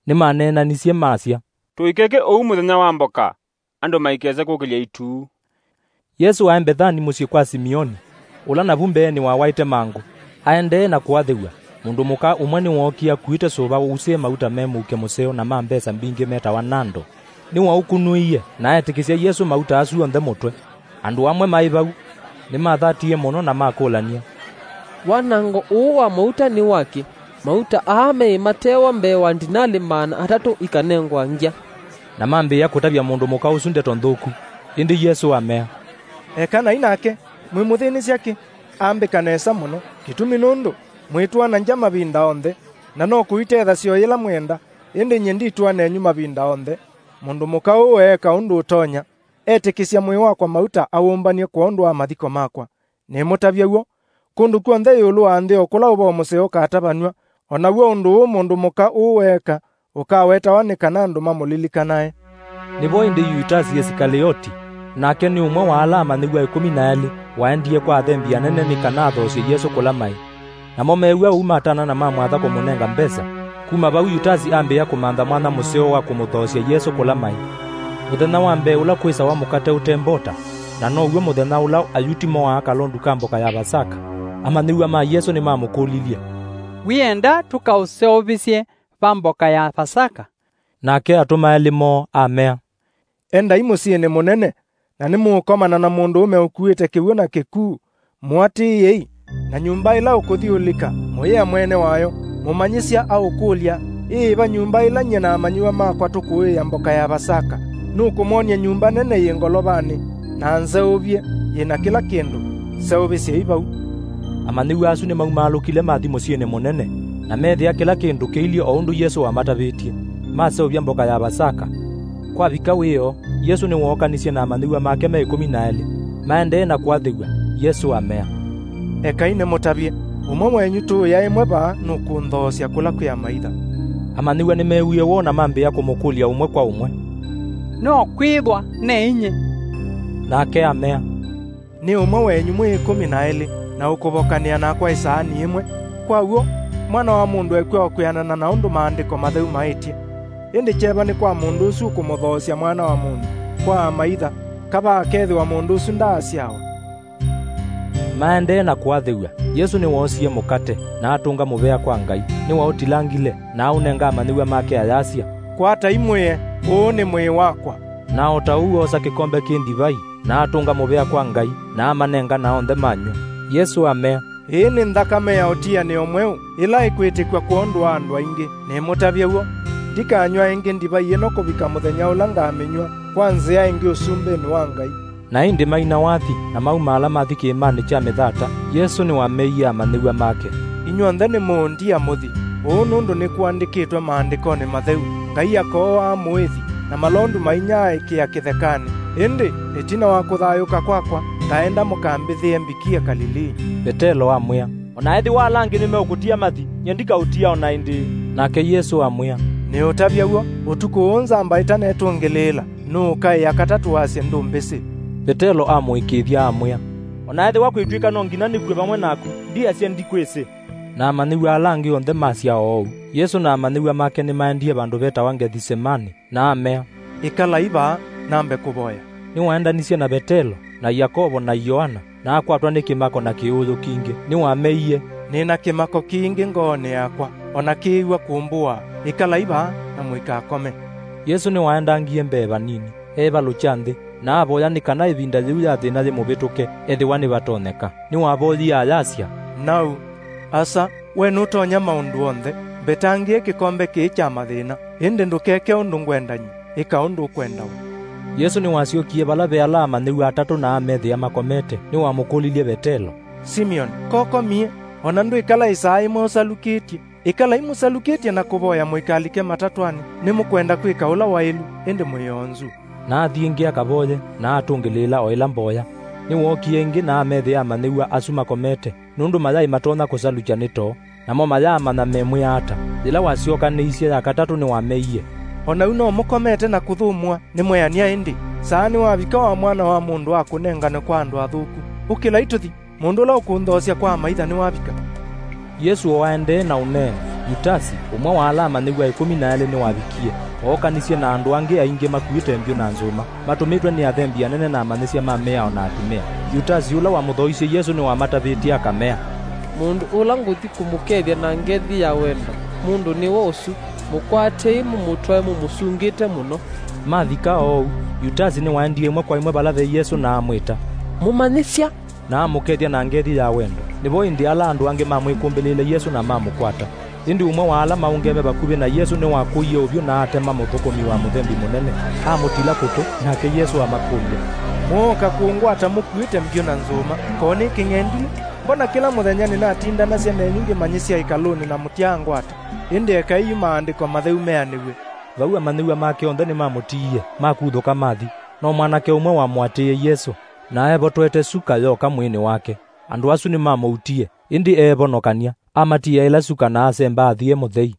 Nĩmaneenanisye masya, "Tũikeke ũu mũthenya wa mboka, andũ maikese kũkĩlya ĩtu." Yesũ aĩ Mbethani mũsyĩ kwa Simioni, ũla navu mbeenĩ wawaĩte mangũ. Aendee na kũathĩw'a, mũndũ mũka ũmwe nĩwookie akuĩte sũva ũusĩe mauta me mũuke mũseo na ma mbesa mbingĩ metawa nando. Nĩwaũkunũĩie na etĩkĩsya Yesũ mauta asu onthe mũtwe. Andũ amwe maĩ vau nĩmathatie mũno na makũlany'a, "Wanango ũũ wa mauta nĩ wakĩ? Mauta aa meĩ matewa mbee wa ndinalĩ maana atatũ ikanengwa ngya." Na mambĩĩa kũtavya mũndũ mũka ũsu ndeto nthũku. Ĩndĩ Yesũ amea, "Ekanai nake, mwĩmũthĩnĩsya kĩ? Ambĩka nesa mũno, kĩtumi nũndũ mwĩtũana ngya mavinda onthe, na no kũitethasya o yĩla mwenda, ĩndĩ nyie nditũa nenyu mavinda onthe." Mũndũ mũka ũũ eeka ũndũ ũtonya, etĩkĩsya mwĩĩ wakwa mauta awũmbany'e kwondũ wa mathiko makwa. Nĩmũtavya w'o, kũndũ kw'onthe ĩũlũ wa nthĩ o kũla ũvoo mũseo ũkatavanw'a, o naw'o ũndũ ũũ mũndũ mũka ũũ weeka ũkawetawa nĩ kana andũ mamũlilikanae. Nĩvo ĩndĩ Yutasi Isikalioti, nake nĩ ũmwe wa ala amanyĩw'a ĩkũmi na elĩ, waendie kwa athembi anene nĩ kana athoosye Yesũ kũla maĩ. Namo meew'a ũu matana na mamwatha kũmũnenga mbesa. Kuma vau Yutasi ambĩĩa kũmantha mwanya mũseo wa kũmũthoosya Yesũ kũla maĩ. Mũthenya wa mbee ũla kwĩsawa mũkate ũte mbota, na now'o mũthenya ũla Ayuti moaa kalondu ka mboka ya Vasaka, amanyĩw'a ma Yesũ nĩmamũkũlilye, "Wĩenda tũkaũseũvĩsye va mboka ya Vasaka?" Nake atũma elĩ moo amea, "Endai mũsyĩnĩ mũnene, na nĩmũũkomana na mũndũũme ũkuĩte kĩw'ũ na kĩkuu. Mũatĩĩei, na nyũmba ĩla ũkũthi ũlika, mũyĩa mwene wayo, 'Mũmanyĩsya aũkũlya, ĩ yĩva nyũmba ĩla nyie na amanyĩw'a makwa tũkũĩĩa mboka ya Vasaka?' Nũkũmwony'a nyũmba nene yĩ ngolovanĩ, na nzeũvye, yĩ na kĩla kĩndũ. Seũvĩsyei vau." Amanyĩw'a asu nĩmaumaalũkile mathi mũsyĩnĩ mũnene, na meethĩa kĩla kĩndũ kĩilyĩ o ũndũ Yesũ wamatavĩtye. Maseũvya mboka ya Vasaka. Kwavika wĩoo, Yesũ nĩwookanisye na amanyĩw'a make me ĩkũmi na elĩ. Maendee na kũathĩw'a, Yesũ amea, "Ekai nĩmũtavye, ũmwe wenyu tũũya ĩmwe vaa nũkũnthoosya kũla kwĩ amaitha." Amanyĩw'a nĩmeewie woo na mambĩĩa kũmũkũlya ũmwe kwa ũmwe, "No kwĩthwa ne inyie?" Nake amea, "Nĩ ũmwe wenyu mwĩ ĩkũmi na elĩ, na ũkũvokanĩa nakwa ĩsaani ĩmwe. Kwa w'o, Mwana wa Mũndũ ekw'a o kwĩanana na ũndũ Maandĩko Matheu maĩtye. Ĩndĩ kyeva nĩ kwa mũndũ ũsu ũkũmũthoosya Mwana wa Mũndũ kwa amaitha, kavaa akethĩwa mũndũ ũsu ndaasyawa." Maendee na kũathĩw'a, Yesũ nĩwoosie mũkate, na atũnga mũvea kwa Ngai, nĩwaũtilangile, na aũnenga amanyĩw'a make ayasya, "Kwatai mũye, ũũ nĩ mwĩĩ wakwa." Na o ta ũu oosa kĩkombe kĩ ndivai, na atũnga mũvea kwa Ngai, na amanenga na onthe manyw'a. Yesũ amea, "Ĩĩ nĩ nthakame ya ũtianĩo mweũ, ĩla ĩkwĩtĩkw'a kwondũ wa andũ aingĩ. Nĩmũtavye w'o, ndikanyw'a ĩngĩ ndivai ĩno kũvika mũthenya ũla ngamĩnyw'a kwa nzĩa ĩngĩ ũsumbĩnĩ wa Ngai." Na ĩndĩ maina wathi na maumaala mathi kĩĩmanĩ kya mĩthata, Yesũ nĩwameie amanyĩw'a make, "Inyw'onthe nĩmũũndia mũthi ũũ, nũndũ nĩkũandĩkĩtwe Maandĩkonĩ Matheu, 'Ngai akooaa mũĩthi, na malondu ma inyia aĩkĩa kĩthekanĩ. Ĩndĩ ĩtina wa kũthayũũka kwakwa, ngaenda mũkambĩthĩe mbikie Kalilii.'" Vetelo amwĩa, "O na ethĩwa ala angĩ nĩmeũkũtia mathi, nyie ndikaũtia o na ĩndĩĩ." Nake Yesũ amwĩa, "Nĩũtavya w'o, ũtukũ ũũ nzamba ĩtanetũngĩlĩĩla, nũũkaĩa katatũ wasye ndũmbĩsĩ." Vetelo amũĩkĩĩthya amwĩa, "O na ethĩwa kwĩtw'ĩka no nginya nĩkw'e vamwe naku, ndiasye ndikwĩsĩ." Na amanyĩw'a ala angĩ onthe masya o ũu. Yesũ na amanyĩw'a make nĩmaendie vandũ vetawa Ngethisemanĩ, na amea, "Ĩkalai vaa, nambe kũvoya." Nĩwaendanisye na Vetelo, na Yakovo, na Yoana, na akwatwa nĩ kĩmako na kĩũũyũ kingĩ, nĩwameie, "Nĩ na kĩmako kingĩ ngoonĩ yakwa, o na kĩĩw'a kũmbũaa. Ĩkalai vaa na mũikakome." Yesũ nĩwaendangie mbee vanini, eevalũkya nthĩ, na avoya nĩ kana ĩvinda yĩu ya thĩna yĩmũvĩtũke, ethĩwa nĩvatonyeka. Nĩwavoyie ayasya, "Nau, Asa, we nũtonya maũndũ onthe, mbetangĩe kĩkombe kĩĩ kya mathĩna, ĩndĩ ndũkeke ũndũ ngwenda nyie, ĩka ũndũ ũkwenda we." Yesũ nĩwasyokie vala ve ala amanyĩw'a atatũ na amethĩa makomete, nĩwamũkũlilye Vetelo, "Simioni, kokomie, o na ndwĩkala ĩsaa ĩmwe ũsalukĩtye? Ĩkalai mũsalukĩtye na kũvoya mũikalike matatwanĩ, nĩmũkwenda kwĩka ũla waĩlu, ĩndĩ mwĩ oonzu." Na athi ĩngĩ akavoye, na atũngĩlĩĩla o ĩla mboya. Nĩwookie ĩngĩ na amethĩa amanyĩw'a asu makomete, nũndũ mayaĩ matonya kũsalukya nĩ too, namo mayaamanya memwĩa ata. Yĩla wasyokanĩisye ya katatũ nĩwameie, "O na yu no mũkomete na kũthũmũa? Nĩmweanĩa ĩndĩ, saa nĩwavika wa Mwana wa Mũndũ akũnenganwe kwa andũ athũku. Ũkĩlai tũthi, mũndũ ũla ũkũnthoosya kwa amaitha nĩwavika." Yesũ o aendee na ũneeni, Yutasi, ũmwe wa ala amanyĩw'a ĩkũmi na elĩ nĩwavikie, ookanisye na andũ angĩ aingĩ makuĩte mbyũ na nzũma, matũmĩtwe nĩ athembi anene na amanyĩsya ma mĩao na atumĩa. Yutasi ũla wamũthoisye Yesũ nĩwamatavĩtye akamea, "Mũndũ ũla ngũthi kũmũkethya na ngethi ya wendo, mũndũ nĩwe ũsu. Mũkwatei, mũmũtwae mũmũsungĩte mũno." Mavika oou, Yutasi nĩwaendie ĩmwe kwa ĩmwe vala ve Yesũ na amwĩta, "Mũmanyĩsya!" Na amũkethya na ngethi ya wendo. Nĩvo ĩndĩ ala andũ angĩ mamwĩkũmbĩlĩĩle Yesũ na mamũkwata. Ĩndĩ ũmwe wa ala maũngeme vakuvĩ na Yesũ nĩwakũie ũvyũ na atema mũthũkũmi wa mũthembi mũnene, amũtila kũtũ, nake Yesũ amakũlya, "Mwooka kũngwata mũkuĩte mbyũ na nzũma, ko nĩ kĩng'endilĩ? Mbona kĩla mũthenya nĩnatindanasya nenyu ngĩmanyĩsya ĩkalũnĩ na mũtyaangwata? Ĩndĩ ekai yu maandĩko matheu meanĩw'e." Vau amanyĩw'a make onthe nĩmamũtiie, makuthũka mathi. No mwanake ũmwe wamũatĩĩe Yesũ, na eevotwete suka yooka mwĩĩnĩ wake. Andũ asu nĩmamũutie, ĩndĩ eevonokany'a, amatiĩa ĩla suka na asemba athi e mũthei.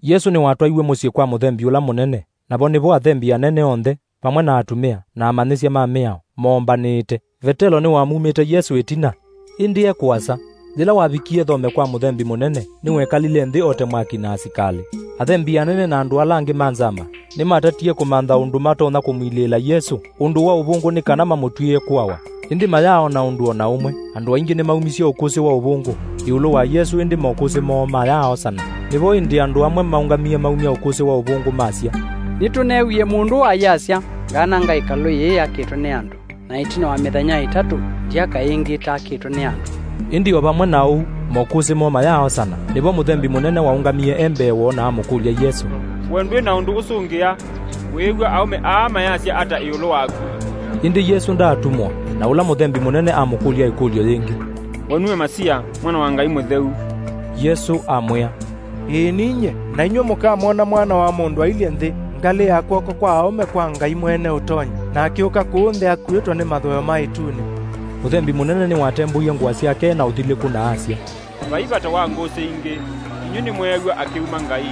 Yesũ nĩwatwaiwe mũsyĩ kwa mũthembi ũla mũnene, navo nĩvo athembi anene onthe, vamwe na atumĩa, na amanyĩsya ma mĩao, moombanĩĩte. Vetelo nĩwamumĩte Yesũ ĩtina, ĩndĩ e kũasa. Yĩla wavikie thome kwa mũthembi mũnene, nĩwekalile nthĩ ote mwaki na asikalĩ. Athembi anene na andũ ala angĩ ma nzama nĩmatatie kũmantha ũndũ matonya kũmwilĩĩla Yesũ. Ũndũ wa ũvũngũ nĩ kana mamũtw'ĩĩe kũawa. Ĩndĩ mayaaona ũndũ o na ũmwe. Andũ aingĩ nĩmaumisye ũkũsĩ wa ũvũngũ ĩũlũ wa Yesũ, ĩndĩ mokũsĩ moo mayaaosana. Nĩvo ĩndĩ andũ amwe maũngamie maumya ũkũsĩ wa ũvũngũ masya, "Nĩtũneewie mũndũ ayasya, 'Ngaananga ĩkalũ yĩĩ yakĩtwe nĩ andũ, na ĩtina wa mĩthenya ĩtatũ, ndyaka ĩngĩ ĩtakĩtwe nĩ andũ.'" Ĩndĩ o vamwe na ũu, mokũsĩ moo mayaaosana. Nĩvo mũthembi mũnene waũngamie e mbee woo na amũkũlya Yesũ, "We ndwĩ na ũndũ ũsũngĩa? Wĩĩw'a aũme aa mayasya ata ĩũlũ waku?" Ĩndĩ Yesũ ndaatumwa, na ũla mũthembi mũnene amũkũlya ĩkũlyo yĩngĩ, "We nue Masia, Mwana wa Ngai Mũtheu?" Yesũ amwĩa, "Ĩĩ ninyie, na inyw'ĩ mũkamwona Mwana wa Mũndũ ailyĩ nthĩ, ngalĩ ya kw'oko kwa aũme kwa Ngai Mwene Ũtonyi, na akĩũka kũũ nthĩ akuĩtwe nĩ mathooyo ma ĩtunĩ." Mũthembi mũnene nĩwatembũie ngũa syake na ũthilĩku na asya, "Vai vata wa ngũsĩ ingĩ, inyw'ĩ nĩmweew'a akĩuma Ngai,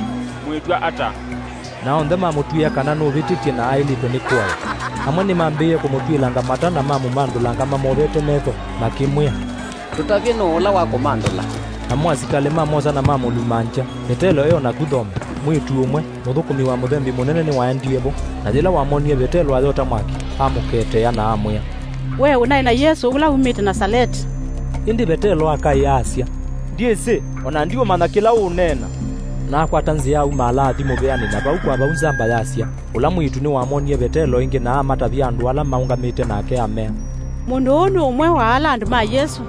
mwĩtw'a ata?" Na onthe mamũtw'ĩĩa kana nũvĩtĩtye na aĩlĩtwe nĩ kũawa. Amwe nĩmambĩĩe kũmũtw'ĩlanga mata na mamũmandũlanga mamovete metho, makĩmwĩa, "Tũtavye nũũ ũla wakũmandũla." Namo asikalĩ mamwosa na mamũlumangya. Vetelo e o naku thome, mwĩĩtu ũmwe, mũthũkũmi wa mũthembi mũnene nĩwaendie vo, na yĩla wamonie Vetelo ayota mwaki, amũketea na amwĩa, "We ũnaĩ na Yesũ ũla umĩte Nasaleti." Ĩndĩ Vetelo akaĩa asya, "Ndyĩsĩ, o na ndiũmanya kĩla ũũneena." Na akwata nzĩa aumaala athi mũvĩanĩ, na vau kwa vau nzamba yasya. Ũla mwĩĩtu nĩwamonie Vetelo ĩngĩ na amatavya andũ ala maũngamĩte nake, amea, "Mũndũ ũũ nĩ ũmwe wa ala andũ ma Yesũ."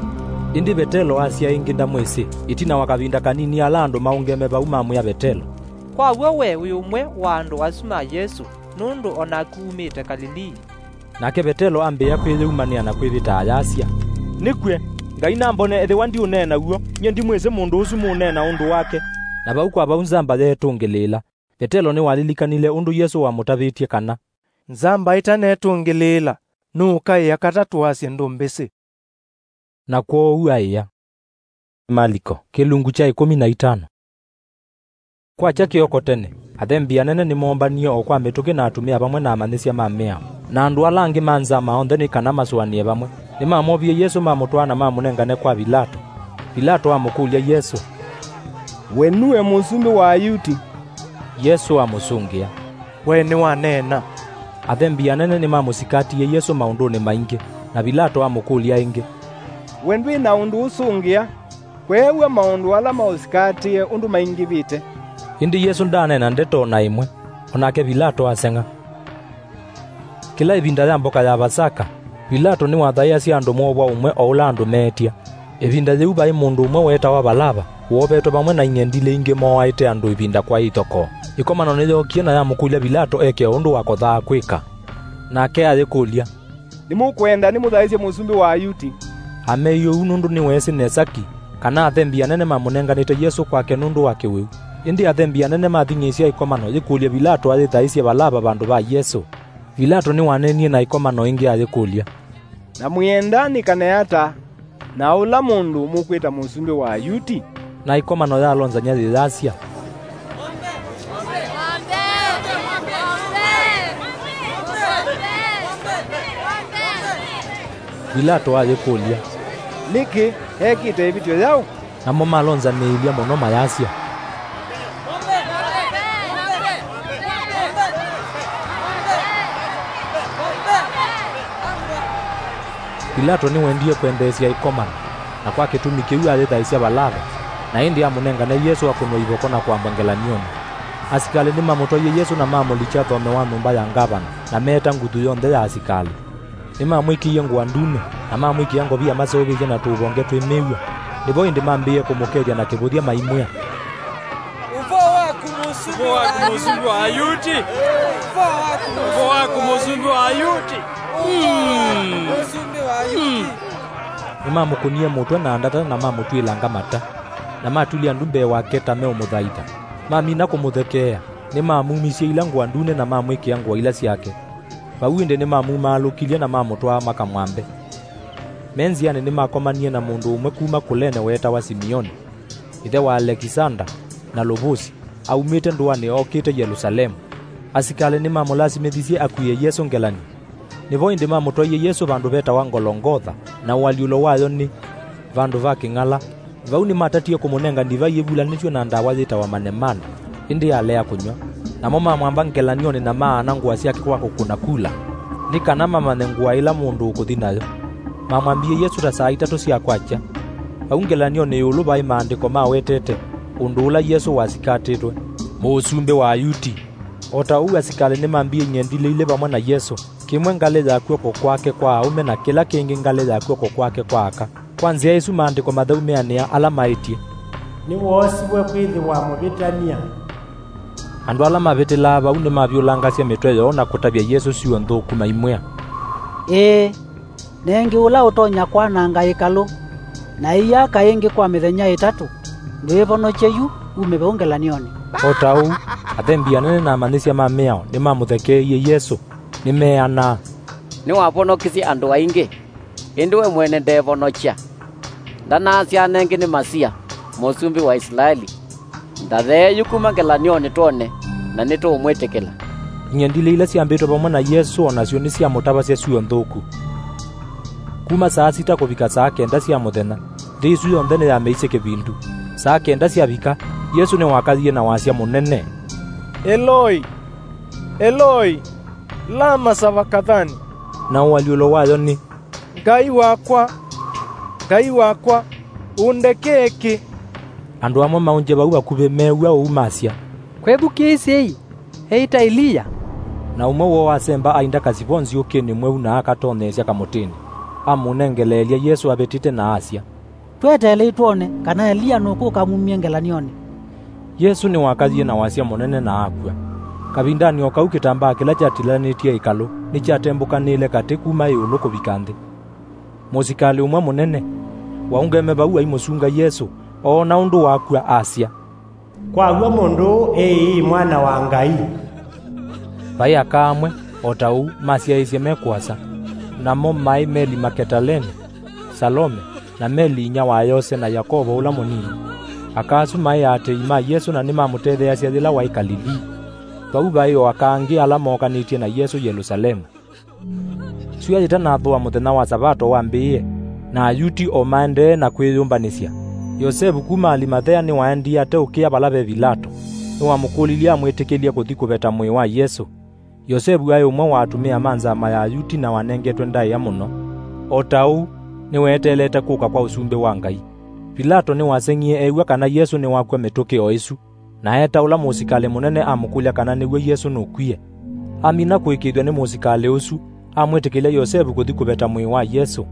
Ĩndĩ Vetelo asya ĩngĩ ndamwĩsĩ. Ĩtina wa kavinda kanini ala andũ maũngeme vau mamwĩa Vetelo, "Kwa w'o we wĩ ũmwe wa andũ asu ma Yesũ, nũndũ o naku umĩte Kalilii." Nake Vetelo ambĩĩa kwĩyĩumanĩa na kwĩvĩta ayasya, "Nĩkw'e, Ngai nambone ethĩwa ndiũneena w'o, nyie ndimwĩsĩ mũndũ ũsu mũũneena ũndũ wake." Na vau kwa vau nzamba yeetũngĩlĩĩla. Vetelo nĩwalilikanile ũndũ Yesũ wamũtavĩtye kana, "Nzamba ĩtanetũngĩlĩĩla, nũũkaĩa katatũ asye ndũmbĩsĩ." Na kwoou aĩa. Maliko, kĩlungu kya ĩkũmi na itano. Kwakya kĩoko tene, athembi anene nĩmoombanie o kwa mĩtũkĩ na atumĩa vamwe na amanyĩsya ma mĩao, na andũ ala angĩ ma nzama onthe nĩ kana masũanĩe vamwe. Nĩmamovie Yesũ mamũtwaa na mamũnengane kwa Vilato. Vilato amũkũlya Yesũ, "We nue mũsumbĩ wa Ayuti?" Yesũ amũsũngĩa, "We nĩwaneena." Athembi anene nĩmamũsikatie Yesũ maũndũnĩ maingĩ, na Vilato amũkũlya ĩngĩ, "We ndwĩ na ũndũ ũsũngĩa? Kweew'a maũndũ ala maũsikatie ũndũ maingĩvĩte." Ĩndĩ Yesũ ndaaneena ndeto o na ĩmwe, o nake Vilato aseng'a. Kĩla ĩvinda ya mboka ya Vasaka, Vilato nĩwathaĩasya andũ moovwa ũmwe o ũla andũ meetya. Ĩvinda yĩu vaĩ mũndũ ũmwe weetawa Valava, woovetwe vamwe na ing'endilĩ ingĩ mooaĩte andũ ĩvinda kwaĩ ithokoo. Ĩkomano nĩyookie na yamũkũlya Vilato eke o ũndũ wakothaa kwĩka. Nake ayĩkũlya, "Nĩmũkwenda nĩmũthaĩsye mũsumbĩ wa Ayuti?" Ameie ũu nũndũ nĩweesĩ nesa ki kana athembi anene mamũnenganĩte Yesũ kwake nũndũ wa kĩwĩu. Ĩndĩ athembi anene mathing'ĩĩsya ĩkomano yĩkũlye Vilato ayĩthaĩsye Valava vandũ va Yesũ. Vilato nĩwaneenie na ĩkomano ĩngĩ ayĩkũlya, "Na mwĩenda nĩkane ata na ũla mũndũ mũkwĩta mũsumbĩ wa Ayuti?" Na ĩkomano yalonzany'a yĩyasya, Vilato ayĩkũlya, "Nĩkĩ? Ekĩte ĩvĩtyo yaũ?" Namo malonzanĩĩlya mũno mayasya, Vilato nĩwendie kwendeesya ĩkomano, na kwa kĩtumi kĩu ayĩthaĩsya Valava, na ĩndĩ amũnengane Yesũ akũnwe ivoko na kwambwa ngelany'onĩ. Asikalĩ nĩmamũtwaie Yesũ na mamũlikya thome wa nyũmba ya ngavana, na meeta nguthu yonthe ya asikalĩ. Nĩmamwĩkĩie ngũa ndune, na mamwĩkĩa ngovia maseũvĩtye na tũũvonge twĩ mĩw'a. Nĩvo ĩndĩ mambĩĩe kũmũkethya na kĩvũthya maimwĩa, "Ũvoo waku, mũsumbĩ wa Ayuti! Ũvoo waku, mũsumbĩ wa Ayuti! Mm. Mũsumbĩ wa Ayuti!" Nĩmamũkũnie mũtwe na ndata na mamũtw'ĩlanga mata, na matulya ndu mbee wake ta meũmũthaitha. Mamina kũmũthekeea, nĩmamumisye ila ngũa ndune na mamwĩkĩa ngũa ila syake. Vau ĩndĩ nĩmamumaalũkilye na mamũtwaa makamwambe. Me nzĩanĩ nĩmakomanie na mũndũ ũmwe kuma Kũlene weetawa Simioni, ĩthe wa Alekisanda na Lũvũsi, aumĩte ndũanĩ okĩte Yelũsalemu. Asikalĩ nĩmamũlasimĩthisye akuĩe Yesũ ngelany'o. Nĩvo ĩndĩ mamũtwaie Yesũ vandũ vetawa Ngolongotha, na ũalyũlo wayo nĩ Vandũ va Kĩng'ala. Vau nĩmatatie kũmũnenga ndivai ĩvulanĩtw'e na ndawa yĩtawa manemane, ĩndĩ alea kũnyw'a. Namo mamwamba ngelany'onĩ na maana ngũa syake kwa kũkũna kula, nĩ kana mamanye ngũa ĩla mũndũ ũkũthi nayo. Mamwambie Yesũ ta saa itatũ sya kwakya. Vau ngelany'onĩ ĩũlũ vaĩ maandĩko mawetete ũndũ ũla Yesũ wasikatĩtwe, "Mũsumbĩ wa Ayuti." O ta ũu asikalĩ nĩmambie ing'endilĩ ilĩ vamwe na Yesũ, kĩmwe ngalĩ ya kw'oko kwake kwa aũme na kĩla kĩngĩ ngalĩ ya kw'oko kwake kwa aka. Kwa nzĩa ĩsu Maandĩko Matheu meanĩa ala maĩtye, "Nĩwoosiw'e kwĩthĩwa mũvĩtany'a." Andũ ala mavĩtĩlaa vau nĩmavyũlangasya mĩtwe yoo na kũtavya Yesũ syuo nthũku maimwĩa, "Ĩĩ, nengĩ ũla ũtonya kwananga ĩkalũ na ĩyaka ĩngĩ kwa mĩthenya ĩtatũ, ndwĩvonokye yu ume vau ngelany'onĩ." O ta ũu, athembi anene na amanyĩsya ma mĩao nĩmamũthekeeie Yesũ, nĩmeanaa, "Nĩwavonokisye andũ aingĩ, ĩndĩ we mwene ndeevonokya. Ndanaasya anenge nĩ Masia, mũsumbĩ wa Isilaeli? Ndathee yu kuma ngelany'onĩ twone, na nĩtũũmwĩtĩkĩla." Ing'endilĩ ila syambĩtwe vamwe na Yesũ o nasyo nĩsyamũtavasya syuo nthũku. Kuma saa sita kũvika saa kenda sya mũthenya, nthĩ ĩsu yonthe nĩyameisye kĩvindu. Saa kenda syavika, Yesũ nĩwakayie na wasya mũnene, "Eloi, Eloi, lama savakathani?" Na ũalyũlo wayo nĩ, "Ngai wakwa, Ngai wakwa, ũndekee kĩ?" Andũ amwe maũngye vau vakuvĩ meew'a ũu masya, "Kwĩthukĩĩsyei, eĩta Eliya." Na ũmwe woo asemba ainda kasivo nzyũkĩnĩ mweũ na akatoneesya kamũtĩnĩ, amũnengeleelya Yesũ avĩtĩte na asya, "Tweteelei twone kana Eliya nũkũka amumye ngelany'onĩ." Yesũ nĩwakayie na wasya mũnene na akw'a. Kavindanĩ o kau kĩtambaa kĩla kyatilanĩtye ĩkalũ nĩkyatembũkanĩle katĩ kuma ĩũlũ kũvika nthĩ. Mũsikalĩ ũmwe mũnene waũngeme vau aimũsunga Yesũ, oona ũndũ wakw'a, asya, "Kwaw'a mũndũ ũũ ĩĩ Mwana wa Ngai." Vaĩ aka amwe, o ta ũu, masyaĩĩsye me kũasa, namo maĩ Meli Maketalene, Salome, na Meli inyia wa Yose na Yakovo ũla mũnini. Aka asu maĩ aatĩĩi ma Yesũ na nĩmamũtetheeasya yĩla waĩ Kalilii. Vau vaĩ o aka angĩ ala mookanĩtye na Yesũ Yelũsalemu. Syũa yĩtanathũa mũthenya wa Savato wambĩĩe, na Ayuti o maendee na kwĩyũmbanĩsya, Yosevu kuma Alimathea nĩwaendie ateũkĩa vala ve Vilato. Nĩwamũkũlilye amwĩtĩkĩlye kũthi kũveta mwĩĩ wa Yesũ. Yosevu aĩ ũmwe wa atumĩa ma nzama ya Ayuti na wanengetwe ndaĩa mũno. O ta ũu, nĩweteelete kũka kwa Ũsumbĩ wa Ngai. Vilato nĩwaseng'ie eew'a kana Yesũ nĩwakw'a mĩtũkĩ o ĩsu, na eeta ũla mũsikalĩ mũnene amũkũlya kana nĩw'o Yesũ nũkwie. Amina kũĩkĩĩthw'a nĩ mũsikalĩ ũsu, amwĩtĩkĩlya Yosevu kũthi kũveta mwĩĩ wa Yesũ.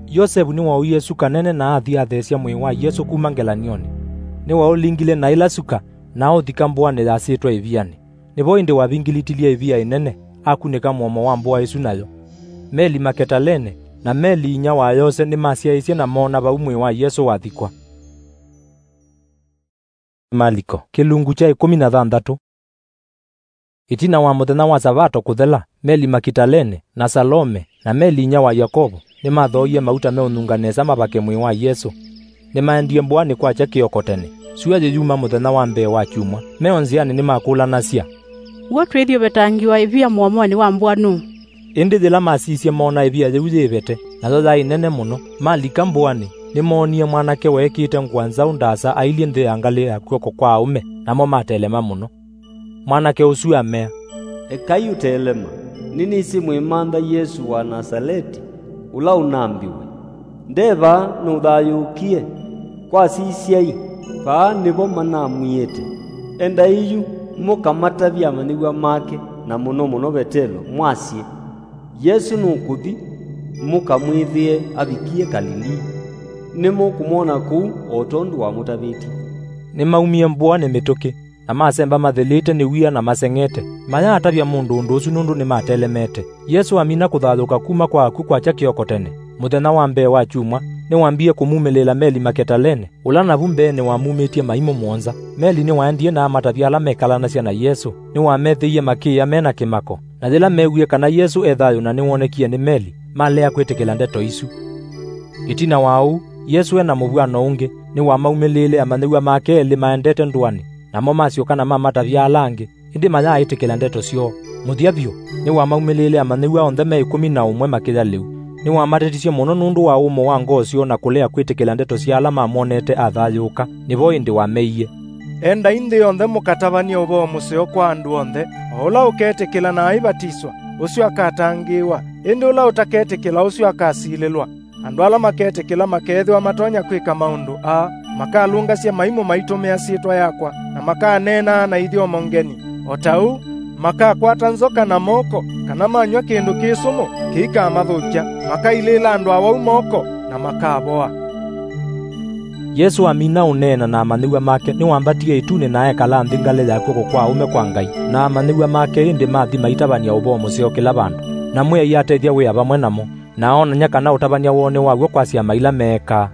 Yosevu nĩwaũie suka nene na athi atheesya mwĩĩ wa Yesũ kuma ngelany'onĩ. Nĩwaũlingile na ĩla suka, na aũthika mbũanĩ yasĩtwe ĩvianĩ. Nĩvo ĩndĩ wavingilitilye ĩvia ĩnene, akunĩka mũomo wa mbũa ĩsu nayo. Meli Maketalene, na Meli inyia wa Yose nĩmasyaĩĩsye na moona vau mwĩĩ wa Yesũ wathikwa. Maliko, kĩlungu kya ĩkũmi na thanthatũ. Ĩtina wa mũthenya wa Savato kũthela, Meli Makitalene, na Salome, na Meli inyia wa Yakovo, nĩmathooie mauta meũnunga nesa mavake mwĩĩ wa Yesũ. Nĩmaendie mbũanĩ kwakya kĩoko tene. Syũa yĩyuma mũthenya wa mbee wa kyumwa, me o nzĩanĩ nĩmakũlanasya, "W'o twĩthi ũvetangĩwa ĩvia mũomonĩ wa mbũa nũũ?" Ĩndĩ yĩla masisye, moona ĩvia yĩu yĩvete, nayo yaĩ nene mũno. Malika mbũanĩ, nĩmoonie mwanake weekĩĩte ngũa nzaũ ndaasa ailyĩ nthĩ ya ngalĩ ya kw'oko kwa aũme, namo matelema mũno. Mwanake ũsu amea, "Ekai ũtelema, nĩnĩsĩ mwĩmantha Yesũ wa Nasaleti, ũla ũnambiwe, 'Nde vaa, nũthayũũkie,' kwasisyai, vaa nĩvo manamwiĩte. Endai yu mũkamatavye amanyĩw'a make, na mũno mũno Vetelo, mwasye, 'Yesũ nũkũthi, mũkamwĩthĩe avikie Kalilii. Nĩmũkũmwona kũu o tondũ wamũtavĩtye.'" Nĩmaumie mbũanĩ mĩtũkĩ, na masemba mathĩlĩte nĩ wia na maseng'ete, mayaatavya mũndũ ũndũ ũsu nũndũ nĩmatelemete. Yesũ amina kũthayũũka kuma kwa akw'ũ kwakya kĩoko tene, mũthenya wa mbee wa kyumwa, nĩwambie kũmumĩlĩĩla meli Maketalene, ũla navu mbeenĩ wamumĩtye maimũ mũonza. Meli nĩwaendie na amatavya ala mekalanasya na Yesũ. Nĩwamethĩie makĩĩa me na kĩmako, na yĩla meewie kana Yesũ e thayũ na nĩwonekie nĩ meli, malea kwĩtĩkĩla ndeto isu. Ĩtina wa ũu, Yesũ e na mũvw'ano ũngĩ, nĩwamaumĩlĩĩle amanyĩw'a make elĩ maendete ndũanĩ, namo masyoka na mamatavya ala angĩ, ĩndĩ mayaaĩtĩkĩla ndeto syoo. Mũthya vyũ, nĩwamaumĩlĩĩle amanyĩw'a onthe me ĩkũmi na ũmwe makĩya lĩu. Nĩwamatetisye mũno nũndũ wa ũmo wa ngoo syoo na kũlea kwĩtĩkĩla ndeto sya ala mamwonete athayũũka. Nĩvo ĩndĩ wameie, "Endai nthĩ yonthe mũkatavany'e ũvoo mũseo kwa andũ onthe. O ũla ũketĩkĩla na aivatiswa, ũsu akatangĩĩwa, ĩndĩ ũla ũtaketĩkĩla, ũsu akasilĩlwa. Andũ ala maketĩkĩla makeethĩwa matonya kwĩka maũndũ aa: makalũngasya maimũ maitũmĩa syĩtwa yakwa, na makaneenaa na ithyomo ngeni. O ta ũu, makakwata nzoka na moko, kana manyw'a kĩndũ kĩ sũmũ kĩikamathũkya, makailĩĩla andũ awau moko, na makavoa." Yesũ amina ũneena na amanyĩw'a make, nĩwambatie ĩtunĩ na ekala nthĩ ngalĩ ya kw'oko kwa ũme kwa Ngai, na amanyĩw'a make ĩndĩ mathi maitavany'a ũvoo mũseo kĩla vandũ. Na Mwĩai atethya wĩa vamwe namo, na oonany'a kana ũtavany'a woo nĩ wa w'o kwa syama ila meekaa.